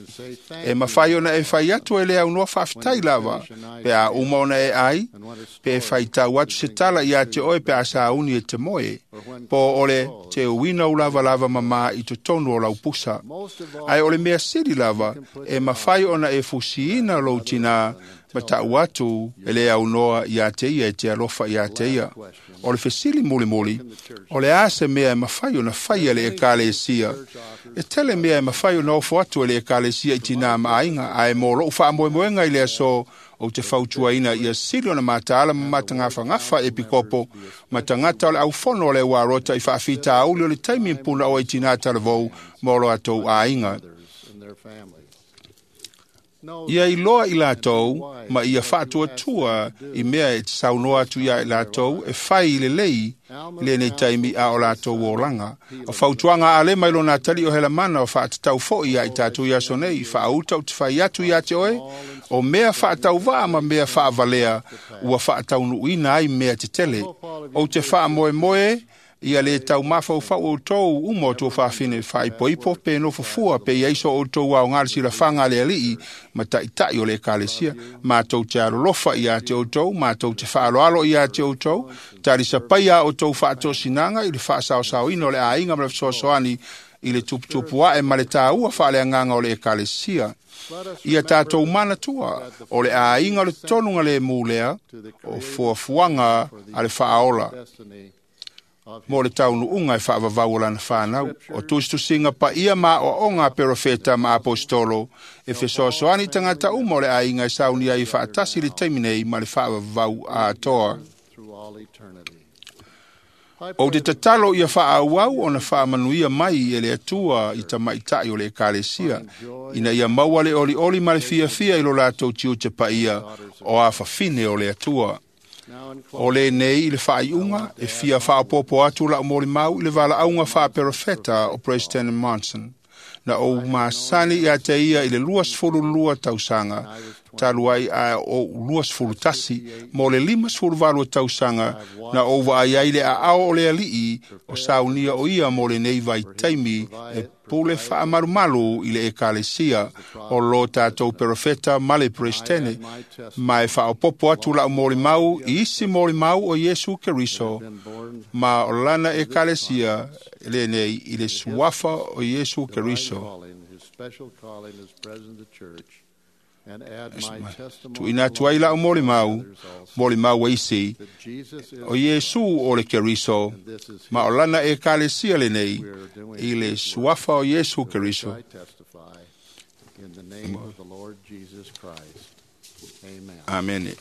E mafai ona e fai atu e le aunoa faafetai lava, pe a uma ona e ai, pe e faitau atu se tala ia te oe pe a sauni e te moe, po o le teuina u lavalava mamā i totonu o lau pusa. Ae o le mea sili lava, e mafai ona e fusiina lou tinā, ma taʻu atu e le aunoa iā te ia e te alofa iā te ia. O le fesili mulimuli, o le a se mea e mafai ona faia e le Ekalesia. E tele mea e mafai ona ofo atu e le Ekalesia i tinā ma aiga, ae mo loʻu faamoemoega i le aso ou te fautuaina ia sili ona mataala ma matagafagafa e pikopo ma tagata o le aufono o le uarota i faafitauli o le taimi puna oe i tinā talavou ma o latou aiga. Ia iloa i latou ma ia faatuatua i mea e te saunoa atu iā i latou e fai i lelei lenei taimi a o latou olaga. O fautuaga a Alema i lona atalii o Helamana o faatatau foʻi iā i tatou i aso nei, faauta ou te fai atu iā te oe, o mea faatauvaa ma mea faavalea ua faataunuuina ai mea tetele. Ou te faamoemoe ia le taumafaufau outou uma o tou faafine faaipoipo pe nofofua pe iai so outou aoga le silafaga a le alii ma taʻitaʻi o le ekalesia. Matou te alolofa iā te outou, matou te faaaloalo iā te outou, talisapaia a outou faatosinaga i le faasaosaoina o le aiga ma le fesoasoani i le tuputupu aʻe ma le tāua faaleagaga o le ekalesia. Ia tatou manatua o le aiga o le tonuga lemu lea o fuafuaga a le faaola mo le taunuuga e faavavau o lana fanau. O tusitusiga paia ma aoaoga a perofeta ma apostolo e fesoasoani i tagata uma o le aiga e sauni ai faatasi i le taimi nei ma le faavavau atoa. Ou te tatalo ia faaauau ona faamanuia mai e le Atua i tamaʻitaʻi o le Ekalesia, ina ia maua le olioli ma le fiafia i lo latou tiute paia o afafine o le Atua. O lenei i le faaiuga e fia faaopoopo atu lau molimau i le valaauga faaperofeta o President Monson. Na ou masani iā te ia i le 22 tausaga, talu ai a ou 21, mo le 58 tausaga, na ou vaai ai le aao o le alii o saunia o ia mo lenei vaitaimi e pule faamalumalu i le ekalesia o lo tatou perofeta ma le peresetene, ma e faaopoopo atu lau molimau i isi molimau o Iesu Keriso ma o lana ekalesia lenei i le suafa o Iesu Keriso. Tuuina atu ai lau molimau, molimau e isi, o Iesu o le Keriso, ma o lana ekalesia lenei i le suafa o Iesu Keriso. Amene.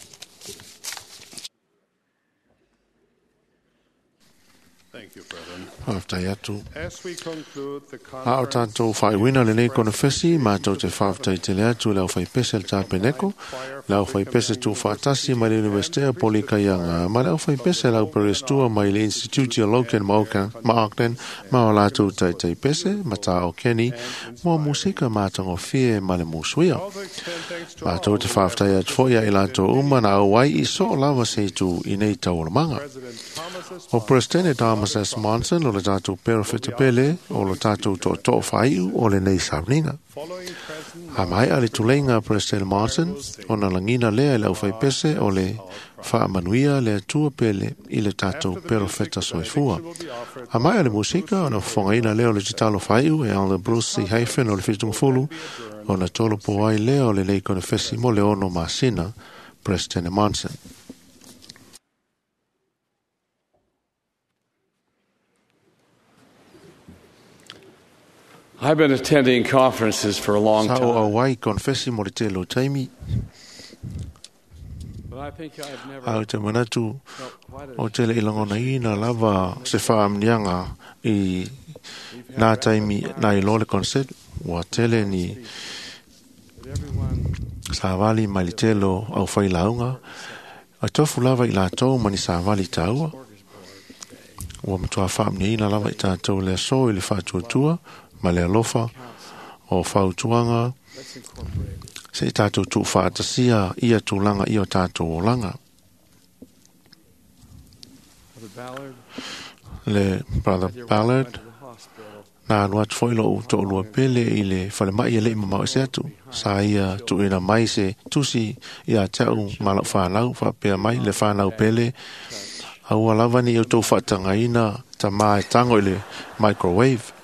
Faafetai atu. A o tatou faaiuina lenei konofesi, matou te faafetai tele atu i le aufaipese le Tapeneko, le aufaipese tuufaatasi mai le Universite o Polikaiaga, ma le aufaipese le auperestua mai le Institute o Logan ma Auckland, ma o latou taitaipese, Mata o Kenny, mo musika matagofie ma le musuia. Matou te faafetai atu foi ia i latou uma na auai i soo lava se itu i nei taualumaga. O Presidente Thomas Thomas S. Monson o le tatou perofetapele o lo tatou to'oto'o faai'u o lenei sauniga. A maea le tuleiga President Monson ona lagina lea e le aufaipese o le faamanuia le Atua pele i le tatou perofeta soifua. A maea le musika ona fofogaina lea o le tatalo faai'u e Elder Bruce C. Hyphen o le 70 ona tolopo ai lea o lenei konefesi mo le 6 masina. President Monson. I've been attending conferences for a long Sa o time, auai konefesi mo le tele o taimi, but I think I've never a o te manatu felt quite o tele i lagonaina lava se faamniaga i nā taimi nā iloa le concert ua tele ni savali mai le tele o au failauga a tofu lava i latou ma ni savali taua ua matua faamniaina lava i tatou le aso i le faatuatua ma le alofa o fautuaga se i tatou tuufaatasia ia tulaga i o tatou olaga. Brother Ballard. Le Brother Ballard To the hospital. na alu atu foi lou to'olua pele i le falemai e le'i mamao ese atu sa ia tuuina mai se tusi ia te a'u ma la'u fanau faapea mai le fanau pele aua lava ni outou faatagaina tamā e tago i le microwave.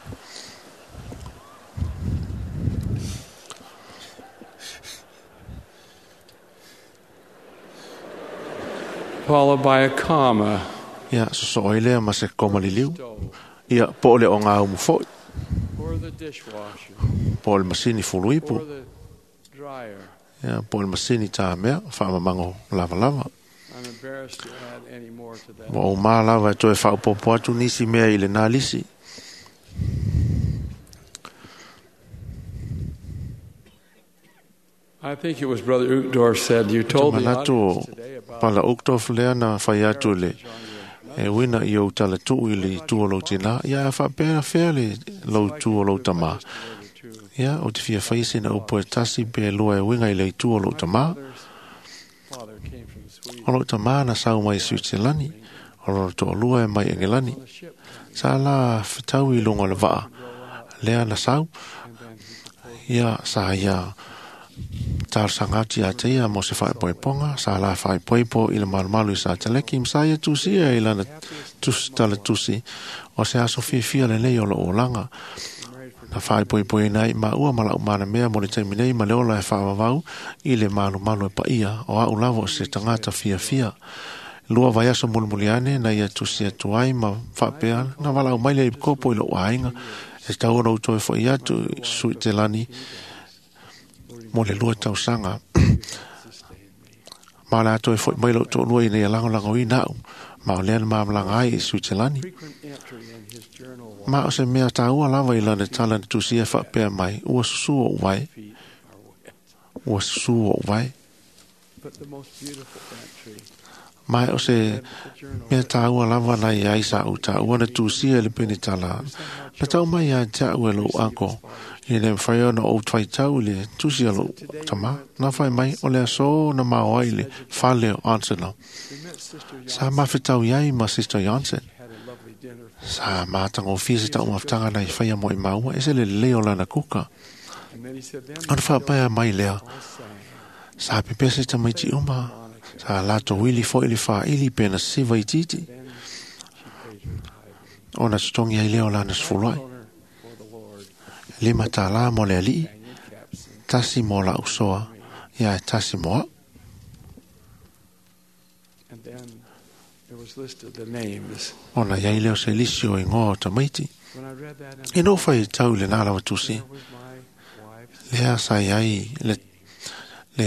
Followed by a comma. Ia sosoo ai lea ma se koma liliu ia po o le ogaumu fo'i Or the dishwasher. po o le masini fuluipu Or the dryer. ia po o le masini tamea faamamago lavalava. I'm embarrassed to add any more to that. Ua ou mā lava e toe faaopopo atu nisi mea i lenā lisi. I think it was Brother Uchtdorf said you told the manatu audience o today about Pala Uchtdorf lea na fai atu le e uina i ou talatu'u i le itu o lou tinā ia a faapea fea le lou itu o lou tamā. Ia ou te fia fai sina upu e tasi pe lua e uiga i le itu o lou tamā. father came from Sweden. O lou tamā na sau mai Switzerlani, o lona to'alua e mai Engelani. Sa la fetau i luga o le va'a lea na sau, ia sa ia talosaga atu ia te ia mo se faaipoipoga sa la faaipoipo i le malumalu i Sataleki ma sa ia tusia i lana tusi talatusi o se aso fiafia lenei o lou olaga na faaipoipoiina ai maua ma la'u manamea mo le taimi nei ma le ola e faavavau i le malumalu e paia o a'u lava o se tagata fiafia. Lua vaiaso mulimuli ane na ia tusi atu ai ma faapea na valaau mai lea i kopo i lou aiga e tau ona ou toe fo'i atu i Suitelani mo le 2 tausaga. Ma o le a toe fo'i mai lou to'alua ina ia lagolagoina a'u ma o lea na mamalaga ai i Suitelani. Frequent entry in his journal Ma o se mea tāua lava i lana tala na tusia faapea mai ua susū o'u vae, ua susū o'u vae. but the most beautiful entry Ma o se mea tāua lava na i ai sa u tāua na tusia i le penitala. Na tau mai ia te a'u e lou ako i le mawhai ona ou twaitau i le tusi a lou tamā. Na whai mai o le aso na mao ai le fale o Arsenal. we met Sister Sa mawhitau iai ma Sister Jansen. had a lovely dinner Sa mātangofia se tau mafutaga na i whaia mo i maua e se le lelei o lana kuka. and then he said then Ona whaapea mai lea. all sang Sa pepese tamaiti uma. Sa lato wili fo i le whaili pena siva i titi. then she paid her tithe Ona tutongi ai lea o lana sefuluai. honor for the Lord Lima tā mo le alii. Daniel Capson Tasi mo la usoa. Ia e tasi mo au. and then there was listed the names Ona iai leo se lisi o ingoa o tamaiti. when I read that E in no whai tau le nā lawa tusi. there was my wife's Lea sa iai le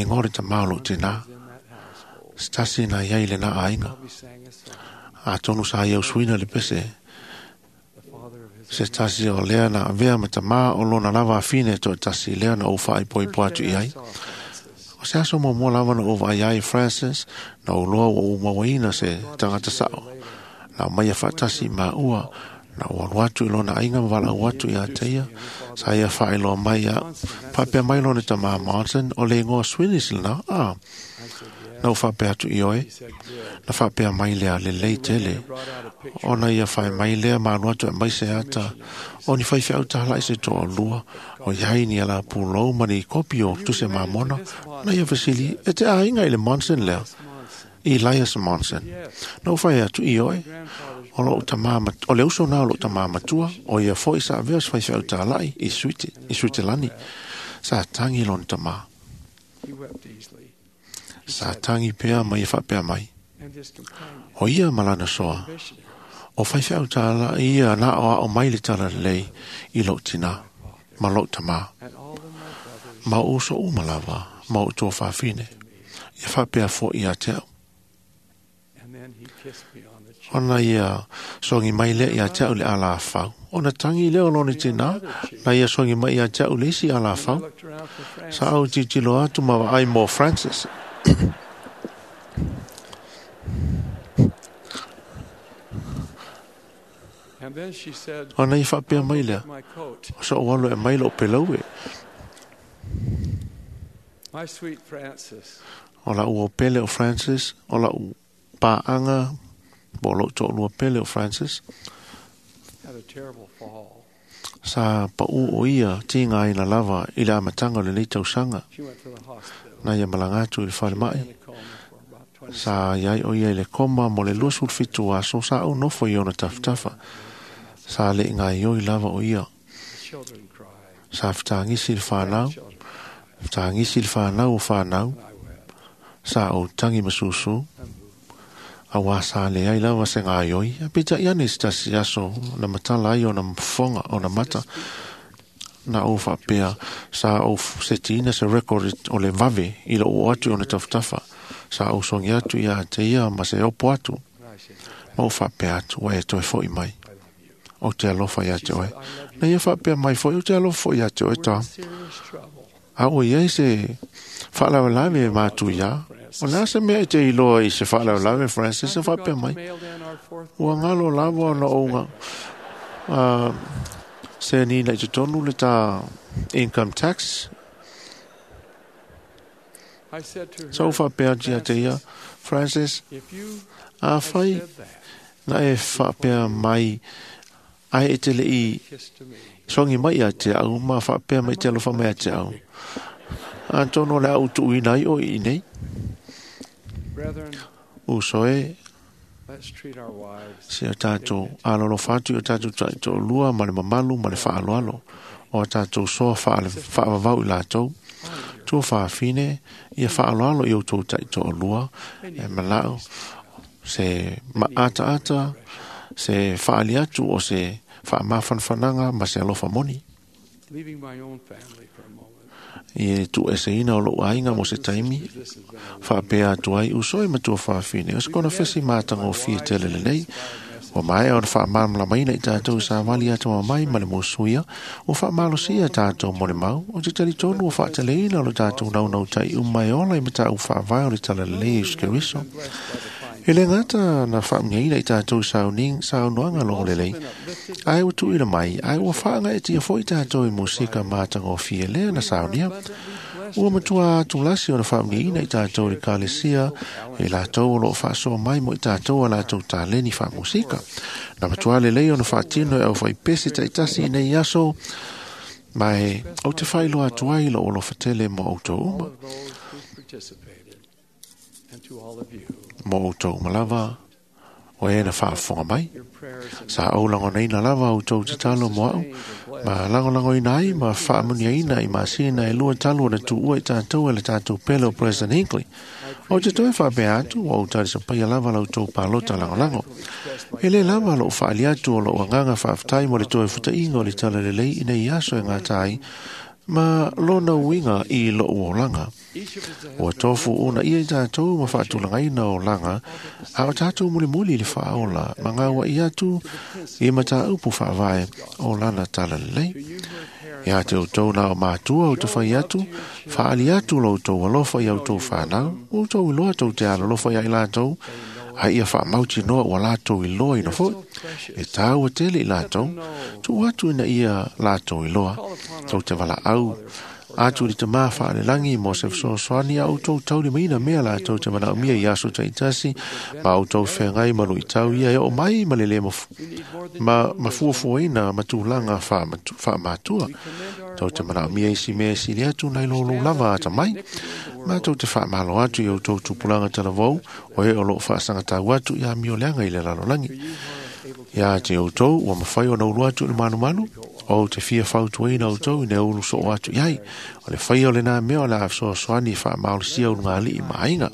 ingoa le tamā o lou tinā. in that household Se tasi na iai le nā aiga. probably sang a song A tonu sa iau suina le pese. the father of his Se tasi o lea na avea ma tamā o lona lava afine to tasi lea na o whaaipoipo atu i ai. saw Francis O se aso mo mo lava na o vai ai Francis na o loa o umawaina se tangata sao. Na mai a whaatasi ma ua na o alu atu i lona ainga ma wala atu i a teia. Sa ia whaeloa mai a papea mai lona tamā Monson o le ingoa Swedish lena. Ah, I said yes. Na uwhapea atu i oe, na whapea mai lea le lei tele. Ona ia whai mai lea malu atu e mai se ata, o ni whai whiau tahala i se toa lua, o iai ni ala pulou ma ni kopi o tuse mamona, na ia vesili, e te ainga i le Monson lea, Elias Monson. Na uwhai atu i oe, o lo o le uso na o lo tamā matua, o ia foi sa avea se whai whiau tahalai i Suitelani, sa tangi lona tamā. Sa tangi pea mai e whapea mai. O ia malana soa. O whai whiau tāla ia nā o ao mai le tala lei i lou tina, ma lou tamā. Ma o uso uma lava, ma o tō whawhine. Ia whapea fo ia te au. Ona ia songi mai lea ia te au le ala whau. Ona tangi leo lone tina, na ia songi mai ia te au le isi ala whau. Sa au titilo atu ma ai mō Francis. Ona i whapea mai lea. O sa o alo e mai lo pelau e. O la ua pele o Francis, o la u pāanga, bo lo tō lua pele o Francis. Sa pa u o ia tinga ina lava i le amatanga o le nei tausanga. Na ia malanga atu i le whare mai. Sa iai o ia i le koma mo le 27 aso sa au nofo i ona tafatafa. Sa le inga ioi lava o ia. Sa whataangisi le whanau. Whataangisi le whanau o whanau. Sa o tangi masusu. Awa sa le ai lava se ngā ioi. A pita iane se tasi aso na matala ai o na mfonga o na mata. Na o whapea sa o se tina se record o le vave i lo o atu o na tafatafa. Sa o songi atu ia te ia ma se opo atu. Ma o whapea atu wa e toe foi mai. O te alofa ia te oe. Na ia whapea mai foi o te alofa ia te oe tā. A o ia i se whaalawalawe e mātu ia. O nā se mea i te iloa i se whaalawalawe Francis se whapea mai. Ua ngalo lawa o na onga. Se nina i te tonu le tā income tax. Sa o whapea tia te ia, Francis, a whai na e whapea mai ai e te le i songi mai a te au, ma whapea mai te alofa mai a te au. Antono le au tuuina i o i nei. Uso e, se o tātou alolo whatu i o tātou taito lua ma le mamalu ma le whaaloalo. O tātou soa whaavavau i lātou. Tua whaafine, ia whaaloalo i o tō taito o lua, e malau, se maata ata, se whaali atu o se whaamawhanwhananga ma se alofa moni. I e tu ese ina o lou ainga mo se taimi, whaapea atu ai usoi ma tua whaafine. O se kona whesi mātanga o fia tele lelei, o mai o whaamamlamaina i tātou sa wali atu mai ma le mosuia, o whaamalosia tātou mo le mau, o te tali tonu o whaataleina o le tātou naunau tai umai ola i mata u whaavai o le tala lelei uskeriso. E le ngata na whaamngeina i tātou saunoanga longo lelei, ai ua tuila mai, ai ua whaanga e tia foi tātou i musika mātanga o fia lea na saunia. Ua matua atu lasi o na whaamngeina i tātou le kalesia, e lātou o loo whaasoa mai mo i tātou a lātou tāleni whaamusika. Na matua lelei o na whaatino e au whaipese taitasi i nei aso, mai au te whailoa atu ai lo o lo whatele mo au tō uma. Mo o tō malava, o e na whaafonga mai. Sa au langonaina lava o tō te talo mo au, ma langolango ina ai, ma whaamunia ina i masina e lua talo na tuua i tātou e le tātou pele o President Hinckley. O te toe whaapea atu, o tari sa paia lava lau tō pālota langolango. E le lava lo whaali atu o lo anganga whaaftai mo le toe futainga o le tala lelei i nei aso e ngā tai, ma lona uinga i lo uolanga. Ua tofu una ia i tātou ma whaatulangaina o langa, a o tātou mulimuli le whaola, ma ngā wa i atu i mata upu whaavae o lana tala lelei. Ia te o tō nā o mātua o te whai atu, whaali atu lo tō alofa i au tō whanau, o tō iloa tō te alalofa ia i lātou, a ia whaamauti noa ua lātou i loa ina foi, e tāua tele i lātou, tū atu ina ia lātou i loa, tō te wala au, Atu i le tamā faalelagi mo se fesoasoani a outou taulimaina mea latou te manaomia i aso taitasi ma outou feagai ma luitau ia e oo mai ma le lē ma mafuafuaina ma tulaga faamatua. Tou te manaomia isi mea e sili atu nai lo lou lava atamai. Ma tou te faamalo atu i outou tupulaga talavou o e o loo faasagatau atu i amioleaga i le lalolagi. Ia te outou ua mafai ona ulu atu i le malumalu, o te fia fautuaina outou ina ulu soo atu i ai. O le faia o lenā mea o le a fesoasoani e faamaolosia ulugalii ma aiga.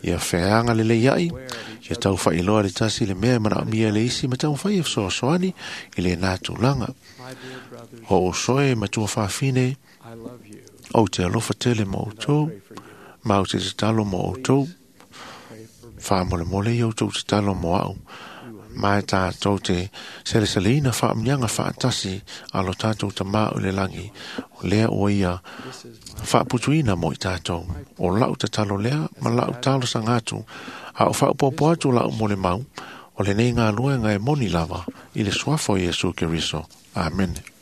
Ia feaga lelei ai, ia tau faailoa le tasi le mea e manaomia e le isi ma taumafai e fesoasoani i lenā tulaga. O uso e matua fafine, ou te alofa tele ma outou, ma ou te tatalo mo outou. Faamolemole ia outou tatalo mo au. Ma e tātou te seleseleina faamuniaga faatasi a lo tātou tamā o le lagi, o lea ua ia faaputuina mo i tātou. O lau tatalo lea ma lau talosaga atu, a o faaopoopo atu lau molimau, o lenei galuega e moni lava i le suafa o Iesu Keriso. Amene.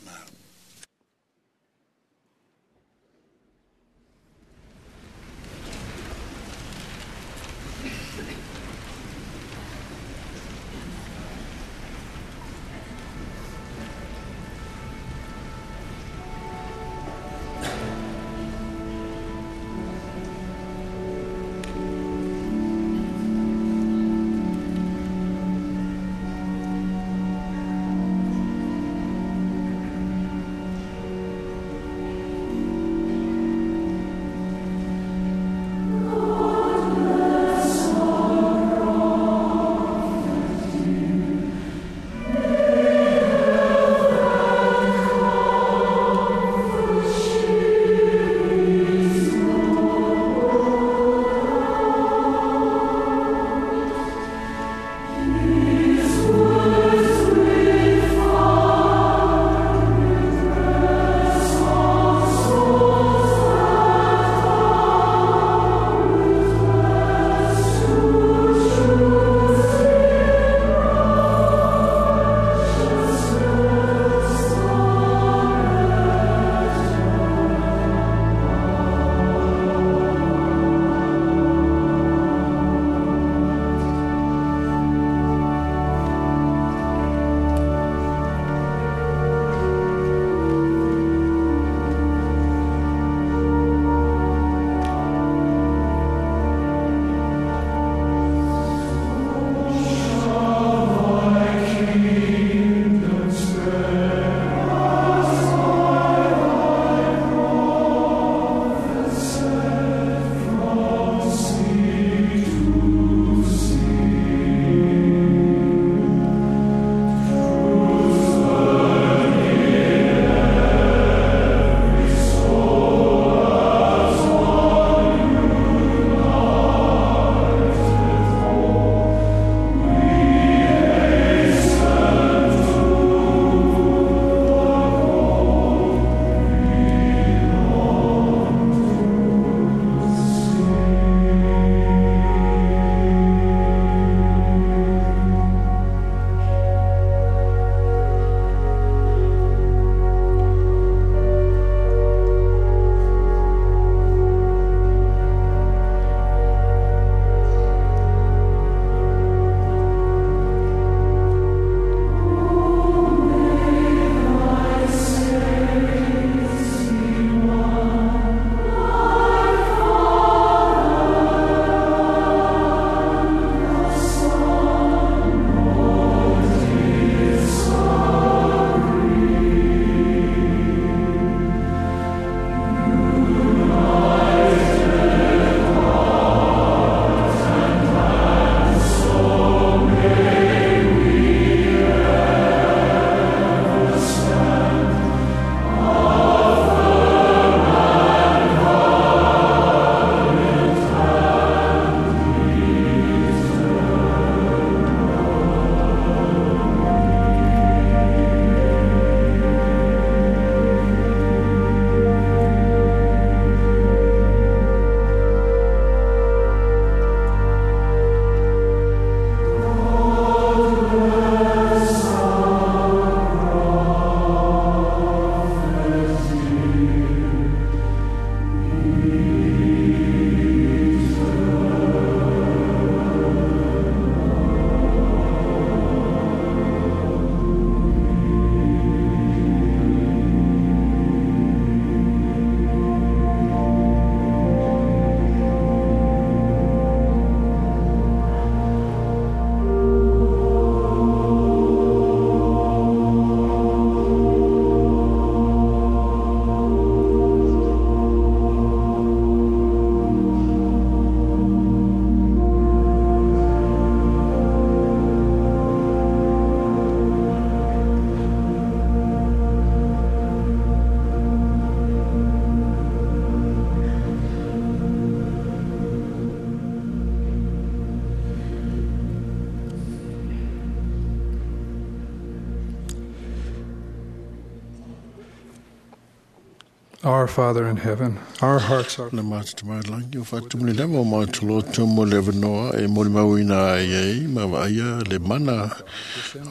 Our Father in heaven, our hearts are Na mātatamālangi o whātumuli lava o mātoloto mo le vanoa e mori mauina ai ai ma vaia le mana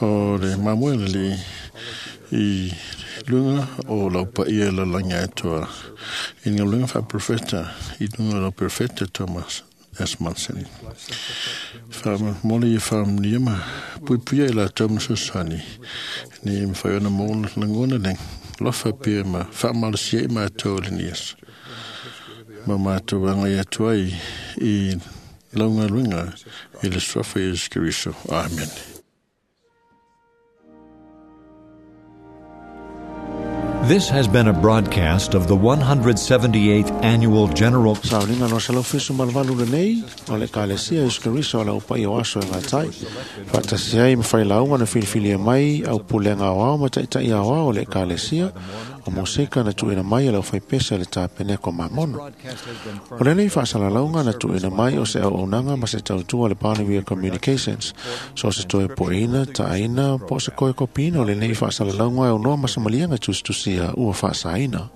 o le mamoe le i lunga o lau paia la langi atoa. I ngā lunga wha profeta, i lunga lau profeta Thomas S. Monson. Wha mole i wha ma puipuia i la tau sosani. Ni mwhai ona mōna langona leng. Lofa pia ma whaamalasia i mātou le nias. Ma mātou anga i atua i launga lunga i le swafa Yesu Keriso. Amen. This has been a broadcast of the 178th Annual General Sauliga no 178 lenei o le Ekalesia Iesu Keriso o le aupaia o aso e gatai. Faatasi ai ma failauga na filifilia mai au pulega aoao ma taʻitaʻi aoao o le Ekalesia o moseka na tuuina mai e le aufaipese a le tapeneko Mamona. O lenei faasalalauga na tuuina mai o se auaunaga ma se tautua a le Barnabia Communications. So se toe poeina, taaina, po o se koekopiina o lenei faasalalauga e aunoa ma se maliega tusitusia ua faasaina.